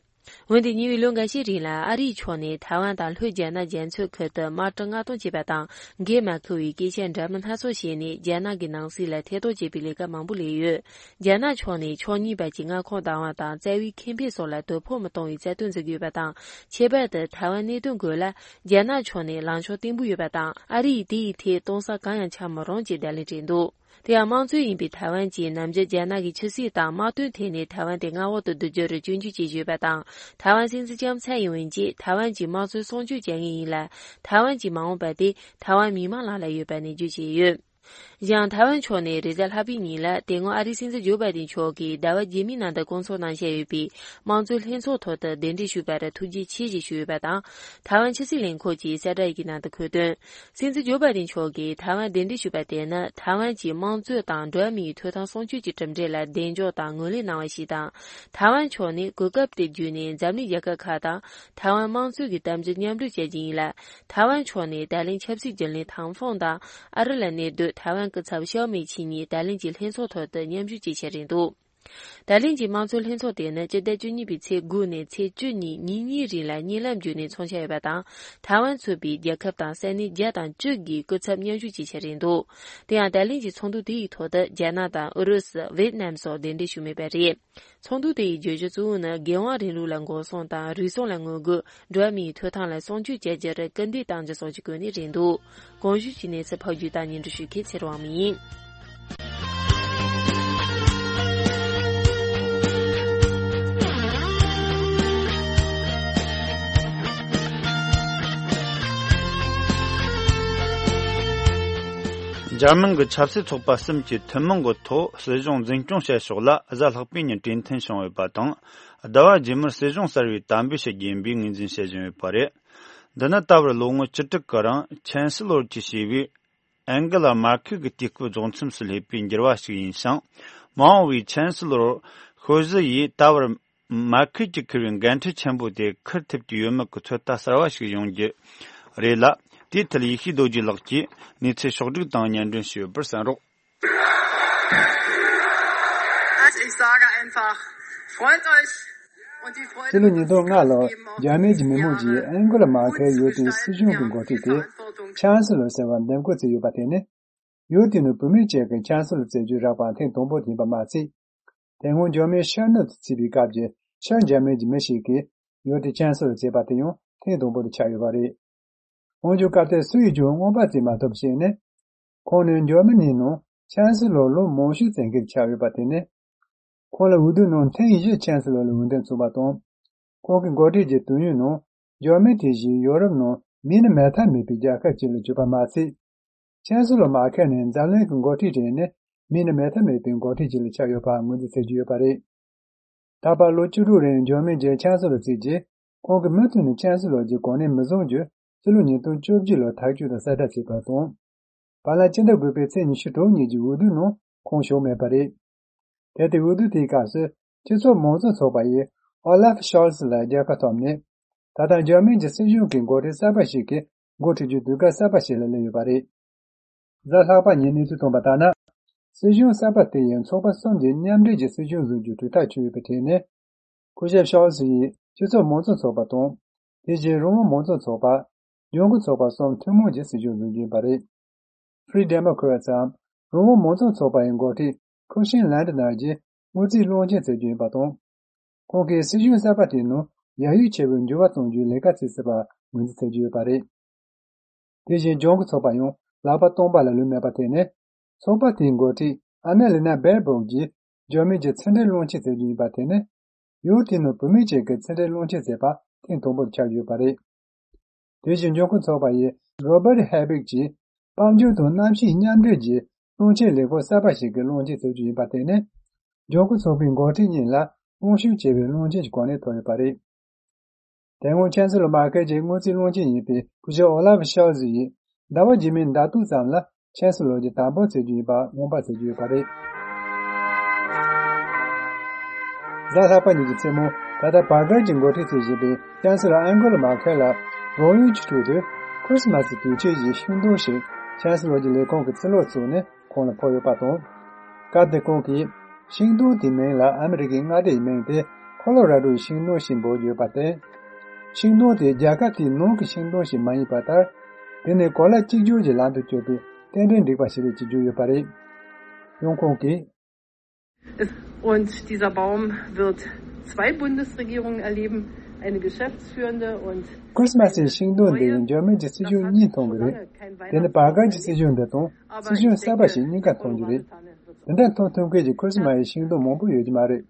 འོན་ཏེ་ཉེ་བའི་ལོ་འགའ་ཤས་རིང་ལ་ཨ་རིའི་ཕྱོགས་ནས་ཐའེ་ཝན་དང་ལྷོ་རྒྱ་ནག་རྒྱ་མཚོའི་ཁུལ་དུ་དམག་གྲ་མངགས་གཏོང་བྱས་པ་དང་། འགན་མ་འཁུར་བའི་སྐད་ཆ་འདྲ་མིན་སྣ་ཚོགས་བཤད་ནས་རྒྱ་ནག་གི་ནང་སྲིད་ལ་ཐེ་གཏོགས་བྱེད་པའི་ལས་ཀ་མང་པོ་ལས་ཡོད། རྒྱ་ནག་ཕྱོགས་ནས་ཕྱོགས་གཉིས་བར་གྱི་མངའ་ཁོངས་བདག་དབང་དང་རྩ་བའི་ཁེ་ཕན་སོགས་ལ་དོ་ཕོག་མི་གཏོང་བའི་རྩ་དོན་འཛིན་གྱི་ཡོད་པ་དང་། ཁྱད་པར་དུ་ཐའེ་ཝན་གནད་དོན་སྐོར་ལ་རྒྱ་ནག་ཕྱོགས་ནས་ལངས་ཕྱོགས་བརྟན་པོ་ཡོད་པ་དང་། ཨ་རི་ཡིས་དེ་ཡི་ཐད་གཏོང་ས་གང་ཡང་ཆགས་མི་རུང་ཅེས་བརྡ་ལན་སྤྲད་འདུག་དེ་ཡང་དམངས་གཙོ་ཡིན་པའི་ཐའེ་ཝན་གྱིས་ནམ་རྒྱུན་རྒྱ་ནག་གི་ཆབ་སྲིད་དང་དམག་དོན་ཐད་ནས་ཐའེ་ཝན་དེ་མངའ་འོག་ཏུ་བསྡུ་རྒྱུར་སྐྱོན་བརྗོད་བྱེད་བཞིན་ཡོད་པ་དང་། ཐའེ་ཝན་སྲིད་འཛིན་ལྕམ་ཚའེ་ཡིན་ཝེན་གྱིས་ཐའེ་ཝན་གྱི་དམངས་གཙོའི་སྲུང་སྐྱོབ་བྱ་ངེས་ཡིན་ལ། ཐའེ་ཝན་གྱི་མ་འོངས་པ་དེ་ཐའེ་ཝན་མི་མང་ལག་ལ་ཡོད་པ་ནས་བརྗོད་བཞིན་ཡོད། གཞན་ཐའེ་ཝན་ཕྱོགས་ནས་རེས་གཟའ་ལྷག་པའི་ཉིན་ལ་དེ་སྔོན་ཨ་རིའི་སྲིད་འཛིན་ཇོ་བྷའི་ཏིན་མཆོག་གིས་ཟླ་བ་རྗེས་མའི་ནང་དུ་སྐོང་ཚོགས་གནང་བཞིན་ཡོད་པའི་དམངས་གཙོའི་ལྷན་ཚོགས་ཐོག་ཏུ་གདན་འདྲེན་ཞུས་པར་ཐུགས་རྗེ་ཆེ་ཞེས་ཞུས་ཡོད་པ་དང་། ཐའེ་ཝན་ཕྱི་སྲིད་ལས་ཁུངས་ཀྱི་གསལ་བསྒྲགས་ཡི་གེ་ནང་དུ་འཁོད་དོན། སྲིད་འཛིན་ཇོ་བྷའི་ཏིན་མཆོག་གིས་ཐའེ་ཝན་གདན་འདྲེན་ཞུས་པ་དེ་ནི་ཐའེ་ཝན་གྱི་དམངས་གཙོ་དང་འགྲོ་བ་མིའི་ཐོབ་ཐང་སྲུང་སྐྱོབ་ཀྱི་གྲུབ་འབྲས་ལ་གདེང་འཇོག་དང་ངོས་ལེན་གནང་བ་ཞིག་དང་། ཐའེ་ཝན་ཕྱོགས་ནས་གོ་སྐབས་དེ་བརྒྱུད་ནས་འཛམ་གླིང་རྒྱལ་ཁབ་ཁག་དང་ཐའེ་ཝན་དམངས་གཙོ་གི་གཏམ་རྒྱུད་མཉམ་འབྲེལ་བྱ་རྒྱུ་ཡིན་ལ། ཐའེ་ཝན་ཕྱོགས་ནས་ད་ལན་ཆབ་སྲིད་བརྒྱུད་ལམ་ཐང་ཧྥུང་དང་ཨ་རི་ལ་གནས་སྡོད་ཐའེ་ཝན་སྐུ་ཚབ་ཞའོ་མེ་ཆི་གཉིས་ད་ལན་གྱི་ལྷན་ཚོགས་ཐོག་ཏུ་མཉམ་ཞུགས་བྱེད་འཆར་རེད་འདུག་ད་ལན་གྱི་དམངས་གཙོའི་ལྷན་ཚོགས་དེ་ནི་སྤྱི་ཟླ་བཅུ་གཉིས་པའི་ཚེས་དགུ་ནས་ཚེས་བཅུ་གཉིས་ཉིན་གཉིས་རིང་ལ་བརྙན་ལམ་བརྒྱུད་ནས་འཚོགས་འཆར་ཡོད་པ་དང་། ཐའེ་ཝན་ཚུད་པའི་རྒྱལ་ཁབ་དང་ས་གནས་བརྒྱ་དང་བཅུ་གི་སྐུ་ཚབ་མཉམ་ཞུགས་བྱེད་འཆར་རེད་འདུག་དེ་ཡང་ད་ལན་གྱི་ཚོགས་འདུ་དེ་ཡི་ཐོག་ཏུ་རྒྱ་ནག་དང་ཨུ་རུ་སུ། ཝེད་ནམ་སོགས་གདན་འདྲེན་ཞུས་མེད་པ་རེད། ཚོགས་འདུ་དེ་ཡི་བརྗོད་གཞི་གཙོ་བོ་ནི་རྒྱལ་དབང་རིང་ལུགས་ལ་འགོག་སྲུང་དང་རུལ་སུངས་ལ་ངོ་རྒོལ། འགྲོ་བ་མིའི་ཐོབ་ཐང་ལ་སྲུང་སྐྱོབ་བྱ་རྒྱུར་སྐུལ་འདེད་གཏང་རྒྱུ་སོགས་ཀྱི་སྐོར་ནས་རེད་འདུག་གོང་ཞུས་ཀྱི་གནས་ཚུལ་ཕབ་སྒྱུར་དང་སྙན་སྒྲོན་ཞུ་མཁན་ཚེ་རིང་དབང་མོ་ཡིན། འཇར་མན་གྱི་ཆབ་སྲིད་ཚོགས་པ་གསུམ་གྱིས་ཐུན་མོང་གི་ཐོག་སྲིད་གཞུང་འཛིན་སྐྱོང་བྱེད་ཕྱོགས་ལ་གཟའ་ལྷག་པའི་ཉིན་གྲོས་མཐུན་བྱུང་ཡོད་པ་དང་། ཟླ་བ་རྗེས་མར་སྲིད་གཞུང་གསར་བའི་དམ་འབུལ་ཞིག་ཡིན་པའི་ངོས་འཛིན་བྱེད་བཞིན་ཡོད་པ་རེད། འདི་ནི་ད་བར་ལོ་ངོ་བཅུ་དྲུག་གི་རིང་ཆན་སི་ལོར་གྱིས་བྱས་པའི་ཨན་གེ་ལ་མར་ཁེལ་གྱི་དུས་སྐབས་རྫོགས་མཚམས་སུ་སླེབས་པའི་འགྱུར་བ་ཞིག་ཡིན་ཞིང་། མ་འོངས་པའི་ཆན་སི་ལོར་ཤོ་ཟི་ཡིས་ད་བར་མར་ཁེལ་གྱིས་འཁུར་བའི་འགན་འཁྲི་ཆེན་པོ་དེ་འཁུར་ཐུབ་ཀྱི་ཡོད་མེད་ཀྱི་ཚོད་ལྟ་གསར་བ་ཞིག་ཡོང་རྒྱུ་རེད་ལ། དེའི་ཐད་ཡེ་ཤེས་རྡོ་རྗེ་ལགས་ཀྱིས་གནས་ཚུལ་ཕྱོགས་བསྒྲིགས་དང་སྙན་སྒྲོན་ཞུས་ཡོད་པར་གསན་རོགས། Ich sage einfach, freut euch und die Freude ཕྱི་ལོ་ཉིས་སྟོང་ལྔ་ལོར་རྒྱ་མིའི་མི་དམངས་ཀྱིས་ཨན་གོ་ལ་མར་ཁེལ་ཡུལ་དེའི་སྲིད་གཞུང་གི་འགོ་ཁྲིད་དེ་ཆན་སི་ལོར་ཟེར་བར་འདེམས་བསྐོ་བྱས་ཡོད་པ་དེ་ནི། ཡུལ་དེ་ནི་བུད་མེད་ཅིག་གིས་ཆན་སི་ལོར་བྱེད་རྒྱུའི་རགས་པ་ཐེངས་དང་པོ་ཡིན་པ་མ་ཚད། དེ་སྔོན་འཇར་མན་ཤར་ནུབ་ཏུ་ཚུད་པའི་སྐབས་ཀྱི་ཤར་འཇར་མན་གྱི་མི་ཞིག་གིས་ཡུལ་དེའི་ཆན་སི་ལོར་བྱེད་པ་དེ་ཡང་ཐེངས་དང་པོ་དེ་ཆགས་ཡོད་པ་རེད། འོན་ཀྱང་སྐབས་དེར་སུ་ཡིས་ཀྱང་མངོན་པ་བརྩིས་མ་ཐུབ་པ་ཞིག་ནི། ཁོང་ནི་འཇར་མ་ནིའི་ནང་ཆན་སི་ལོར་ལོ་མང་ཤོས་བཙལ་མཁན་ཆགས་ཡོད་པ་དེ་ནི། ཁོང་ལ་འོས་བསྡུའི་ནང་ཐེངས་བཞི་ཆན་སི་ལོར་ལ་འོས་འདེམས་བྱུང་བ་དང་། ཁོང་གི་འགོ་ཁྲིད་ཀྱི་དུས་ཡུན་ནང་འཇར་མན་དེ་བཞིན་ཡོ་རོབ་ནང་མིང་ནི་མེད་ཐབས་མེད་པའི་རྒྱལ་ཁབ་ཅིག་ལ་གྱུར་པ་མ་ཚད། ཆན་སི་ལོར་མར་ཁེལ་ནས་འཛམ་གླིང་གི་འགོ་ཁྲིད་གྲས་ནས་མིང་ནི་མེད་ཐབས་མེད་པའི་འགོ་ཁྲིད་ཅིག་ལ་ཆགས་ཡོད་པ་ངོས་འཛིན་བྱེད་ཀྱི་ཡོད་པ་རེད། ད་བར་ལོ་བཅུ་དྲུག་རིང་འཇར་མན་གྱི་ཆན་སི་ལོར་བརྩིས་རྗེས། ཁོང་གིས་མུ་མཐུད་ནས་ཆན་སི་ལོར་གྱི་གོ་གནས་མི་བཟུང་རྒྱུ་སྤྱི་ལོ་ཉིས་སྟོང་བཅོ་བརྒྱད་ལོར་ཐག་གཅོད་དང་གསལ་བསྒྲགས་བྱས་པ་དང་། བར་ལ་སྤྱི་ཟླ་དགུ་པའི་ཚེས་ཉི་ཤུ་དྲུག་ཉིན་གྱི་འོས་བསྡུའི་ནང་ཁོང་ཞུགས་མེད་པ་རེད། དེ་ལྟའི་འོས་བསྡུ་དེའི་སྐབས་སུ་སྤྱི་ཚོགས་མང་གཙོ་ཚོགས་པ་ཡིས་ཨོ་ལཱ་ཧྥ་ཤོལ་ཚི་ལ་རྒྱལ་ཁ་ཐོབ་ནས། ད་ལྟ་འཇར་མན་གྱི་སྲིད་གཞུང་གི་འགོ་ཁྲིད་གསར་པ་ཞིག་གི་འགོ་ཁྲིད་རྒྱུའི་དུས་སྐབས་གསར་པ་ཞིག་ལ་སླེབས་ཡོད་པ་རེད། གཟའ་ལྷག་པ་ཉིན་གནས་ཚུལ་བཏོན་པ་ལྟར་ན། སྲིད་གཞུང་གསར་པ་དེ་ཡིས་ཚོགས་པ་གསུམ་གྱི་མཉམ་འབྲེལ་གྱི་སྲིད་གཞུང་བཟོ་རྒྱུའི་གྲོས་ཐག་ཆོད་ཡོད་པའི་གྲས་ནས། སྐུ་ཞབས་ཤོལ་ཚི་ཡིས་སྤྱི་ཚོགས་མང་གཙོ་ཚོགས་པ་དང་། དེ་བཞིན་རང་དབང་མང་གཙོ་ཚོགས་པ། ལྗང་ཁུ་ཚོགས་པ་གསུམ་ཐུན་མོང་གི་སྲིད་གཞུང་འཛིན་རྒྱུ་ཡིན་པ་རེད། Free Democrats འམ་རང་དབང་མང་གཙོ་ཚོགས་པ་ཡི་འགོ་ཁྲིད་ཁུ་ཤིན་ལན་ཏི་ནར་གྱིས་ དངུལ་རྩིས་བློན་ཆེན་བཙལ་རྒྱུ་ཡིན་པ་དང་། ཁོང་གིས་སྲིད་གཞུང་གསར་པ་དེའི་ནང་ཡ་ཡུལ་ཆེ་བའི་འགྱུར་བ་གཏོང་རྒྱུའི་ལས་ཀ་བྱེད་སྲིད་པ་ངོས་འཛིན་བྱེད་ཀྱི་ཡོད་པ་རེད། དེ་བཞིན་ལྗོངས་སྐུ་ཚོགས་པ་ཡང་ལག་པ་སྟོང་པ་ལ་ལུས་མེད་པར་བརྟེན་ནས། ཚོགས་པ་དེའི་འགོ་ཁྲིད་ཨ་ན་ལི་ན་སྦེར་སྦོག་གིས་འཇར་མན་གྱི་ཕྱི་འབྲེལ་བློན་ཆེན་བཙལ་རྒྱུ་ཡིན་པར་བརྟེན་ནས། ཡུལ་དེའི་ནང་བུད་མེད་ཅིག་གི་ཕྱི་འབྲེལ་བློན་ཆེན་བཙལ་བ་ཐེངས་དང་པོར་ཆགས་ཡོད་པ་རེད། དེ་བཞིན་ལྗོངས་སྐུ་ཚོགས་པ་ཡི་རོ་བར་ཧེ་བིག་གིས་དཔལ་འབྱོར་དང་གནམ་གཤིས་མཉམ་འབྲེལ་གྱི་བློན་ཆེན་ལས་ཁུངས་གསར་པ་ཞིག་གི་བློན་ཆེན་བཙལ་རྒྱུ་ཡིན་པར་བརྟེན་ནས། ལྗོངས་སྐུ་ཚོགས་པའི་འགོ་ཁྲིད་གཉིས་ལ་དབང་ཤུགས་ཆེ་བའི་བློན་ཆེན་གྱི་གོ་གནས་ཐོབ་ཡོད་པ་རེད། དེ་སྔོན་ཆན་སི་ལོ་མར་ཁེལ་གྱི་དངུལ་རྩིས་བློན་ཆེན་ཡིན་པའི་སྐུ་ཞབས་ཨོ་ལ་ཕ་ཤོལ་ཛི་ཡིས་ཟླ་བ་རྗེས་མའི་ཟླ་དྲུག་ཙམ་ལ་ཆན་སི་ལོར་གྱི་དམ་པོར་བྱེད་རྒྱུ་ཡིན་པ་སྔོན་དཔག་བྱེད་ཀྱི་ཡོད་པ་རེད། གཟའ་ལྷག་པ་ཉིན་གྱི་མཚན་མོ་ད་ལྟ་བར་གར་གྱིས་འགོ་ཁྲིད་བྱེད་བཞིན་པའི་ཆན་སི་ལོ་ཨན་གོ་ལ་མར་ཁེལ་ལ་རང་ཡུལ་གྱི་ཁྲོད་དུ་ཁྲིས་མ་སི་དུས་ཆེན་གྱི་ཤིང་སྡོང་ཞིག་ཆན་སི་ལོར་གྱི་ལས་ཁུངས་ཀྱི་ཕྱི་ལོགས་བཙུགས་ནས་ཁོང་ལ་ཕུལ་ཡོད་པ་དང་། སྐབས་དེར་ཁོང་གིས་ཤིང་སྡོང་དེའི་མིང་ལ་ཨ་མི་རི་ཀའི་མངའ་སྡེ་ཡི་མིང་སྟེ་ཁོ་ལོ་ར་ཌོ་ཡི་ཤིང་སྡོང་ཞེས་འབོད་ཀྱི་ཡོད་པར་བརྟེན། ཤིང་སྡོང་དེ་རྒྱལ་ཁབ་དེའི་ནང་གི་ཤིང་སྡོང་ཞིག་མ་ཡིན་པ་ལྟར། དེ་ནི་གོ་ལ་གཅིག་གྱུར་གྱི་ལམ་དུ་བསྐྱོད་པའི་རྟེན་འབྲེལ་འགྲིག་པ་ཞིག་རེད་ཅེས་བརྗོད་ཡོད་པ་རེད། ཡང་ཁོང་གིས། Und dieser Baum wird zwei Bundesregierungen erleben, eine geschäftsführende und ཁྲིས་མ་སི་ཡི་ཤིང་སྡོང་འདི་ཡིས་འཇར་མན་གྱི་སྲིད་གཞུང་གཉིས་མཐོང་གི་རེད། དེ་ནི་བར་གར་གྱི་སྲིད་གཞུང་འདི་དང་སྲིད་གཞུང་གསར་པ་ཞིག་གཉིས་ཀ་མཐོང་རྒྱུ་རེད། དེ་འདྲ་མཐོང་ཐུབ་མཁན་གྱི་ཁྲིས་མ་སི་ཡི་ཤིང་སྡོང་མང་པོ་ཡོད་ཀྱི་མ་རེད།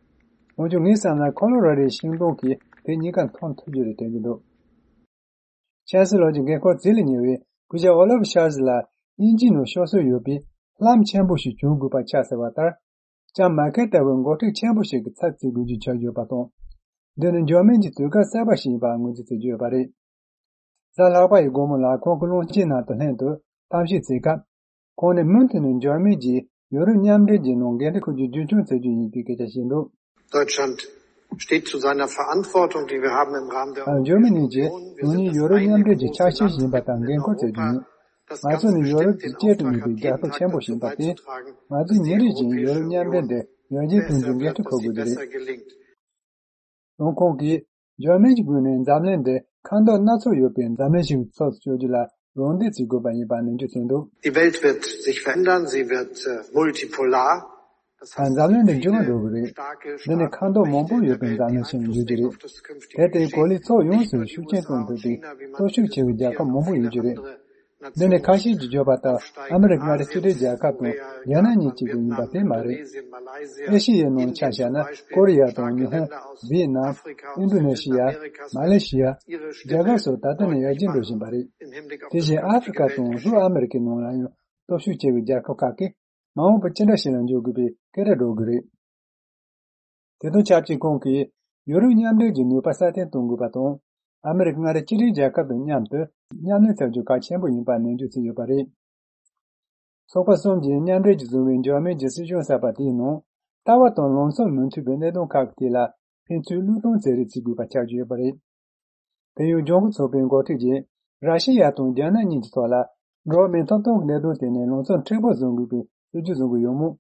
འོན་ཀྱང་ངའི་བསམ་ན་ཁོ་ལོ་ར་ཌོའི་ཤིང་སྡོང་གིས་དེ་གཉིས་ཀ་མཐོང་ཐུབ་རྒྱུ་རེད་དྲན་གྱི་འདུག་ཆན་སི་ལོར་གྱི་འགན་ཁུར་རྩིས་ལ་ཉེ་བའི་སྐུ་ཞབས་ཨོ་ལ་ཕ་ཤོལ་ཛི་ལ་དབྱིན་ཇིའི་ནང་ཤོར་སྲོལ་ཡོད་པའི་ལྷམ་ཆེན་པོ་ཞིག་གྱོན་དགོས་པ་ཆགས་ཟེར་བ་ལྟར། ལྕམ་མར་ཁེལ་ལྟ་བུའི་འགོ་ཁྲིད་ཆེན་པོ་ཞིག་གི་ཚབ་བྱེད་དགོས་རྒྱུ་ཆགས་ཡོད་པ་དང་། འདི་ནི་འཇར་མན་གྱི་དུས་བཀག་གསར་པ་ཞིག་ཡིན་པ་ངོས་འཛིན་བྱེད་ཀྱི་ཡོད་པ་རེད། གཟའ་ལྷག་པ་ཡི་དགོང་མོ་ལ་ཁོང་གི་བློན་ཆེན་རྣམས་དང་ལྷན་དུ་གཏམ་བཤད་བྱེད་སྐབས། ཁོང་ནས་མུ་མཐུད་ནས་འཇར་མན་གྱིས་ཡོ་རོབ་མཉམ་འབྲེལ་གྱི་ནང་འགན་འཁྲི་འཁུར་རྒྱུ་རྒྱུན་འཁྱོངས་བྱེད་རྒྱུ་ཡིན་པའི་སྐད་ཆ་བཤད་འདུག Deutschland steht zu seiner Verantwortung, die wir haben im Rahmen der འཇར་མ་ནི་གྱིས་ང་ཉིད་ཡོ་རོབ་མཉམ་འབྲེལ་གྱི་ཆ་ཤས་ཤིག་ཡིན་པ་དང་འགན་འཁུར་བྱེད་རྒྱུ་ཡིན། ང་ཚོ་ནི་ཡོ་རོབ་ཀྱི་གཅེས་སུ་གཉིས་པའི་རྒྱལ་ཁབ་ཆེན་པོ་ཞིག་ཡིན་པར་བརྟེན། ང་ཚོས་ཉིན་རེ་བཞིན་ཡོ་རོབ་མཉམ་འབྲེལ་འདི་ཡར་རྒྱས་གཏོང་རྒྱུའི་འགན་འཁྲི་འཁུར་དགོས་ཀྱི་རེད། ཡང་ཁོང་གིས་འཇར་མན་གྱི་ངོས་ནས་འཛམ་གླིང་འདི་ཁ་མདོག་སྣ་ཚོགས་ཡོད་པའི་འཛམ་གླིང་ཞིག་ཏུ་ཚོགས་སུ་བཅུག་རྒྱུ་ལ་རོགས་འདེགས་བྱེད་དགོས་པ་ཡིན་པ་ནན་བརྗོད་བྱས་འདུག Die Welt wird sich verändern, sie wird äh, multipolar. Das ད་heißt, འཛམ་གླིང་འདི་འགྱུར་བ་འགྲོ་གི་རེད། འདི་ནི་ཁ་མདོག་མང་པོ་ཡོད་པའི་འཛམ་གླིང་ཞིག་འགྱུར་གྱི་རེད། དེར་བརྟེན་གོ་ལའི་ཕྱོགས་ཡོངས་སུ་ཤུགས་རྐྱེན་གཏོང་ཐུབ་པའི་སྟོབས་ཤུགས་ཆེ་བའི་རྒྱལ་ཁབ་མང་པོ་ཡོད་ཀྱི་རེད། འདི་ནི་ཁ་ཤས་ཀྱིས་བརྗོད་པ་ལྟར་ཨ་མི་རི་ཀ་མངའ་སྡེ་གཅིག་སྒྲིལ་རྒྱལ་ཁབ་དང་རྒྱ་ནག་གཉིས་གཅིག་པུ་ཡིན་པ་དེ་མ་རེད། ཨེ་ཤི་ཡའི་ནང་ཆ་བཞག་ན་ཀོ་རི་ཡ་དང་ཉི་ཧོང་། ཝི་ཡེ་ནམ། ཨིན་ཌོ་ནེ་ཤི་ཡ། མ་ལེ་ཤི་ཡ། རྒྱ་གར་སོགས་ད་ལྟ་ནས་ཡར་རྒྱས་འགྲོ་བཞིན་པ་རེད། དེ་བཞིན་ཨ་ཧྥེ་རི་ཁ་དང་ལྷོ་ཨ་མི་རི་ཀའི་ནང་ལ་ཡང་སྟོབས་ཤུགས་ཆེ་བའི་རྒྱལ་ཁབ་ཁག་གིས་མ་འོངས་པར་ཅི་འདྲ་ཞིག་ལ་འགྱུར་དགོས་པའི་སྐད་སྒྲ་སྒྲོག་གི་རེད། དེ་དང་ཆབས་ཅིག་ཁོང་གིས་ཡུ་རོབ་མཉམ་འབྲེལ་གྱི་ནུས་པ་སྲ་བརྟན་གཏོང་དགོས་པ་དང་། ཨ་མི་རི་ཀ་མངའ་སྡེ་གཅིག་སྒྲིལ་རྒྱལ་ཁབ་དང་མཉམ་དུ་མཉམ་ལས་བྱ་རྒྱུ་གལ་ཆེན་པོ་ཡིན་པ་ནན་བརྗོད་བྱས་ཡོད་པ་རེད། ཚོགས་པ་གསུམ་གྱིས་མཉམ་འབྲེལ་གྱིས་བཟུང་བའི་འཇར་མན་གྱི་སྲིད་གཞུང་གསར་པ་དེའི་ནང་ལྟ་བ་དང་ལམ་སང་མི་མཐུན་པའི་གནད་དོན་ཁག་གི་ཐད་ལ་ཕན་ཚུན་བློས་གཏོང་བྱེད་རེས་བྱེད་དགོས་པ་ཆགས་ཀྱི་ཡོད་པ་རེད། དེ་ཡང་ལྗོངས་སྐུ་ཚོགས་པའི་འགོ་ཁྲིད་ཀྱིས་ར་ཤི་ཡ་དང་རྒྱ་ནག་གཉིས་ཀྱི་ཐོག་ལ་འགྲོ་བ་མིའི་ཐོབ་ཐང་གི་གནད་དོན་དེ་ནས་ལམ་སང་མཁྲེགས་པོ་བཟོ་དགོས་པའི་སྲིད་ཇུས་བཟུང་གི་ཡོད་མོད།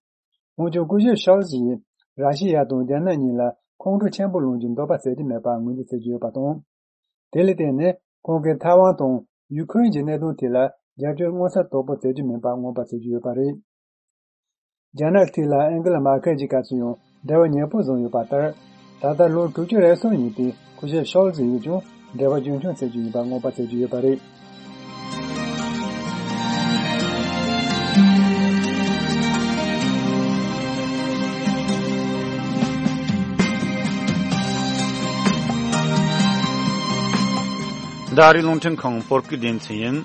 འོན་ཀྱང་སྐུ་ཞབས་ཤོལ་ཛི་ཡིས་ར་ཤི་ཡ་དང་རྒྱ་ནག་གཉིས་ལ་ཁོང་ཁྲོ་ཆེན་པོ་སློང་རྒྱུའི་འདོད་པ་ཟད་ཀྱི་མེད་པ་ངོས་འཛིན་བྱེད་ཀྱི་ཡོད་པ་དང་། དེ་ལ་བརྟེན་ནས་ཁོང་གིས་ཐའེ་ཝན་དང་ཡུ་ཁུ་རེན་གྱི་གནད་དོན་དེ་ལ་རྒྱབ་སྐྱོར་མངོན་གསལ་དོད་པོ་བྱེད་རྒྱུ་མིན་པ་མངོན་པ་བྱེད་ཀྱི་ཡོད་པ་རེད། རྒྱ་ནག་གི་ཐད་ལ་ཨན་གེ་ལ་མར་ཁེལ་གྱི་སྐབས་སུ་ཡང་འབྲེལ་བ་ཉེ་པོ་བཟུང་ཡོད་པ་ལྟར། ད་ལྟ་ལོ་དྲུག་ཅུ་རེ་གསུམ་ཡིན་པའི་སྐུ་ཞབས་ཤོལ་ཛི་ཡིས་ཀྱང་འབྲེལ་བ་རྒྱུན་འཁྱོངས་བྱེད་རྒྱུ་ཡིན་པ་མངོན་པ་བྱེད་ཀྱི་ཡོད་པ་རེད། འདི་ཨ་རིའི་རླུང་འཕྲིན་ཁང་བོད་སྐད་སྡེ་ཚན་ཡིན།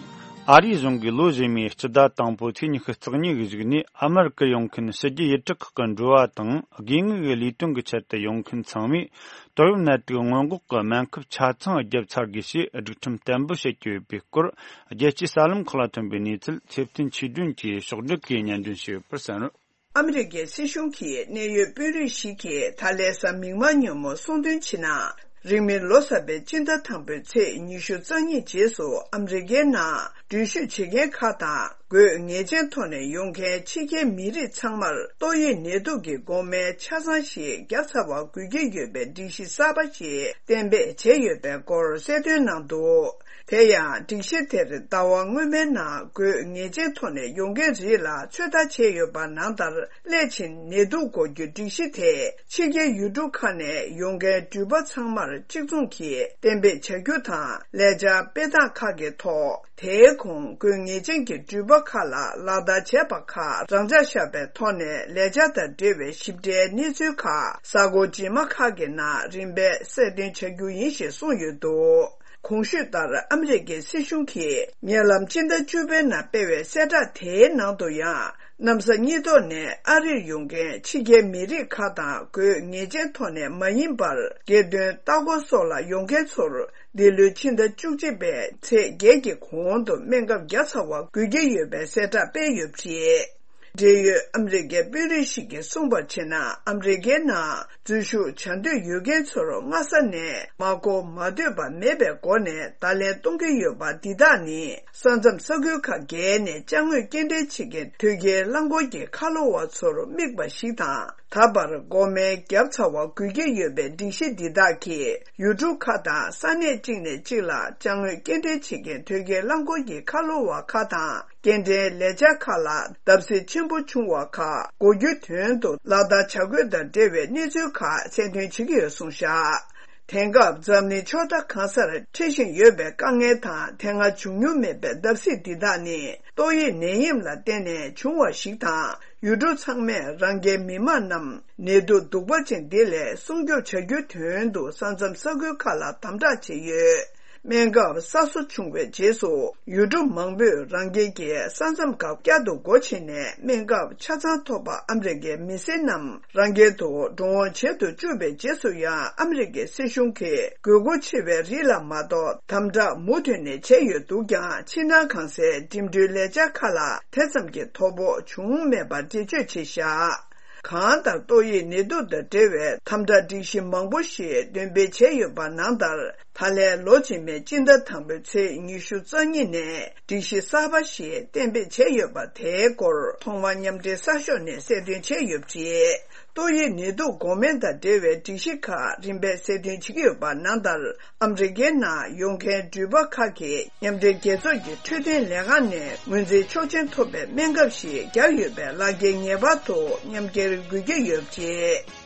ཨ་རིའི་གཞུང་གིས་ལོ་རྗེས་མའི་སྤྱི་ཟླ་དང་པོའི་ཚེས་ཉི་ཤུ་རྩ་གཉིས་ཀྱི་གཞུག་ནས་ཨ་མེ་རི་ཀར་ཡོང་མཁན་ཕྱི་རྒྱལ་ཡུལ་གྲུ་ཁག་གི་འགྲོ་བ་དང་དགོས་ངེས་ཀྱི་ལས་དོན་གྱི་ཆེད་དུ་ཡོང་མཁན་ཚང་མས། ཏོག་དབྱིབས་ནད་དུག་སྔོན་འགོག་གི་སྨན་ཁབ་ཆ་ཚང་བརྒྱབ་ཚར་དགོས་ཞེས་སྒྲིག་ཁྲིམས་གཏན་འབེབས་བྱེད་ཀྱི་ཡོད་པའི་སྐོར། རྒྱལ་སྤྱིའི་གསར་ལམ་ཁག་ལ་ཐོན་པའི་གནས་ཚུལ་ཚེ་བརྟན་ཆོས་སྒྲོན་གྱིས་ཕྱོགས་བསྒྲིགས་ཀྱིས་སྙན་སྒྲོན་ཞུས་ཡོད་པར་གསན་རོགས། ཨ་མི་རི་ཀའི་སྲིད་གཞུང་གིས་གནད་ཡོད་དཔོན་རིགས་ཤིག་གིས་ད་ལས་ས་མིག་དམར་ཉིན་མོ་གསུང་དོན་ཕྱིན་ན། རིང་མིན་ལོ་གསར་པའི་སྤྱི་ཟླ་དང་པོའི་ཚེས་ཉི་ཤུ་རྩ་གཉིས་རྗེས་སུ་ཨ་མི་རི་ཀའི་ནང་འགྲུལ་བཞུད་བྱེད་མཁན་ཁག་དང་ དགོས་ངེས་ཅན་ཐོག་ནས་ཡོང་མཁན་ཕྱི་རྒྱལ་མི་རིགས་ཚང་མར་ཏོག་དབྱིབས་ནད་དུག་གི་འགོག་སྨན་ཆ་ཚང་ཞིག་བརྒྱབ་ཚར་བ་དགོས་ཀྱི་ཡོད་པའི་སྒྲིག་གཞི་གསར་པ་ཞིག་གཏན་འབེབས་བྱས་ཡོད་པའི་སྐོར་གསལ་སྟོན་གནང་འདུག་དེ་ཡང་སྒྲིག་གཞི་དེར་ཟླ་བ་སྔོན་མའི་ནང་དགོས་ངེས་ཅན་ཐོག་ནས་ཡོང་མཁན་རིགས་ལ་ཚོད་ལྟ་བྱས་ཡོད་པ་ནང་ལྟར། སླད་ཕྱིན་ནད་དུག་འགོག་རྒྱུ་སྒྲིག་གཞི་དེ་ཕྱི་རྒྱལ་ཡུལ་གྲུ་ཁག་ནས་ཡོང་མཁན་འགྲུལ་པ་ཚང་མར་གཅིག་མཚུངས་ཀྱིས་གཏན་འབེབས་བྱ་རྒྱུ་དང་། ལས་འཆར་སྤེལ་སྟངས་ཁག་གི་ཐོག་དེའི་གོང་དགོས་ངེས་ཅན་གྱི་འགྲུལ་པ་ཁག་ལ་ལག་བསྟར་བྱས་པ་ཁག་རང་འཇགས་བཞག་པའི་ཐོག་ནས་ལས་འཆར་དང་འབྲེལ་བའི་ཞིབ་ཕྲའི་གནས་ཚུལ་ཁག་གཟའ་འཁོར་རྗེས་མ་ཁག་གི་ནང་རིམ་པས་གསལ་སྟོན་བྱ་རྒྱུ་ཡིན་ཞེས་གསུངས་ཡོད་འདུག་གོང་ཞུས་ལྟར་ཨ་མི་རི་ཀའི་སྲིད་གཞུང་གིས་ཉེ་ལམ་སྤྱི་ཟླ་བཅུ་པའི་ནང་སྤེལ་བའི་གསལ་བསྒྲགས་དེའི་ནང་དུ་ཡང་། གནམ་ས་གཉིས་ཐོག་ནས་ཨ་རིར་ཡོང་མཁན་ཕྱི་རྒྱལ་མི་རིགས་ཁག་དང་དགོས་ངེས་ཅན་ཐོག་ནས་མ་ཡིན་པར། སྒེར་དོན་ལྟ་སྐོར་སོགས་ལ་ཡོང་མཁན་ཚོར། འདི་ལོའི་ཕྱི་ཟླ་བཅུ་གཅིག་པའི་ཚེས་བརྒྱད་ཀྱི་གོང་དུ་སྨན་ཁབ་བརྒྱབ་ཚར་བ་དགོས་ཀྱི་ཡོད་པའི་གསལ་བསྒྲགས་སྤེལ་ཡོད་པ་རེད། འབྲེལ་ཡོད་ཨ་མི་རི་ཀའི་དཔོན་རིགས་ཤིག་གིས་གསུངས་པར་བྱས་ན། ཨ་མི་རི་ཀའི་ནང་འཛུལ་ཞུགས་བྱ་འདོད་ཡོད་མཁན་ཚོར་སྔ་ས་ནས་མ་གོ་མ་ཐོས་པ་མེད་པའི་སྒོ་ནས་བརྡ་ལན་གཏོང་གི་ཡོད་པ་འདི་དག་ནི། ས་མཚམས་ས་ཁུལ་ཁག་བརྒལ་ནས་ཅ་དངོས་སྐྱེལ་འདྲེན་བྱེད་མཁན་ཐོལ་རྒྱལ་རླངས་འཁོར་གྱི་ཁ་ལོ་བ་ཚོར་དམིགས་པ་ཞིག་དང་། ད་བར་འགོག་སྨན་བརྒྱབ་ཚར་བ་དགོས་ཀྱི་ཡོད་པའི་སྒྲིག་གཞི་འདི་དག་གིས། ཡུལ་གྲུ་ཁག་དང་ས་གནས་གཅིག་ནས་གཅིག་ལ་ཅ་དངོས་སྐྱེལ་འདྲེན་བྱེད་མཁན་ཐོལ་རྒྱལ་རླངས་འཁོར་གྱི་ཁ་ལོ་བ་ཁག་དང་། སྐྱེལ་འདྲེན་ལས་འཆར་ཁག་ལ་བརྡབ་གསིག་ཆེན་པོ་བྱུང་བ་ཁག་འགོག་རྒྱུའི་དོན་དུ་ལག་བསྟར་བྱ་དགོས་དང་འབྲེལ་བའི་གནས་ཚུལ་ཁག་གསལ་སྟོན་བྱེད་ཀྱི་ཡོད་གསུངས་བཞག་དེང་སྐབས་འཛམ་གླིང་ཕྱོགས་མཐའ་གང་སར་འཕྲད་བཞིན་ཡོད་པའི་དཀའ་ངལ་དང་། དེ་སྔ་བྱུང་མྱོང་མེད་པའི་བརྡབ་གསིག་འདི་དག་ནི། ཏོག་དབྱིབས་ནད་ཡམས་ལ་བརྟེན་ནས་བྱུང་བ་ཞིག་དང་། ཡུལ་གྲུ་ཚང་མས་རང་རྒྱལ་མི་དམངས་རྣམས་ནད་དུག་གདུག་པ་ཅན་འདི་ལས་སྲུང་སྐྱོབ་བྱ་རྒྱུའི་དོན་དུ་ས་མཚམས་ས་ཁུལ་ཁག་ལ་དམ་དྲག་བྱས་ཡོད། སྨན་ཁབ་གསར་བཟོ་བྱུང་བའི་རྗེས་སུ། ཡུལ་གྲུ་མང་པོས་རང་རྒྱལ་གྱི་ས་མཚམས་ཁག་བསྐྱར་དུ་སྒོ་ཕྱེ་ནས། སྨན་ཁབ་ཆ་ཚང་ཐོབ་པ་ཨ་མི་རི་ཀའི་མི་སེར་རྣམས་རང་རྒྱལ་དུ་འགྲོ་འོང་བྱེད་དུ་བཅུག་པའི་རྗེས་སུ་ཡང་། ཨ་མི་རི་ཀའི་སྲིད་གཞུང་གིས་དགོས་མཁོ་ཆེ་བའི་རིགས་ལ་མ་གཏོགས་དམ་དྲག་མུ་མཐུད་ནས་བྱས་ཡོད་འདུག་ཀྱང་། ཕྱི་ནང་གང་སའི་འགྲིམ་འགྲུལ་ལས་འཆར་ཁག་ལ་དེ་ཙམ་གྱི་དོ་ཕོག་བྱུང་མེད་པར་འགྲེལ་བརྗོད་བྱས་བཞག་གང་ལྟར་ཏོག་དབྱིབས་ནད་དུག་དང་འབྲེལ་བའི་དམ་དྲག་སྒྲིག་གཞི་མང་པོ་ཞིག་འདོན་སྤེལ་བྱས་ཡོད་པ་ནང་ལྟར། ད་ལན་ལོ་རྗེས་མའི་སྤྱི་ཟླ་དང་པོའི་ཚེས་ཉི་ཤུ་རྩ་གཉིས་ནས་སྒྲིག་གཞི་གསར་པ་ཞིག་གཏན་འབེབས་བྱས་ཡོད་པ་དེའི་སྐོར་ཐོག་མར་མཉམ་འབྲེལ་གསར་ཤོག་ནས་གསལ་སྟོན་བྱས་ཡོད་པ་རེད། ཏོག་དབྱིབས་ནད་དུག་འགོག་སྨན་དང་འབྲེལ་བའི་སྒྲིག་གཞི་ཁག་རིམ་པས་གསལ་སྟོན་བྱེད་ཀྱི་ཡོད་པ་ནང་ལྟར། ཨ་མི་རི་ཀའི་ནང་ཡོང་མཁན་འགྲུལ་པ་ཁག་གིས་མཉམ་འབྲེལ་རྒྱལ་ཚོགས་ཀྱི་འཕྲོད་བསྟེན་ལས་ཁང་ནས་ངོས་འཛིན་ཆོག་མཆན་ཐོབ་པའི་སྨན་ཁབ་ཞིག་བརྒྱབ་ཡོད་པས། ལག་འཁྱེར་ངེས་པར་དུ་མཉམ་འཁྱེར་དགོས་ཀྱི་ཡོད་པ་རེད།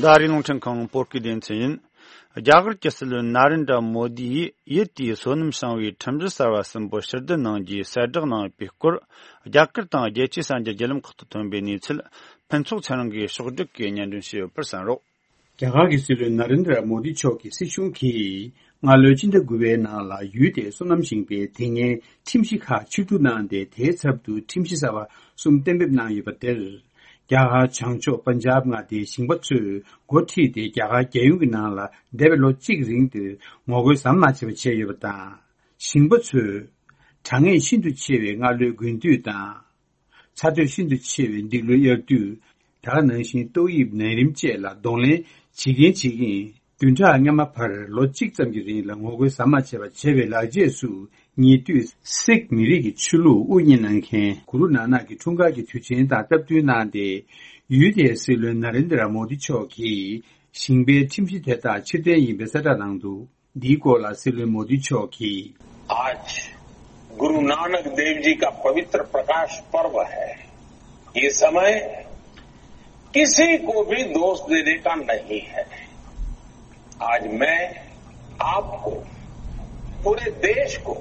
ད་རིང་རླུང་འཕྲིན་ཁང་བོད་སྐད་སྡེ་ཚན་ཡིན། རྒྱ་གར་གྱི་སྲིད་བློན་ན་རེན་དྲ་མོ་དི་ཡིས་ཡུལ་དེའི་སོ་ནམ་ཞིང་བའི་ཁྲིམས་གཞི་གསར་བ་གསུམ་པོ་ཕྱིར་བསྡུ་གནང་རྒྱུའི་གསལ་བསྒྲགས་གནང་ཡོད་པའི་སྐོར། རྒྱ་གར་དང་རྒྱལ་སྤྱིའི་གསར་འགྱུར་བརྒྱུད་ལམ་ཁག་ཏུ་ཐོན་པའི་གནས་ཚུལ་ཕུན་ཚོགས་ཚེ་རིང་གིས་ཕྱོགས་བསྒྲིགས་ཀྱིས་སྙན་སྒྲོན་ཞུས་ཡོད་པར་གསན་རོགས། རྒྱ་གར་གྱི་སྲིད་བློན་ན་རེན་དྲ་མོ་དི་མཆོག་གི་སྲིད་གཞུང་གིས་སྔ་ལོའི་སྤྱི་ཟླ་དགུ་པའི་ནང་ལ་ཡུལ་དེའི་སོ་ནམ་ཞིང་པའི་དེ་སྔའི་ཁྲིམས་གཞི་ཁག་ཕྱིར་བསྡུ་གནང་སྟེ། དེའི་ཚབ་ཏུ་ཁྲིམས་གཞི་གསར་བ་གསུམ་གཏན་འབེབས་གནང་ཡོད་པ་དེར། རྒྱ་གར་བྱང་ཕྱོགས་པན་ཇབ་མངའ་སྡེའི་ཞིང་པ་ཚོས་འགོ་ཁྲིད་དེ། རྒྱ་གར་རྒྱལ་ཡོངས་ཀྱི་ནང་ལ་འདས་པའི་ལོ་གཅིག་རིང་དུ་ངོ་རྒོལ་ཟམ་མ་ཆད་པར་བྱས་ཡོད་པ་དང་། ཞིང་པ་ཚོས་གྲང་ངར་ཤིན་ཏུ་ཆེ་བའི་སྔ་ལོའི་དགུན་དུས་དང་། ཚ་དྲོད་ཤིན་ཏུ་ཆེ་བའི་འདི་ལོའི་དབྱར་དུས། དེ་ག་ནང་བཞིན་ཏོག་དབྱིབས་ནད་རིམས་བཅས་ལ་གདོང་ལེན་བྱེད་ཀྱིན་བྱེད་ཀྱིན། བདུན་ཕྲག་སྔ་མ་བར་ལོ་གཅིག་ཙམ་གྱི་རིང་ལ་ངོ་རྒོལ་ཟམ་མ་ཆད་པར་བྱས་པའི་ལག་རྗེས་སུ། ཉེ་དུས་སིག་མི་རིགས་ཀྱི་ཆོས་ལུགས་དབུ་བརྙེས་གནང་མཁན་གུ་རུ་ནཱ་ནག་གི་འཁྲུངས་སྐར་གྱི་དུས་ཆེན་དང་སྟབས་བསྟུན་གནང་སྟེ། ཡུལ་དེའི་སྲིད་བློན་ན་རེན་དྲ་མོ་དི་མཆོག་གིས་ཞིང་པའི་ཁྲིམས་གཞི་དེ་དག་ཕྱིར་འཐེན་ཡིན་པའི་གསལ་བསྒྲགས་གནང་འདུག་འདིའི་སྐོར་ལ་སྲིད་བློན་མོ་དི་མཆོག་གིས། आज गुरु नानक देव जी का पवित्र प्रकाश पर्व है। ये समय किसी को भी दोष देने का नहीं है। आज मैं आपको, पूरे देश को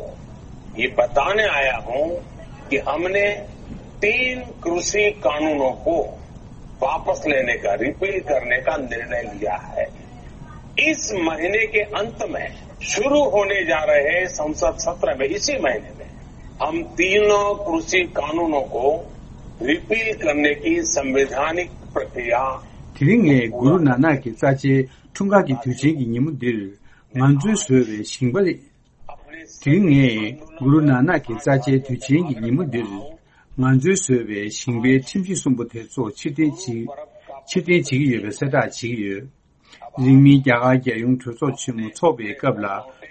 ये बताने आया हूं कि हमने तीन कृषि कानूनों को वापस लेने का, रिपील करने का निर्णय लिया है। इस महीने के अंत में शुरू होने जा रहे संसद सत्र में, इसी महीने में, हम तीनों कृषि कानूनों को रिपील करने की संवैधानिक प्रक्रिया དེ་རིང་ངས་གུ་རུ་ནཱ་ནག་གི་རྩ་ཆེའི་འཁྲུངས་སྐར་གྱི་དུས་ཆེན་གྱི་ཉིན་མོ་འདིར། ང་ཚོས་བཟོས་པའི་ཞིང་པ། དེ་རིང་ངས་གུ་རུ་ནཱ་ནག་གི་རྩ་ཆེའི་དུས་ཆེན་གྱི་ཉིན་མོ་འདིར། ང་ ང་ཚོས་བཟོས་པའི་ཞིང་པའི་ཁྲིམས་གཞི་གསུམ་པོ་དེ་ཚོ་ཕྱིར་འཐེན་བྱེད་ཕྱིར་འཐེན་བྱེད་ཀྱི་ཡོད་པའི་གསལ་བསྒྲགས་བྱེད་ཀྱི་ཡོད། རིང་མིན་རྒྱ་གར་རྒྱལ་ཡོངས་གྲོས་ཚོགས་ཆེན་མོ་འཚོགས་པའི་སྐབས་ལ།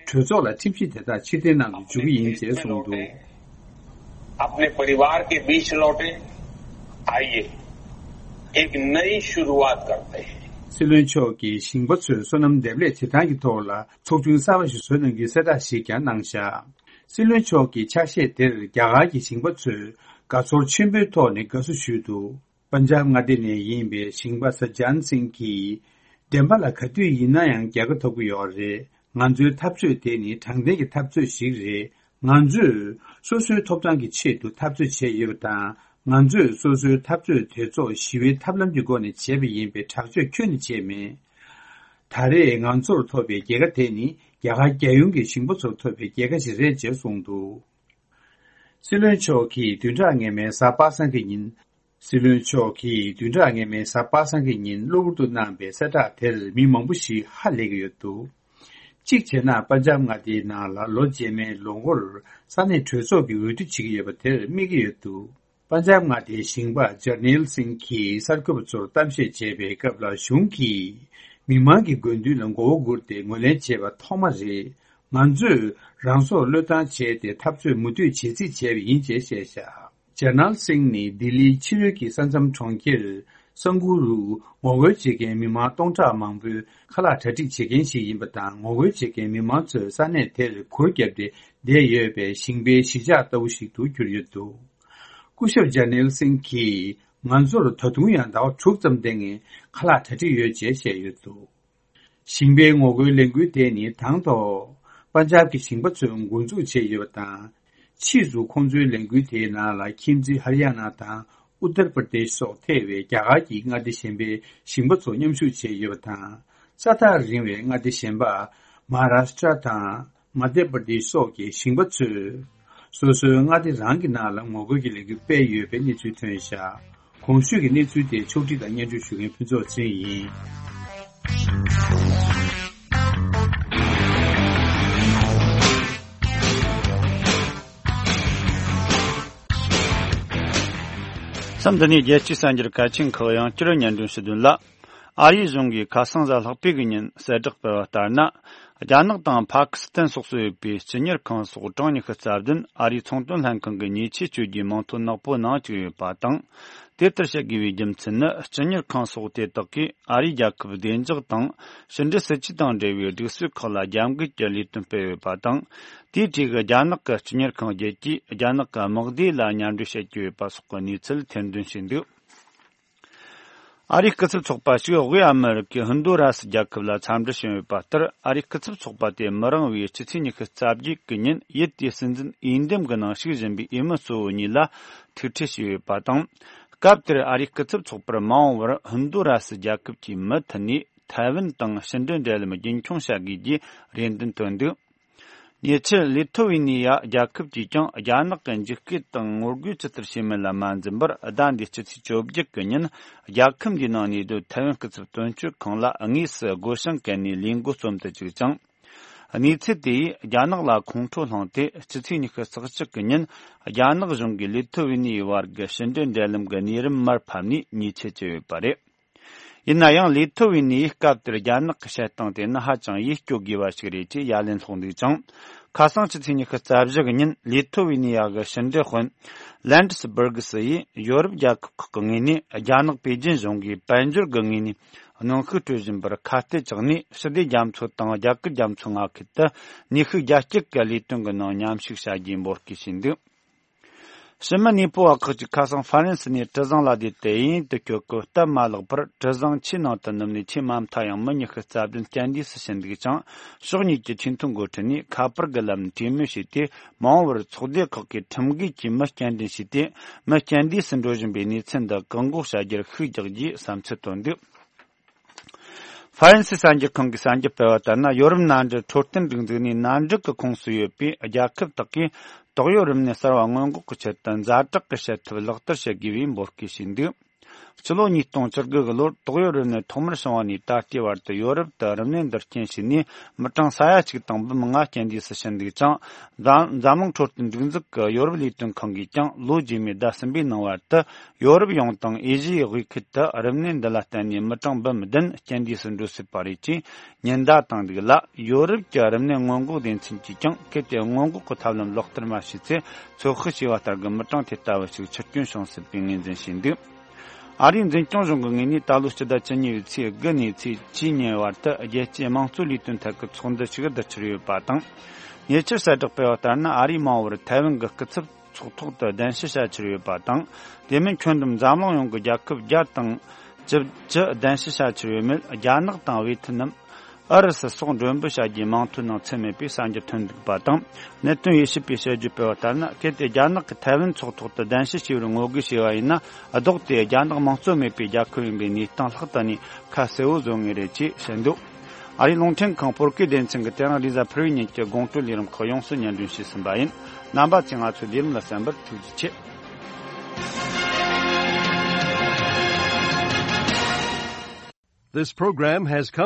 གྲོས་ཚོགས་ལ་ཁྲིམས་གཞི་དེ་དག་ཕྱིར་འཐེན་གནང་དུ་འཇུག་གི་ཡིན་ཅེས་གསུངས་འདུག། अपने परिवार के बीच लौटे, आइए, एक नई शुरुआत करते हैं। སྲིད་བློན་མཆོག་གིས་ཞིང་པ་ཚོའི་སོ་ནམ་འདེབས་ལས་བྱེད་སྟངས་ཀྱི་ཐོག་ལ་ཚོགས་ཆུང་གསར་པ་ཞིག་བཟོ་གནང་རྒྱུའི་གསལ་བསྒྲགས་ཤིག་ཀྱང་གནང་བཞག། སྲིད་བློན་མཆོག་གི་ཕྱག་བཞེས་དེར་རྒྱ་གར་གྱི་ཞིང་པ་ཚོས་དགའ་ཚོར་ཆེན་པོའི་ཐོག་ནས་དགའ་བསུ་ཞུས་འདུག། པན་ཇབ་མངའ་སྡེ་ནས་ཡིན་པའི་ཞིང་པ་ས་ཇན་སིང་གིས། བདེན་པ་ལ་ག་དུས་ཡིན་ན་ཡང་རྒྱལ་ཁ་ཐོབ་ཀྱི་ཡོད་རེད། ང་ཚོའི་འཐབ་རྩོད་དེ་ནི་དྲང་བདེན་གྱི་འཐབ་རྩོད་ཞིག་རེད། ང་ཚོས་སོ་སོའི་ཐོབ་ཐང་གི་ཆེད་དུ་འཐབ་རྩོད་བྱས་ཡོད་པ་དང་། ང་ཚོས་སོ་སོའི་འཐབ་རྩོད་དེ་ཚོ་ཞི་བའི་ཐབས་ལམ་གྱི་སྒོ་ནས་བྱས་པ་ཡིན་པའི་དྲག་སྤྱོད་ཁྱོན་ནས་བྱས་མེད། ད་རེས་ང་ཚོར་ཐོབ་པའི་རྒྱལ་ཁ་དེ་ནི་རྒྱ་གར་རྒྱལ་ཡོངས་ཀྱི་ཞིང་པ་ཚོར་ཐོབ་པའི་རྒྱལ་ཁ་ཞིག་རེད་ཅེས་གསུངས་འདུག། སྲིད་བློན་མཆོག་གིས་བདུན་ཕྲག་སྔོན་མའི་གཟའ་པ་སངས་ཀྱི་ཉིན། སྲིད་བློན་མཆོག་གིས་བདུན་ཕྲག་སྔོན་མའི་གཟའ་པ་སངས་ཀྱི་ཉིན་གློ་བུར་དུ་གནང་པའི་གསལ་བསྒྲགས་དེར་མི་མང་པོ་ཞིག་ཧ་ལས་ཀྱི་ཡོད་འདུག། གཅིག་བྱས་ན་པན་ཇབ་མངའ་སྡེའི་ནང་ལ་ལོ་རྗེས་མའི་ལོ་འགོར་ས་གནས་གྲོས་ཚོགས་ཀྱི་འོས་བསྡུ་བྱེད་ཀྱི་ཡོད་པ་དེར་དམིགས་ཀྱི་ཡོད་འདུག། པན་ཇབ་མངའ་སྡེའི་ཞིང་པ་ཇར་ནེལ་སིང་གིས་གསར་འགོད་པ་ཚོར་གཏམ་བཤད་བྱས་པའི་སྐབས་ལ། གཞུང་གིས་མི་མང་གི་དགོས་འདུན་ལ་མགོ་བོ་སྒུར་ཏེ་ངོས་ལེན་བྱས་པ་ཐོག་མ་རེད། ང་ཚོས་རང་སྲོག་བློས་བཏང་བྱས་ཏེ་འཐབ་རྩོད་མུ་མཐུད་བྱེད་རྩིས་བྱས་པ་ཡིན་ཅེས་བཤད་བཞག། ཇར་ནལ་སིང་ནི་ལྡི་ལིའི་ཕྱི་རོལ་གྱི་ས་མཚམས་གྲོང་ཁྱེར་སང་གུ་རུ་ངོ་རྒོལ་བྱེད་མཁན་མི་མང་སྟོང་ཕྲག་མང་པོའི་ཁ་ལག་གྲ་སྒྲིག་བྱེད་མཁན་ཞིག་ཡིན་པ་དང་། ངོ་རྒོལ་བྱེད་མཁན་མི་མང་ཚོས་ས་གནས་དེར་གུར་བརྒྱབ་སྟེ་བསྡད་ཡོད་པའི་ཞིང་པའི་གཞིས་ཆགས་ལྟ་བུ་ཞིག་ཏུ་གྱུར་ཡོད་འདུག། སྐུ་ཞབས་ཇར་ནེལ་སིང་གིས། ང་ཚོར་ད་དུང་ཡང་ཟླ་བ་དྲུག་ཙམ་སྟེང་ནས་ཁ་ལག་གྲ་སྒྲིག་ཡོད་ཅེས་བཤད་ཡོད་འདུག། ཞིང་པའི་ངོ་རྒོལ་ལས་འགུལ་དེ་ནི་དང་ཐོག་པན་ཇབ་ཀྱི་ཞིང་པ་ཚོས་འགོ་འཛུགས་བྱས་ཡོད་པ་དང་། ཕྱིས་སུ་ཁོང་ཚོའི་ལས་འགུལ་དེའི་ནང་ལ་ཁྱིམ་མཚེས་ཧར་ཡ་ན་དང་ཨུ་ཏར་པར་དེཤ་སོགས་ཐེ་བའི་རྒྱ་གར་གྱི་མངའ་སྡེ་གཞན་པའི་ཞིང་པ་ཚོ་མཉམ་ཞུགས་བྱས་ཡོད་པ་དང་། ས་ཐག་རིང་བའི་མངའ་སྡེ་གཞན་པ་མ་ཧཱ་རཱ་ཤི་ཏྲ་དང་མ་དྷྱ་པར་དེཤ་སོགས་ཀྱི་ཞིང་པ་ཚོས་སོ་སོའི་མངའ་སྡེ་རང་གི་ནང་ལ་ངོ་རྒོལ་གྱི་ལས་འགུལ་སྤེལ་ཡོད་པའི་གནས་ཚུལ་ཐོན་བཞག། གོང་ཞུས་ཀྱི་གནས་ཚུལ་དེ་ཕྱོགས་སྒྲིག་དང་སྙན་སྒྲོན་ཞུ་མཁན་ཕུན་ཚོགས་ཚེ་རིང་ཡིན། མཚམས་འདི་ནས་རྒྱལ་སྤྱིའི་གསར་འགྱུར་གལ་ཆེན་ཁག་ཡང་བསྐྱར་སྙན་སྒྲོན་ཞུ་དོན་ལ། ཨ་རིའི་གཞུང་གིས་ཁ་སང་གཟའ་ལྷག་པའི་གི་ཉིན་གསལ་བསྒྲགས་སྤེལ་བ་ལྟར་ན། རྒྱ་ནག་དང་ཕ་ཀི་སི་ཐན་སོགས་སུ་ཡོད་པའི་སྤྱི་གཉེར་ཁང་སོགས་གྲངས་ཉི་ཤུ་རྩ་བདུན་ཨ་རིའི་ཚོང་དོན་ལྷན་ཁང་གི་ཉེས་ཆད་གཅོད་རྒྱུའི་མིང་ཐོ་ནག་པོའི་ནང་བཅུག་ཡོད་པ་དང་། དེ་ལྟར་བྱེད་དགོས་པའི་རྒྱུ་མཚན་ནི། སྤྱི་གཉེར་ཁང་སོགས་དེ་དག་གིས་ཨ་རིའི་རྒྱལ་ཁབ་བདེ་འཇགས་དང་ཕྱི་འབྲེལ་སྲིད་ཇུས་དང་འབྲེལ་བའི་སྒྲིག་སྲོལ་ཁག་ལ་རྒྱབ་འགལ་གྱི་ལས་དོན་སྤེལ་ཡོད་པ་དང་། དེའི་གྲས་ཀྱི་རྒྱ་ནག་གི་སྤྱི་གཉེར་ཁང་བརྒྱད་ཀྱིས་རྒྱ་ནག་གི་དམག་སྡེ་ལ་མཉམ་འབྲེལ་བྱེད་ཀྱི་ཡོད་པ་སོགས་ཀྱི་གནས་ཚུལ་ཐེར་འདོན་བྱས་འདུག། ཨ་རིའི་སྐུ་ཚབ་ཚོགས་པ་ཞིག་དབུས་ཨ་མི་རི་ཀའི་ཧུན་དུ་ར་སི་རྒྱལ་ཁབ་ལ་འཚམས་འདྲི་ཞུས་ཡོད་པ་ལྟར། ཨ་རིའི་སྐུ་ཚབ་ཚོགས་པ་དེ་མི་རིང་བའི་སྤྱི་ཚེས་ཉི་ཤུ་རྩ་བརྒྱད་ཀྱི་ཉིན་ཡུལ་དེའི་སྲིད་འཛིན་འོས་འདེམས་ཀྱི་ནང་ཞུགས་བཞིན་པའི་འོས་མི་གཙོ་བོ་གཉིས་ལ་ཐུག་འཕྲད་བྱས་ཡོད་པ་དང་། སྐབས་དེར་ཨ་རིའི་སྐུ་ཚབ་ཚོགས་པར་མ་འོངས་པར་ཧུན་དུ་ར་སི་རྒྱལ་ཁབ་ཀྱི་མུ་མཐུད་ནས་ཐའེ་ཝན་དང་ཕྱི་འབྲེལ་འབྲེལ་ལམ་རྒྱུན་འཁྱོངས་བྱ་དགོས་ཀྱི་རེ་འདུན་བཏོན་འདུག། ཉེ་ཆར་ལི་ཐོ་ཝི་ནི་ཡ་རྒྱལ་ཁབ་ཀྱིས་ཀྱང་རྒྱ་ནག་གི་འཇིགས་སྐུལ་དང་ངོ་རྒོལ་ཇི་ལྟར་བྱེད་མིན་ལ་མ་འཛེམས་པར། ཟླ་འདིའི་སྤྱི་ཚེས་བཅོ་བརྒྱད་ཀྱི་ཉིན་རྒྱལ་ཁབ་འདིའི་ནང་གནས་སྡོད་ཐའེ་ཝན་སྐུ་ཚབ་དོན་གཅོད་ཁང་ལ་དངོས་སུ་སྒོ་བྱང་བཀལ་ནས་ལས་འགུལ་རྩོམ་དུ་བཅུག་ཅིང་། གནས་ཚུལ་དེ་ཡིས་རྒྱ་ནག་ལ་ཁོང་ཁྲོ་བསླངས་ཏེ། སྤྱི་ཚེས་ཉི་ཤུ་རྩ་གཅིག་གི་ཉིན་རྒྱ་ནག་གཞུང་གིས་ལི་ཐོ་ཝི་ནི་ཡའི་བར་གྱི་ཕྱི་འབྲེལ་འབྲེལ་ལམ་གྱི་གནས་རིམ་མར་ཕབ་ནས་ཉེས་ཆད་བཅད་ཡོད་པ་རེད། ཡིན་ན་ཡང་ལི་ཐོ་ཝི་ནི་ཡིས་སྐབས་དེར་རྒྱ་ནག་གི་བྱེད་སྟངས་དེ་ནི་ཧ་ཅང་ཡིད་སྐྱོ་དགོས་པ་ཞིག་རེད་ཅེས་ཡ་ལན་སློག་འདུག་ཅིང་། ཁ་སང་ཕྱི་ཚེས་ཉི་ཤུ་རྩ་བཞི་གི་ཉིན་ལི་ཐོ་ཝི་ནི་ཡ་གི་ཕྱི་འབྲེལ་དཔོན་ལན་ཌི་སི་བྷར་གི་སི་ཡིས་ཡོ་རོབ་རྒྱལ་ཁབ་ཁག་གི་ངོས་ནས་རྒྱ་ནག་པེ་ཅིན་གཞུང་གིས་དཔལ་འབྱོར་གྱི་ངོས་ནས་གནོན་ཤུགས་སྤྲོད་བཞིན་པར་ཁ་གཏད་བཅག་ནས། ཞི་བདེ་རྒྱ་མཚོ་དང་རྒྱ་གར་རྒྱ་མཚོ་མངའ་ཁུལ་དུ་ནུས་ཤུགས་རྒྱ་སྐྱེད་ཀྱི་ལས་དོན་གྱི་ནང་མཉམ་ཞུགས་བྱ་རྒྱུའི་འབོད་སྐུལ་བྱས་འདུག། ཕྱི་མི་གནས་སྤོ་བ་ཁག་ཅིག་ཁ་སང་ཧྥ་རན་སི་ནས་གྲུ་གཟིངས་ལ་བསྡད་དེ་གཡས་གཡོན་དུ་སྐྱོད་སྐབས་སྟབས་མ་ལེགས་པར་གྲུ་གཟིངས་ཆུའི་ནང་དུ་ནུབ་ནས་ཆུའི་མ་མཐའ་ཡང་མི་ཉི་ཤུ་རྩ་བདུན་རྐྱེན་འདས་སུ་ཕྱིན་འདུག་ཅིང་། ཕྱོགས་གཉིས་ཀྱི་ཆེས་མཐོའི་འགོ་ཁྲིད་ནས་ཁ་པར་གྱི་ལམ་གྲོས་མོལ་བྱས་ཏེ། མ་འོངས་པར་ཚོགས་སྡེ་ཁག་གིས་ཁྲིམས་འགལ་གྱིས་མི་རྐྱེན་འདས་བྱས་ཏེ། མི་རྐྱེན་འདས་སུ་འགྲོ་བཞིན་པའི་གནས་ཚུལ་འདི་བཀག་འགོག་བྱ་རྒྱུར་ཤུགས་རྒྱག་རྒྱུའི་བསམ་ཚུལ་བཏོན་འདུག། ཧྥ་རན་སིའི་གསར་འགྱུར་ཁང་གིས་གསར་འགྱུར་སྤེལ་བ་ལྟར་ན། ཡོ་རོབ་མནའ་འབྲེལ་འཕྲོད་བསྟེན་སྒྲིག་འཛུགས་ནས་མནའ་འབྲེལ་གྱི་ཁོངས་སུ་ཡོད་པའི་རྒྱལ་ཁབ་དག་གིས་ཏོག་དབྱིབས་རིམས་ནད་གསར་བ་སྔོན་འགོག་གི་ཆེད་དུ་ཛ་དྲག་གི་བྱེད་ཐབས་ལག་བསྟར་བྱེད་དགོས་པའི་འབོད་སྐུལ་བྱས་འདུག། སྤྱི་ལོ་ཉིས་སྟོང་བཅུ་དགུ་གི་ལོར་ཏོག་དབྱིབས་རིམས་ནད་ཐོག་མར་བྱུང་བ་ནས་ད་ལྟའི་བར་དུ་ཡོ་རོབ་ཏུ་རིམས་ནད་འདི་རྐྱེན་བྱས་ནས་མི་གྲངས་ས་ཡ་གཅིག་དང་འབུམ་ལྔ་རྐྱེན་འདས་སུ་ཕྱིན་འདུག་ཅིང་། འཛམ་འཛམ་གླིང་འཕྲོད་བསྟེན་སྒྲིག་འཛུགས་ཀྱི་ཡོ་རོབ་ལས་དོན་ཁང་གིས་ཀྱང་ལོ་རྗེས་མའི་ཟླ་གསུམ་པའི་ནང་བར་དུ་ཡོ་རོབ་ཡོངས་དང་ཨེ་ཤི་ཡའི་དབུས་ཁུལ་དུ་རིམས་ནད་འདི་ལ་བརྟེན་ནས་མི་གྲངས་འབུམ་བདུན་རྐྱེན་འདས་སུ་འགྲོ་སྲིད་པ་རེད་ཅེས་ཉེན་བརྡ་བཏང་འདུག་ལ། ཡོ་རོབ་ཀྱི་རིམས་ནད་སྔོན་འགོག་སྡེ་ཚན་གྱིས་ཀྱང་གལ་ཏེ་སྔོན་འགོག་གི་ཐབས་ལམ་ལག་བསྟར་མ་བྱས་ཚེ། ཚོད་དཔག་བྱས་པ་ལྟར་གྱི་མི་གྲངས་དེ་ལྟ་བུ་ཞིག་འཆི་སྐྱོན་བྱུང་སྲིད་པའི་ངོས་འཛིན་བྱས་འདུག། ཨ་རིའི་འཛིན་སྐྱོང་གཞུང་གི་ངོས་ནས་ད་ལོ་སྤྱི་ཟླ་བཅུ་གཉིས་པའི་ཚེས་དགུ་ནས་ཚེས་བཅུའི་ཉིན་བར་དུ་རྒྱལ་སྤྱིའི་དམངས་གཙོའི་ལས་དོན་ཐད་ཀྱི་ཚོགས་འདུ་ཞིག་བསྡུ་འཆར་ཡོད་པ་དང་། ཉེ་ཆར་གསལ་བསྒྲགས་སྤེལ་བ་ལྟར་ན། ཨ་རིའི་མ་འོངས་པར་ཐའེ་ཝན་གྱི་སྐུ་ཚབ་ཚོགས་ཐོག་ཏུ་གདན་ཞུ་བྱ་འཆར་ཡོད་པ་དང་། དེ་མིན་ཁྱོན་བསྡོམས་འཛམ་གླིང་ཡོངས་ཀྱི་རྒྱལ་ཁབ་བརྒྱ་དང་བཅུ་བཅུ་གདན་ཞུ་བྱ་འཆར་ཡོད་མེད། རྒྱ་ནག་དང་ཝེ་ཐི་ནམ། ཨུ་རུ་སུ་སོགས་མགྲོན་འབོད་བྱ་རྒྱུའི་མིང་ཐོའི་ནང་ཚུད་མེད་པའི་གསར་འགྱུར་ཐོན་འདུག་པ་དང་། གནད་དོན་དབྱེ་ཞིབ་པས་དཔྱད་བརྗོད་སྤེལ་བ་ལྟར་ན། གལ་ཏེ་རྒྱ་ནག་གིས་ཐའེ་ཝན་ཚོགས་ཐོག་ཏུ་གདན་ཞུ་བྱས་པར་ངོ་རྒོལ་བྱས་པ་ཡིན་ན། ལྡོག་སྟེ་རྒྱ་ནག་དམངས་གཙོ་མེད་པའི་རྒྱལ་ཁབ་ཡིན་པའི་གནས་སྟངས་ལྷག་ཏུ་ནས་ཁ་གསལ་བོ་བཟོ་ངེས་རེད་ཅེས་བཤད་འདུག། ཨ་རིའི་རླུང་འཕྲིན་ཁང་བོད་སྐད་སྡེ་ཚན་གྱིས་དེ་རིང་རེས་གཟའ་ཕུར་བུའི་ཉིན་གྱི་དགོང་དྲོའི་ལས་རིམ་ཁག་ཡོངས་སུ་སྙན་སྒྲོན་ཞུས་ཟིན་པ་ཡིན། རྣམ་པ་ཚོས་ང་ཚོའི་ལས་རིམ་ལ་གསན་པར་ཐུགས་རྗེ་ཆེ། This program has come